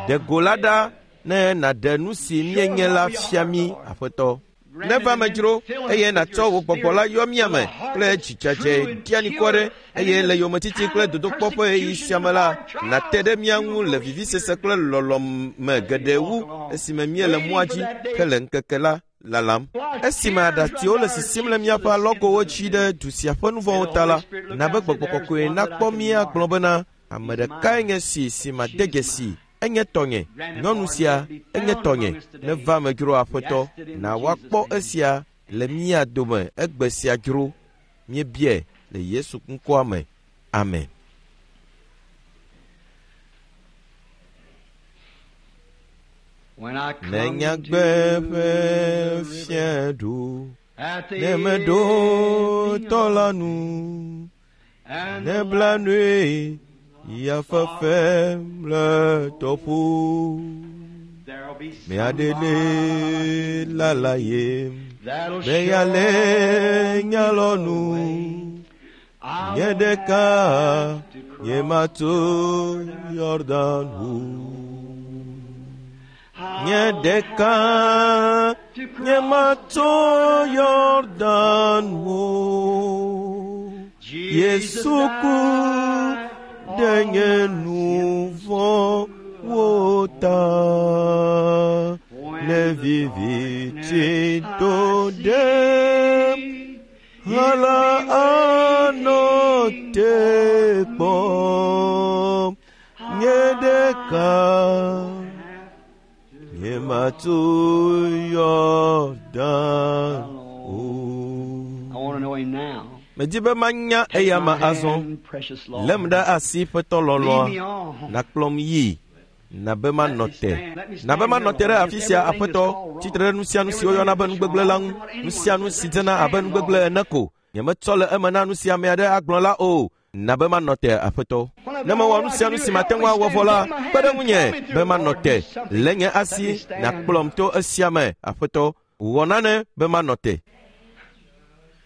ɖe go la ɖa ne nàɖe nu si míenye la fia mí, Aƒetɔ. Neva me dzro eye nàtsɔ wò gbɔgbɔ la yɔ mía me kple dzidzedze ɖianikɔ ɖe eye le yometiti kple dodokpɔ ƒe ɣeyiɣi sia me la, nàte ɖe mía ŋu le vivisese kple lɔlɔ̃ me geɖe wu esime míele mɔa dzi hele ŋkeke la lalam. Esime aɖatsiwo le sisim le míaƒe alɔgowo dzi ɖe du sia ƒe nu vɔ̃wo ta la, na be gbɔgbɔ kɔkɔe nakpɔ mí agblɔ bena Ame ɖekae nye si si made dzesi, enye tɔnye. Nyɔnu sia enye tɔnye. Neva me dzro Aƒetɔ, na woakpɔ esia le mía dome egbe sia dzro. Míebiae le Yesu ŋkɔa me. Amen. Ne nyagbe ƒe fiaɖu, ne meɖo tɔ la nu, ne blanui ya fefem le tɔƒo, me aɖe le lala yem, be ya le nyalɔnu, nye ɖeka nye mato Yordan ʋu. Nye ɖeka nye mato Yordan ʋu. Yesu ku ɖe nye nu vɔ̃wo ta. Ne viviti do ɖem, hala anɔ te kpɔm. Nye ɖeka nye mato Yordan o.
I want to know him now.
Medi be manya
Take
eya
my
ma azɔ.
hand, precious Lord.
Lém ɖe asi ƒetɔ
Lead
lɔlɔ̃a.
me on.
Nakplɔm yi. Na be manɔ te. Na be manɔ te ɖe afi sia Aƒetɔ, tsitre ɖe nu sia nu si woyɔna be nugbegblẽ la ŋu. Nu sia nu si dzena abe nugbegblẽ ene ko. Nyemetsɔ le eme na nu si ame aɖe agblɔ la o. Na be manɔ te Aƒetɔ. Ne mewɔ nu sia nu si mate ŋu awɔ vɔ la, kpe ɖe ŋunye be manɔ te. Lé nye asi nàkplɔm to esia me Aƒetɔ. Wɔ nane be manɔ te.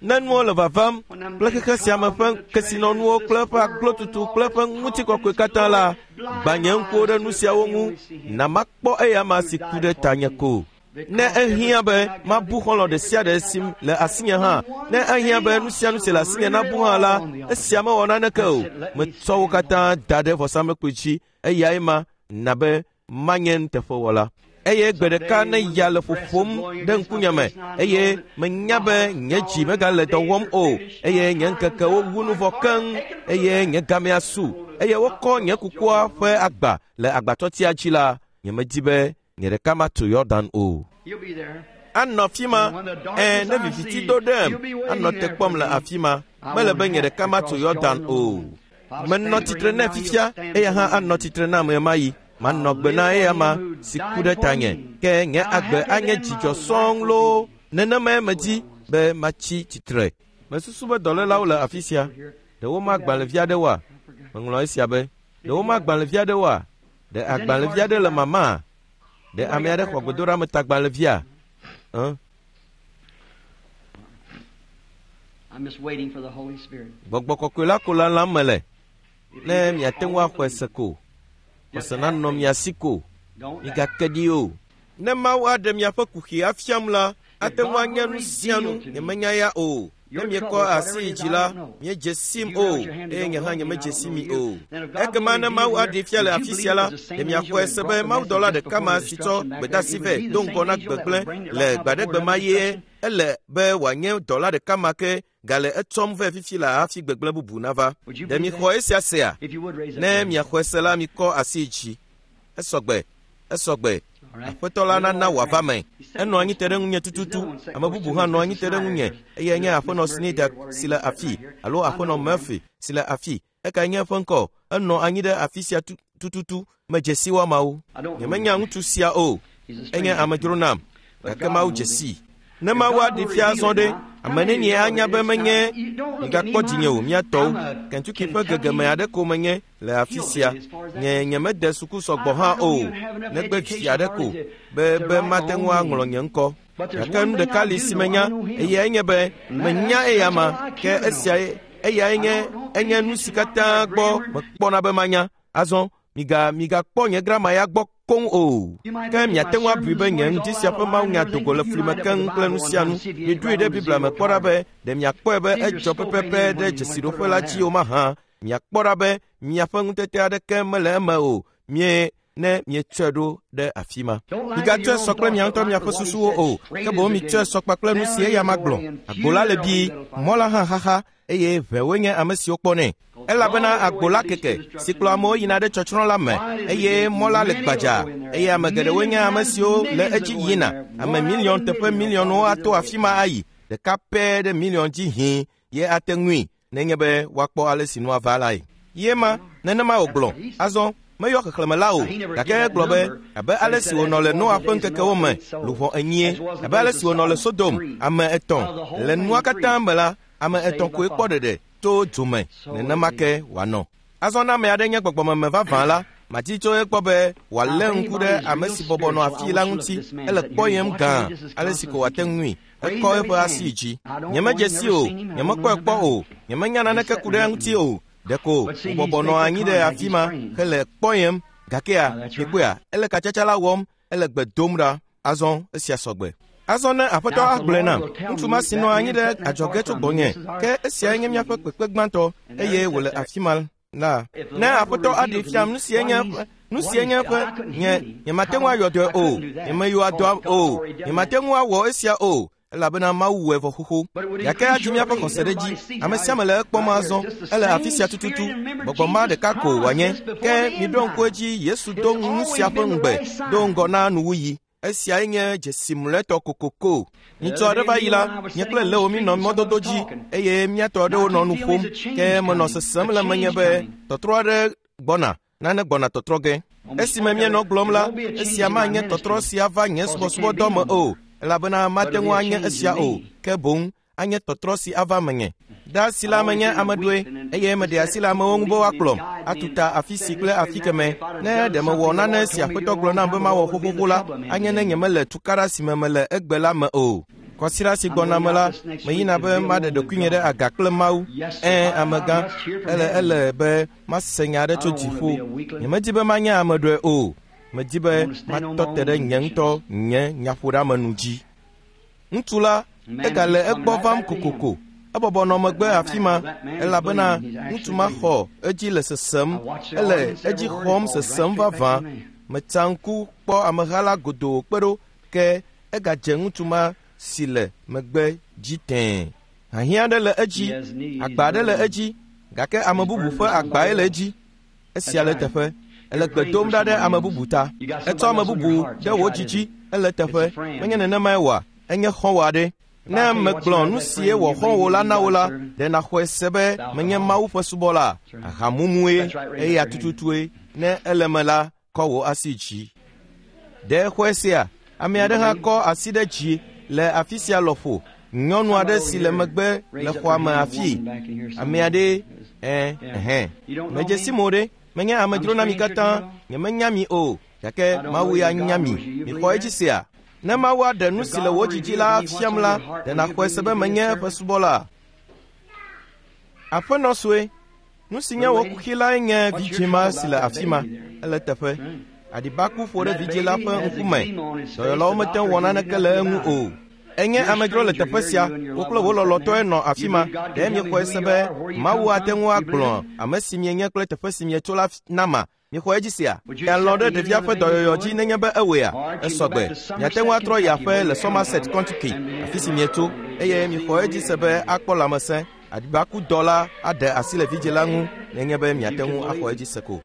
Ne nuwo le vavam kple xexe sia me ƒe kesinɔnuwo kple eƒe aglotutu kple eƒe ŋutikɔkɔe katã la, gbã nye ŋkuwo ɖe nu siawo ŋu, na makpɔ eya ma si ku ɖe tanye ko. Ne ehiã be mabu xɔlɔ̃ ɖe sia ɖe si le asinye hã, ne ehiã be nu sia nu si le asinye nabu hã la, esia mewɔ naneke o. Metsɔ wo katã da ɖe vɔsamlekpui dzi, eyae ma na be manye nuteƒewɔla. Eye gbe ɖeka ne ya le ƒoƒom ɖe ŋkunye me, eye menya be nye dzi megale dɔ wɔm o, eye nye ŋkekewo wu nu vɔ keŋ, eye nye gamea su, eye wokɔ nye kukua ƒe agba le agbatɔtia dzi la, nyemedi be nye ɖeka mato Yordan o.
You'll be there.
Anɔ afi ma, ɛ ne viviti do ɖem, anɔ te kpɔm le afi ma. Mele be nye ɖeka mato Yordan o. Menɔ tsitre nɛ fifia, eya hã anɔ tsitre nam ɣemaɣi. Manɔ gbe na eya ma si ku ɖe tanye, ke nye agbe anye dzidzɔ sɔŋ loo. Nenemae medi be matsi tsitre. Mesusu be dɔlélawo le afi sia. Ɖe woma agbalẽvi aɖewoa? Meŋlɔ esia be. Ɖe woma agbalẽvi aɖewoa? Ɖe agbalẽvi aɖe le mama? Ɖe ame aɖe xɔ gbedoɖametagbalẽvia? Ẽ?
I'm just waiting for the Holy Spirit.
Gbɔgbɔ kɔkɔe la ko lalam mele. Ne miate ŋu axɔe se ko. Xɔse nanɔ mia si ko.
Don't doubt.
Migake ɖi o. Ne Mawu aɖe miaƒe kuxi afiam la, ate ŋu anye nu sia nu nyemenya ya o. Ne miekɔ asi yi dzi la, miedze sim o, eye nye hã nyemedze si mi o. Ekema ne Mawu aɖee fia le afi sia la, ɖe miaxɔe se be mawudɔla ɖeka ma si tsɔ gbedeasi vɛ do ŋgɔ na gbegblẽ le gbaɖegbe ma ye ele be wòanye dɔla ɖeka ma ke gale etsɔm vɛ fifi la hafi gbegblẽ bubu nava. Ɖe mixɔ esia sea?
If you would raise up
Ne
your hand.
miaxɔe se la, mikɔ asi yi dzi. Esɔgbe, esɔgbe.
All right.
Aƒetɔ la nana wòava me. Enɔ anyi te ɖe ŋunye tututu. Ame bubu hã nɔ anyi te ɖe ŋunye eye nye aƒenɔ Snyder si le afi alo aƒenɔ Murphy si le afi. Ekae nye eƒe ŋkɔ. Enɔ anyi ɖe afi sia tu- tututu. Medze si woamawo. Nyemenya ŋutsu sia o.
He's a
Enye
stranger.
amedzro nam. Gake Mawu dze sii. Ne Mawu aɖee fia azɔ ɖe, ame nenie anya be menye migakpɔ dzinye o mía tɔwo. Kentucky ƒe gegeme aɖe ko menye le afi sia. Nye nyemede suku sɔgbɔ hã o, negbe vi aɖe ko be be mate ŋu aŋlɔ nye ŋkɔ. Gake nu ɖeka li si menya, eyae nye be menya eya ma, ke esia eyae nye enye nu si katã gbɔ mekpɔna be manya. Azɔ miga migakpɔ nye grama ya gbɔ koŋ o. Ke miate ŋu abui be nye ŋdi sia ƒe mawunya dogo le fli me keŋ kple nu sia nu. Miɖoe ɖe Biblia me kpɔ ɖa be ɖe miakpɔe be edzɔ pɛpɛpɛ ɖe dzesiɖoƒe la dzi o mahã. Miakpɔ ɖa be miaƒe ŋutete aɖeke mele eme o. Mie ne mietsɔe ɖo ɖe afi ma. Migatsɔe sɔ kple mia ŋutɔ miaƒe susuwo o, ke boŋ mitsɔe sɔ kpakple nu si eya ma gblɔ. Agbo la le bii, mɔ la hã xaxa eye ʋewoe nye ame siwo kpɔnɛ. Elabena agbo la keke si kplɔ amewo yina ɖe tsɔtsrɔ̃ la me, eye mɔ la le gbadza, eye ame geɖewoe nye ame siwo le edzi yina. Ame miliɔn teƒe miliɔnwo ato afi ma ayi, ɖeka pɛ ɖe miliɔn dzi hĩ ye ate ŋui nenye be woakpɔ ale si nua va lae. Ye ma nenema wògblɔ. Azɔ meyɔ xexlẽme la o, gake egblɔ be abe ale si wònɔ le Noa ƒe ŋkekewo me, luʋɔ enyie, abe ale si wònɔ le Sodom, ame etɔ̃. Le nua katã me la, ame etɔ̃ koe kpɔ ɖeɖe tso dzo me, nenema ke wòanɔ. Azɔ ne ame aɖe nye gbɔgbɔmeme vavã la, madi tso egbɔ be wòalé ŋku ɖe ame si bɔbɔ nɔ afii la ŋuti. Ele kpɔyem gã ale si ko wòate ŋui. Ekɔ eƒe asi dzi. Nyemedze si o, nyemekpɔe kpɔ o, nyemenya naneke ku ɖe eŋuti o. Ɖeko wòbɔbɔ nɔ anyi ɖe afi ma hele kpɔyem. Gakea, mikpɔea, ele katsatsa la wɔm, ele gbe dom ɖa. Azɔ esia sɔgbe. Azɔ ne aƒetɔ agblɔe nam, ŋutsu ma si nɔ anyi ɖe adzɔge tso gbɔnye, ke esiae nye míaƒe kpekpe gbãtɔ, eye wòle afi ma la. Ne aƒetɔ aɖee fiam nu sie nye eƒe, nu sie nye eƒe, nye, nyemate ŋu ayɔ dɔe o, nyemeyɔa dɔa o, nyemate ŋu awɔ esia o, elabena Mawu wɔe vɔ xoxo. Gake adzi míaƒe xɔse ɖe dzi. Ame sia ame le ekpɔm azɔ, ele afi sia tututu. Gbɔgbɔ ma ɖeka ko wòanye. Ke miɖo ŋku edzi, Yesu do nu sia ƒe ŋugbe do ŋgɔ na nuwuɣi. Esiae nye dzesi mlɔetɔ kokoko. Nyitsɔ aɖe va yi la, nye kple Leo míenɔ mɔdodo dzi eye míatɔ aɖewo nɔ nu ƒom. Ke menɔ sesem le menye be tɔtrɔ aɖe gbɔna, nane gbɔna tɔtrɔ ge. Esime míenɔ gblɔm la, esia manye tɔtrɔ si ava nye subɔsubɔdɔ me o, elabena mate ŋu anye esia o, ke boŋ anye tɔtrɔ si ava menye. De asi la menye ame ɖoe, eye meɖe asi le amewo ŋu be woakplɔm atu ta afi si kple afi keme. Ne ɖe mewɔ nane si aƒetɔ gblɔ nam be mawɔ xoxoxo la, anye ne nyemele tukaɖa si me mele egbe la me o. Kɔsiɖa si gbɔna me la, meyina be maɖe ɖokuinye ɖe aga kple Mawu. Ẽ, amegã, ele ele be mase nya aɖe tso dziƒo. Nyemedi be manye ame ɖoe o. Medi be matɔ te ɖe nye ŋutɔ nye nyaƒoɖeamenu dzi. Ŋutsu la egale egbɔ vam kokoko. Ebɔbɔ nɔ megbe afi ma, elabena ŋutsu ma xɔ edzi le sesem, ele edzi xɔm sesem vavã. Metsa ŋku kpɔ ameha la godoo kpe ɖo, ke egadze ŋutsu ma si le megbe dzi tẽe. Hiahiã aɖe le edzi, agba aɖe le edzi, gake ame bubu ƒe agbae le edzi. Esia le teƒe. Ele gbe dom ɖa ɖe ame bubu ta. Etsɔ ame bubu ɖe wò dzidzi, ele teƒe. Menye nenemae oa? Enye xɔ̃wò aɖe. Ne megblɔ nu sie wɔ xɔ̃wò la na wò la, ɖe nàxɔe se be menye Mawu ƒe subɔla, ahamumue, eya tututue. Ne ele me la, kɔ wò asi dzi. Ɖe xɔe sea? Ame aɖe hã kɔ asi ɖe dzi le afi sia lɔƒo. Nyɔnu aɖe si le megbe le xɔa me afii. Ame aɖe, ẽ, ɛhɛn. Medze si mo ɖe, menye amedzro na mi katã, nyemenya mi o, gake Mawu ya nya mi. Mixɔ edzi sea? Ne Mawu aɖe nu si le wò dzidzi la fiam la, ɖe nàxɔe se be menye eƒe subɔla? Aƒenɔ sue, nu si nye wò kuxi lae nye vidzĩ ma si le afi ma. Ele teƒe. Aɖibaku ƒo ɖe vidzĩ la ƒe ŋkume. Dɔyɔlawo mete ŋu wɔ naneke le eŋu o. Enye amedzro le teƒe sia, wo kple wò lɔlɔ̃tɔe nɔ afi ma. Ɖe miexɔe se be Mawu ate ŋu agblɔ ame si mienye kple teƒe si mietso la nama? Mixɔ edzi sia? Mialɔ̃ ɖe ɖevia ƒe dɔyɔyɔ dzi nenye be ewɔea? Esɔgbe. Miate ŋu atrɔ yi aƒe le Somerset, Kentucky, afi si mietso, eye mixɔ edzi se be akpɔ lãmesẽ. Aɖibakudɔ la aɖe asi le vidzĩ la ŋu nenye be miate ŋu axɔ edzi se ko.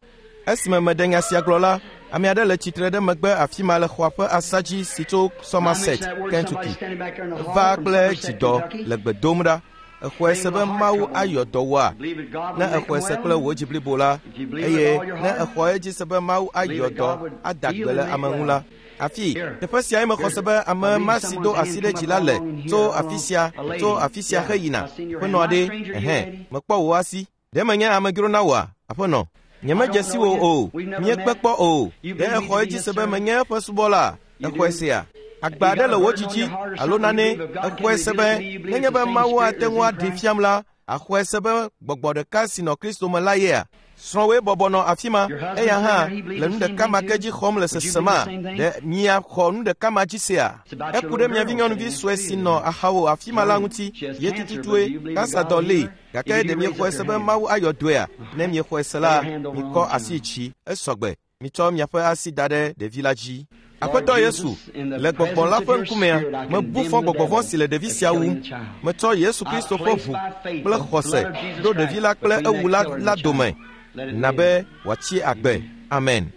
Esime meɖe nya sia gblɔ la, ame aɖe le tsitre ɖe megbe afi ma le xɔa ƒe asa dzi si tso Somerset, Kentucky. Eva kple dzidɔ le gbe dom ɖa. Exɔe se be Mawu ayɔ dɔ wòa? Ne exɔe se kple wò dzi blibo la, eye ne exɔ edzi se be Mawu ayɔ dɔ ada gbe le ame ŋu la, afi teƒe siae mexɔ se be ame ma si do asi ɖe dzi la le tso afi sia tso afi sia heyina. Aƒenɔ aɖe, ɛhɛn, mekpɔ wò asi. Ɖe menye amedzro na wòa, aƒenɔ? Nyemedze si wò o, míekpe kpɔ o. Ɖe exɔ edzi se be menye eƒe subɔla? Exɔe sea? Agba aɖe le wò dzidzi alo nane, exɔe se be nenye be Mawu ate ŋu aɖee fiam la, axɔe se be gbɔgbɔ ɖeka si nɔ Kristo me la yea? Srɔ̃woe bɔbɔ nɔ afi ma, eya hã le nu ɖeka ma ke dzi xɔm le sesema. Ɖe miaxɔ nu ɖeka ma dzi sea? Eku ɖe mia vinyɔnuvi sue si nɔ axawò afi ma la ŋuti, ye tututue, kansadɔ lée. Gake ɖe miexɔe se be Mawu ayɔ dɔea? Ne miexɔe se la, mikɔ asi dzi, esɔgbe. Mitsɔ miaƒe asi da ɖe ɖevi la dzi. Aƒetɔ Yesu, le gbɔgbɔ la ƒe ŋkumea, mebu fɔ gbɔgbɔ vɔ̃ si le ɖevi sia wum. Metsɔ Yesu Kristo ƒe ʋu kple xɔse ɖo ɖevi la kple ewula la dome. Na be wòatsi agbe. Amen.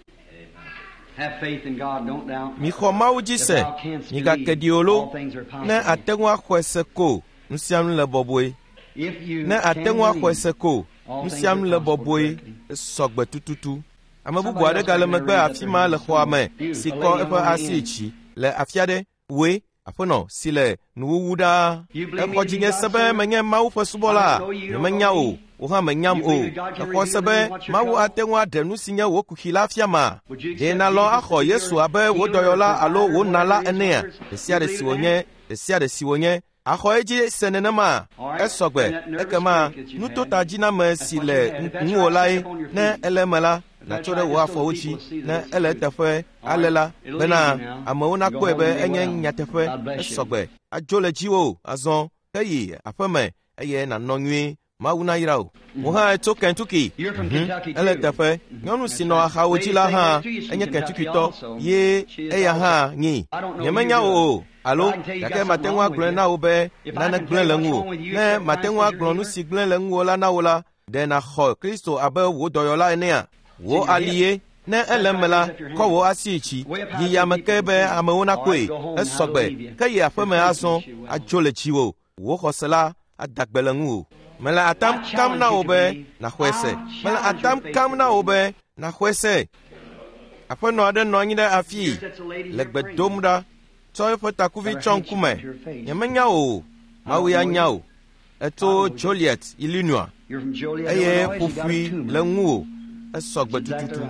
Mixɔ Mawu dzi se, migake ɖi o lo. Ne ate ŋu axɔe se ko, nu sia nu le bɔbɔe. Ne ate ŋu axɔe se ko, nu sia nu le bɔbɔe, esɔgbe tututu. Ame bubu aɖe gale megbe afi ma le xɔa me si kɔ eƒe asi dzi le afi aɖe. Woe, aƒenɔ si le nuwuwu ɖaa. Exɔ dzinye se be menye Mawu ƒe subɔla. Nyemenya o, wò hã menyam o. Exɔ se be Mawu ate ŋu aɖe nu si nye wò kuxi la fia ma. Ɖe nalɔ̃ axɔ Yesu abe wò dɔyɔla alo wò nala enea? Ɖe sia ɖe si wònye, ɖe sia ɖe si wònye, axɔ edzi se nenema. Esɔgbe, ekema nutotadziname si le ŋuwò lae, ne ele eme la, nàtso ɖe wò afɔwo dzi. Ne ele eteƒe ale la, bena amewo nakpɔe be enye nyateƒe. Esɔgbe, adzo le dziwò azɔ, ke yi aƒeme eye nànɔ nyuie. Mawu nayra wò. Wò hã etso Kentucky. Ele teƒe. Nyɔnu si nɔ axawo dzi la hã enye Kentuckytɔ ye eya hã nyi. Nyemenya wò o, alo gake mate ŋu agblɔe na wò be nane gblẽ le ŋuwò. Ne mate ŋu agblɔ nu si gblẽ le ŋuwò la na wò la, ɖe nàxɔ Kristo abe wò dɔyɔla enea? Wò ali ye. Ne ele eme la, kɔ wò asi dzi. Yi yame ke be amewo nakpɔe. Esɔgbe, ke yi aƒeme azɔ, adzo le dziwò. Wò xɔse la ada gbe le ŋuwò. Mele atam kam na wò be nàxɔe se. Mele atam kam na wò be nàxɔe se. Aƒenɔ aɖe nɔ anyi ɖe afii le gbe dom ɖa, tsɔ eƒe takuvi tsɔ ŋkume. Nyemenya wò o, Mawu ya nya wò. Etso Joliet, Illinois, eye ƒoƒui le ŋuwò. Esɔgbe tututu.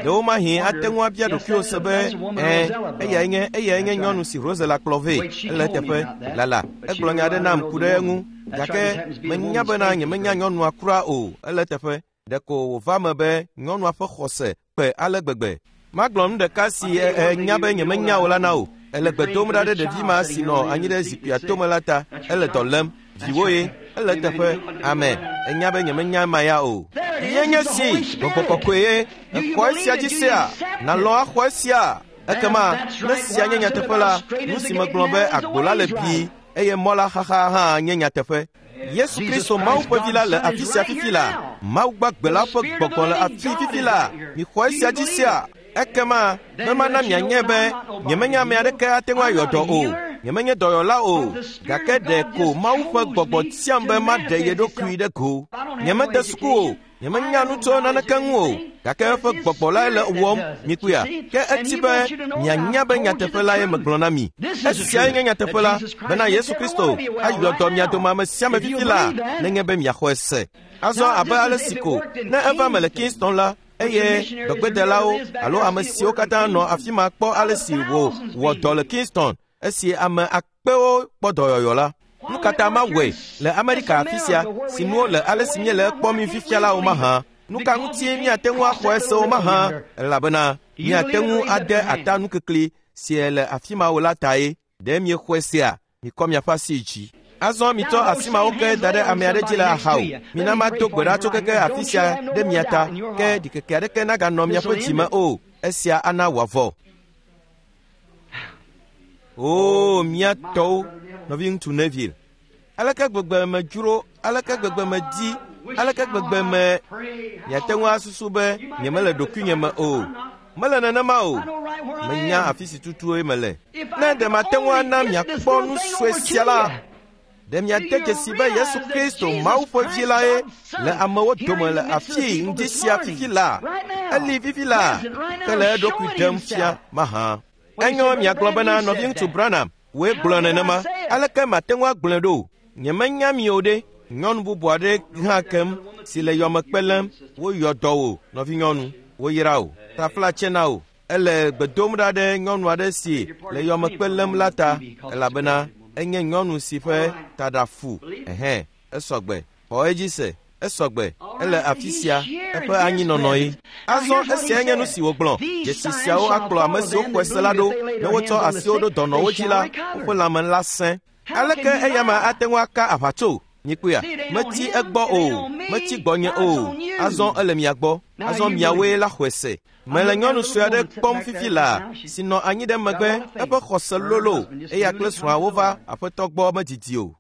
Ɖewomahi ate ŋu abia ɖokuiwò se be, ɛ̃, eyae nye eyae nye nyɔnu si Rosella kplɔ vɛ. Ele eteƒe. Lala, egblɔ nya aɖe nam ku ɖe eŋu. Gake menya bena nyemenya nyɔnua kura o. Ele eteƒe. Ɖeko wòva me be nyɔnua ƒe xɔse kpe ale gbegbe. Magblɔ nu ɖeka si enya be nyemenya o la na wò. Ele gbe dom ɖa ɖe ɖevi ma si nɔ anyi ɖe zikpuia tome la ta. Ele dɔ lém. Viwò ye. Ele eteƒe. Amen. Enya be nyemenya ema ya o. Ye nye si gbɔgbɔ kɔkɔe ye. Exɔ esia dzi sea? Nalɔ̃ axɔ esia? Ekema ne sia nye nyateƒe la, nu si megblɔ be agbo la le bii eye mɔ la xaxa hã nye nyateƒe. Yesu Kristo Mawu ƒe vi la le afi sia fifi la. Mawu gbagbe la ƒe gbɔgbɔ le afi fifi la. Mixɔ esia dzi sea? Ekema be mana mianye be nyemenya ame aɖeke ate ŋu ayɔ dɔ o. Nyemenye dɔyɔla o. Gake ɖe ko Mawu ƒe gbɔgbɔ tiam be maɖe ye ɖokui ɖe go. Nyemede suku o. Nyemenya nu tso naneke ŋu o. Gake eƒe gbɔgbɔ lae le wɔm mikpɔea. Ke eti be mianya be nyateƒe lae megblɔ na mi. Esiae nye nyateƒe la, bena Yesu Kristo ayɔ dɔ mia dome ame sia ame fifi la, nenye be miaxɔe se. Azɔ abe ale si ko ne eva me le Kingston la, eye dɔgbedelawo alo ame siwo katã nɔ afi ma kpɔ ale si wò wɔ dɔ le Kingston esi ame akpewo kpɔ dɔyɔyɔ la. Nu katã mawɔe le Amerika afi sia si nuwo le ale si míele ekpɔm mi fifia la o mahã. Nu ka ŋutie míate ŋu axɔ ese o mahã? Elabena míate ŋu ade ata nukikli si le afi ma o la tae. Ɖe miexɔe sea? Mikɔ miaƒe asi dzi. Azɔ mitsɔ asi mawo ke da ɖe ame aɖe dzi le axawo. Mina mado gbe ɖa tso keke afi sia ɖe mia ta, ke ɖikeke aɖeke naganɔ miaƒe dzime o. Esia ana wòavɔ. Oo, mía tɔwo, nɔviŋutsu Neville. Aleke gbegbe medzro, aleke gbegbe medi, aleke gbegbe me miate ŋu asusu be nyemele ɖokuinye me o. Mele nenema o. Menya afi si tutue mele. Ne ɖe mate ŋu ana miakpɔ nu sue sia la, ɖe miade dzesi be Yesu Kristo Mawu ƒe vi lae le amewo dome le afii ŋdi sia fifi la. Eli fifi la, ke le eɖokui ɖem fia mahã. Enyo miagblɔ bena nɔviŋutsu Branham wòe gblɔ nenema. Aleke mate ŋu agblɔe ɖo? Nyemenya mi o ɖe. Nyɔnu bubu aɖe hã kem si le yɔmekpe lém. Woyɔ dɔ wò, nɔvinyɔnu. Woyra wò. Taflatse na wò. Ele gbe dom ɖa ɖe nyɔnu aɖe si le yɔmekpe lém la ta, elabena enye nyɔnu si ƒe taɖa fu. Ɛhɛ̃, esɔgbe. Xɔ edzi se. Esɔgbe. Ele afi sia, eƒe anyinɔnɔ ye. Azɔ esiae nye nu si wògblɔ. Dzesi siawo akplɔ ame siwo xɔe se la ɖo. Ne wotsɔ asiwo ɖo dɔnɔwo dzi la, woƒe lãme la sẽ. Aleke eyama ate ŋu aka aʋatso? Mikpɔea, metsi egbɔ o, metsi gbɔnye o, azɔ ele mia gbɔ, azɔ miawoe la xɔe se. Mele nyɔnu sue aɖe kpɔm fifi laa si nɔ anyi ɖe megbe, eƒe xɔse lolo, eya kple srɔ̃a wova aƒetɔ gbɔ medidi o.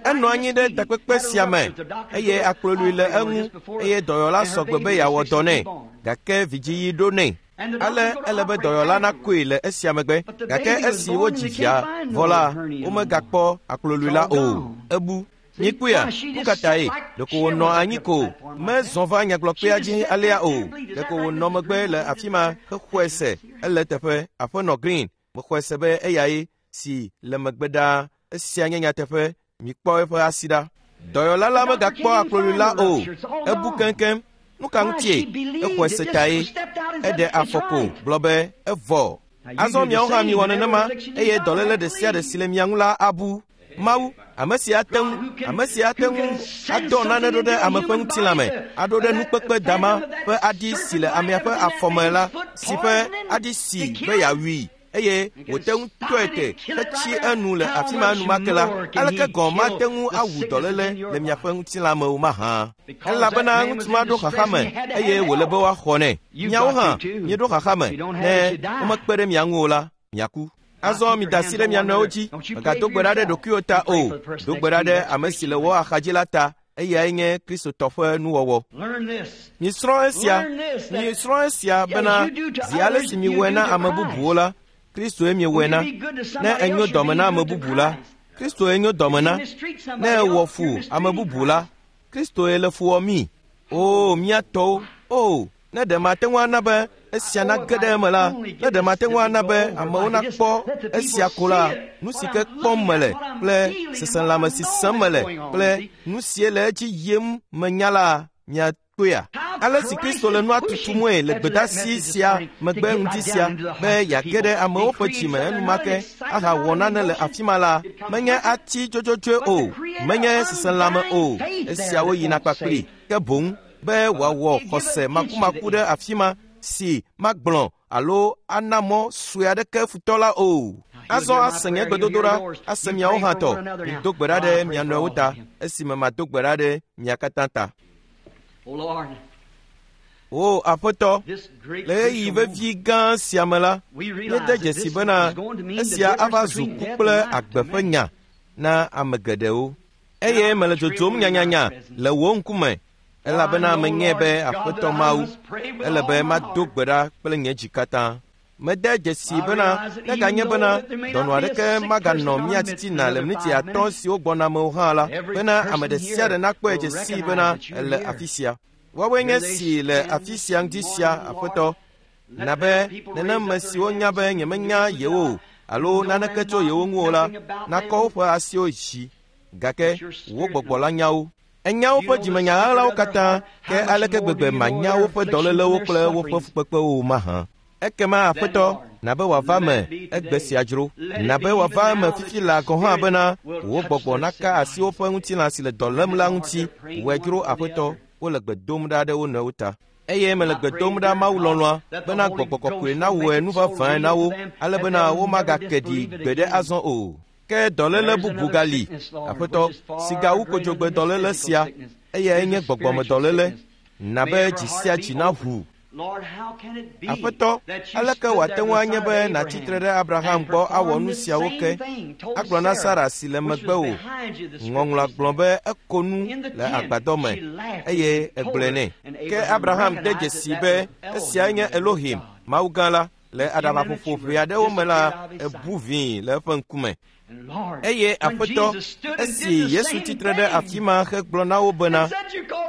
Enɔ anyi ɖe takpekpe sia me eye akplɔlui le eŋu eye dɔyɔla sɔgbe be yeawɔ dɔ nɛ, gake vidziɣi ɖo nɛ. Ale ele be dɔyɔla nakoe le esia megbe, gake esi wodzi via vɔ la, womegakpɔ akplɔlui la o. Ebu. Mikpɔea, nu ka tae? Ɖeko wònɔ anyi ko, mezɔ va nyagblɔkpea dzi alea o. Ɖeko wònɔ megbe le afi ma hexɔe se. Ele teƒe, aƒenɔ Green, mexɔe se be eyae si le megbe ɖaa. Esia nye nyateƒe. Mikpɔ eƒe asi ɖa. Dɔyɔla la megakpɔ akplɔlui la o. Ebu keŋkeŋ. Nu ka ŋutie? Exɔe se tae. Eɖe afɔ ko gblɔ be evɔ. Azɔ miawo hã miwɔ nenema eye dɔléle ɖe sia ɖe si le mia ŋu la abu. Mawu, ame si ate ŋu, ame si ate ŋu adɔ nane ɖo ɖe ame ƒe ŋutilã me, aɖo ɖe nukpekpe dama ƒe aɖi si le amea ƒe afɔme la, si ƒe aɖi si be yeawui, eye wòte ŋu tɔe te hetsi enu le afi ma enumake la, aleke gɔ̃ mate ŋu awu dɔléle le miaƒe ŋutilã me o mahã? Elabena ŋutsu ma ɖo xaxa me eye wòle be woaxɔ nɛ. Miawo hã mieɖo xaxa me, ne womekpe ɖe mia ŋu o la, miaku. Azɔ mida asi ɖe mia nɔewo dzi. Mègado gbe ɖa ɖe ɖokuiwò ta o. Do gbe ɖa ɖe ame si le wò axadzi la ta. Eyae nye Kristotɔ ƒe nuwɔwɔ. Misrɔ̃ esia, misrɔ̃ esia bena zi ale si miwɔe na ame bubuwo la, Kristoe miewɔe na. Ne enyo dɔme na ame bubu la, Kristoe nyo dɔme na. Ne ewɔ fu ame bubu la, Kristoe le fu wɔm mi. O, mía tɔwo, o, ne ɖe mate ŋu ana be esia nage ɖe eme la, ne ɖe mate ŋu ana be amewo nakpɔ esia ko la, nu si ke kpɔm mele kple seselãme si sẽm mele kple nu sie le edzi yim menya la, miakpɔea? Ale si Kristo le nua tutumue le gbedasi sia megbe ŋdi sia be yeage ɖe amewo ƒe dzime enumake ahawɔ nane le afi ma la, menye ati dzodzodzoe o, menye seselãme o, esiawo yina kpakpli, ke boŋ be wòawɔ xɔse makumaku ɖe afi ma si magblɔ alo ana mɔ sue aɖeke futɔ la o. Azɔ ase nye gbedodoɖa, ase miawo hã tɔ. Mido gbe ɖa ɖe mia nɔewo ta, esime mado gbe ɖa ɖe mia katã ta. O Aƒetɔ, le ɣeyiɣi vevi gã sia me la, míede dzesi bena esia ava zu ku kple agbe ƒe nya na ame geɖewo. Eye mele dzodzom nyanyanya le wò ŋkume, elabena menyae be Aƒetɔ Mawu, ele be mado gbe ɖa kple nye dzi katã. Mede dzesi bena neganye bena dɔnɔ aɖeke maganɔ mía titina le miniti atɔ̃ siwo gbɔna me o hã la, bena ame ɖe sia ɖe nakpɔe dzesi bena ele afi sia. Woawoe nye si le afi sia ŋdi sia, Aƒetɔ. Na be neneme siwo nya be nyemenya yewo o alo naneke tso yewo ŋu o la, nakɔ woƒe asiwo dzi, gake wò gbɔgbɔ la nya wo. Enya woƒe dzimenya ɣaɣlawo katã, ke aleke gbegbe manya woƒe dɔlélewo kple woƒe fukpekpewo mahã? Ekema Aƒetɔ, na be wòava eme egbe sia dzro. Na be wòava eme fifi laa gɔ̃ hã bena wò gbɔgbɔ naka asi woƒe ŋutilã si le dɔ lém la ŋuti. Wòe dzro Aƒetɔ, wole gbe dom ɖa ɖe wo nɔewo ta. Eye mele gbe dom ɖa Mawu lɔlɔ̃a bena gbɔgbɔ kɔkɔe nawɔe nu vavãe na wo, ale bena womagake ɖi gbeɖe azɔ o. Ke dɔléle bubu gali, Aƒetɔ, si gawu kodzogbe dɔléle sia, eyae nye gbɔgbɔmedɔléle. Na be dzi sia dzi naʋu. Aƒetɔ, aleke wòate ŋu anye be nàtsi tre ɖe Abraham gbɔ awɔ nu siawo ke, agblɔ na Sara si le megbewò? Ŋɔŋlɔa gblɔ be eko nu le agbadɔ me eye egblɔe nɛ. Ke Abraham de dzesi be esiae nye Elohim, Mawu gã la. Le aɖabaƒoƒo ʋɛ aɖewo me la, ebu vĩi le eƒe ŋkume. Eye Aƒetɔ, esi Yesu tsi tre ɖe afi ma hegblɔ na wo bena,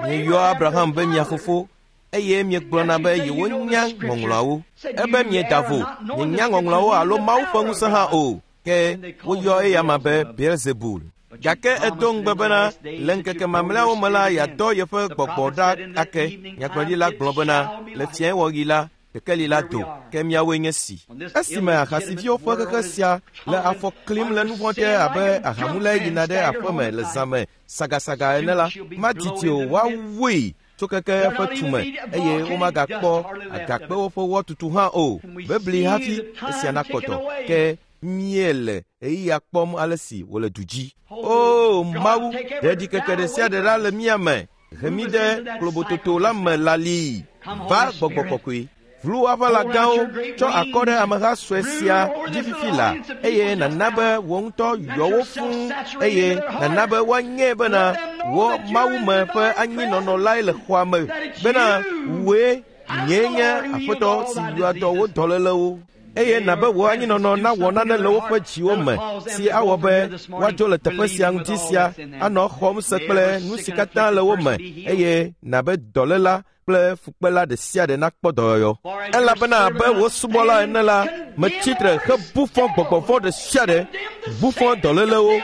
mieyɔ Abraham be mia fofo, eye miegblɔna be yewonya ŋɔŋlɔawo. Ebe mieda vo, mienya ŋɔŋlɔawo alo Mawu ƒe ŋusẽ hã o, ke woyɔ eyama be Beelzebul. Gake edo ŋugbe bena le ŋkeke mamlɛawo me la yeadɔ yeƒe gbɔgbɔ ɖa ake. Nyagblɔɖila gblɔ bena le fiẽwɔɣi la, kekeli la do, ke miawoe nye si. Esime ahasiviwo ƒe xexe sia le afɔ klim le nu vɔ̃ te abe ahamulae yina ɖe aƒeme le zã me sagasaga ene la, madidi o, woawui tso keke eƒe tume eye womagakpɔ agakpewo ƒe wɔtutu hã o. Bebli hafi esia nakpɔtɔ, ke Míele ɣeyiɣia kpɔm ale si wòle du dzi. O Mawu, ɖe ɖikeke ɖe sia ɖe ɖa le mía me. He mí ɖe klobototo la me lalii. Va gbɔgbɔ kɔkɔe. Vlu aʋalagãwo tsɔ akɔ ɖe ameha sue sia dzi fifi la eye nana be wò ŋutɔ yɔ wo fũu eye nana be woanyae bena wò mawume ƒe anyinɔnɔ lae le xɔa me bena wòe nyee nye aƒetɔ si yɔa dɔ wo dɔlélewo. Eye nabe wò anyinɔnɔ nawɔ nane le woƒe dziwo me si awɔ be woadzo le teƒe sia ŋuti sia anɔ xɔm se kple nu si katã le wo me eye nabe dɔléla kple fukpela ɖe sia ɖe nakpɔ dɔyɔyɔ. Elabena abe wò subɔla ene la, metsi tre hebu fɔ gbɔgbɔ vɔ̃ ɖe sia ɖe, bu fɔ dɔlélewo,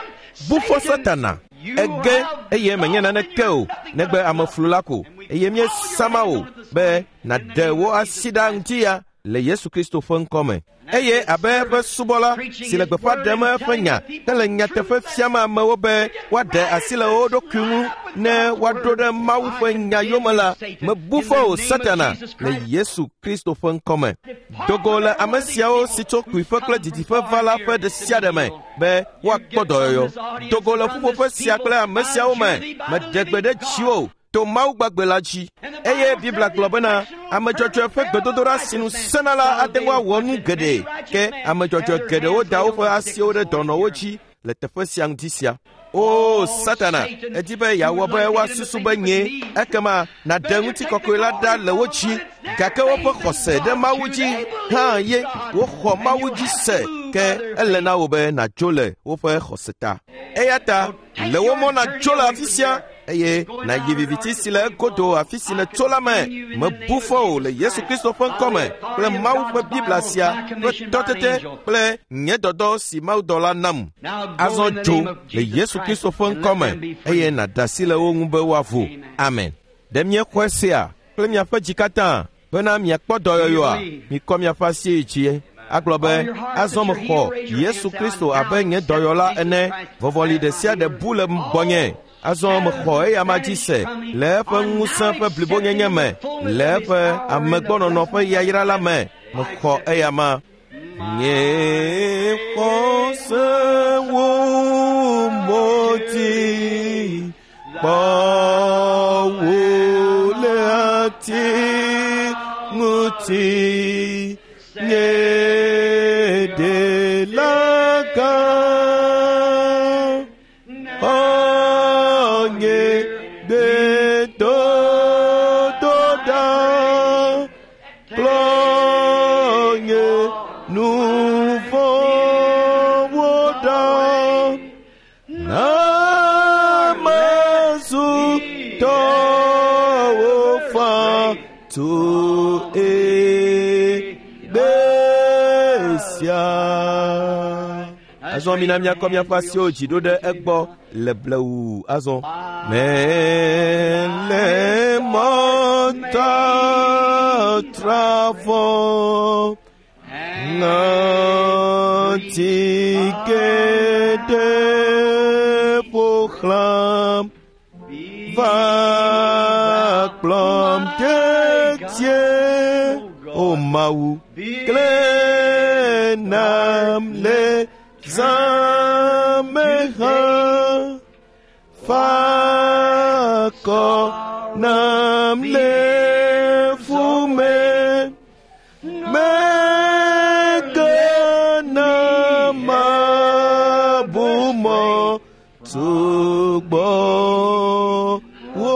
bu fɔ Satana. Ege eye menye naneke o, negbe ameflu la ko. Eye míesama wò be nàɖe wò asi ɖa ŋuti ya le Yesu Kristo ƒe ŋkɔ me. Eye abe eƒe subɔla si le gbeƒã ɖem eƒe nya hele nyateƒe fiam amewo be woaɖe asi le wo ɖokui ŋu ne woaɖo ɖe Mawu ƒe nya yome la, mebu fɔ wò Satana le Yesu Kristo ƒe ŋkɔ me. Dogo le ame siawo si tso kpuiƒe kple didiƒe va la ƒe ɖe sia ɖe me be woakpɔ dɔyɔyɔ. Dogo le ƒuƒoƒe sia kple ame siawo me, meɖe gbe ɖe dziwò to Mawu gbagbe la dzi. Eye Biblia gblɔ bena ame dzɔdzɔe ƒe gbedodoɖa si nu sẽna la ate ŋu awɔ nu geɖe. Ke ame dzɔdzɔe geɖewo da woƒe asiwo ɖe dɔnɔwo dzi le teƒe sia ŋuti sia. O Satana, edi be yeawɔ be woasusu be nye ekema nàɖe ŋutikɔkɔe la ɖa le wo dzi, gake woƒe xɔse ɖe Mawu dzi hã ye woxɔ Mawu dzi se, ke ele na wò be nàdzo le woƒe xɔse ta. Eya ta le wo mɔ nàdzo le afi sia eye nàyi viviti si le egodo afi si nètso la me. Mebu fɔ wò le Yesu Kristo ƒe ŋkɔ me kple Mawu ƒe Biblia sia ƒe tɔtete kple nye dɔdɔ si Mawudɔla nam. Azɔ dzo le Yesu Kristo ƒe ŋkɔ me eye nàɖe asi le wo ŋu be woavo. Amen. Ɖe miexɔe sea kple miaƒe dzi katã bena miakpɔ dɔyɔyɔa? Mikɔ miaƒe asi yi dzi agblɔ be azɔ mexɔ Yesu Kristo abe nye dɔyɔla ene. Vɔvɔli ɖe sia ɖe bu le gbɔnye. Azɔ mexɔ eya ma dzi se le eƒe ŋusẽ ƒe blibonyenye me, le eƒe amegbɔnɔnɔ ƒe yayra la me. Mexɔ eya ma. Nye xɔse wò mɔti kpɔ wò le ati ŋuti. Nye ɖela gã, xɔ nye gbedodoɖa, kplɔ nye nu vɔ̃wo ɖa. Na mazu tɔwò faa tso egbe sia. Azɔ mina miakɔ miaƒe asiwo dzi ɖo ɖe egbɔ le blewu azɔ. Mele mɔtatra vɔ ŋɔti geɖe ƒo xlãm va kplɔm dedie. O Mawu, klẽ nam le zã me hã, fa akɔ nam le fu me. Megana mabu mɔ tso gbɔwò o.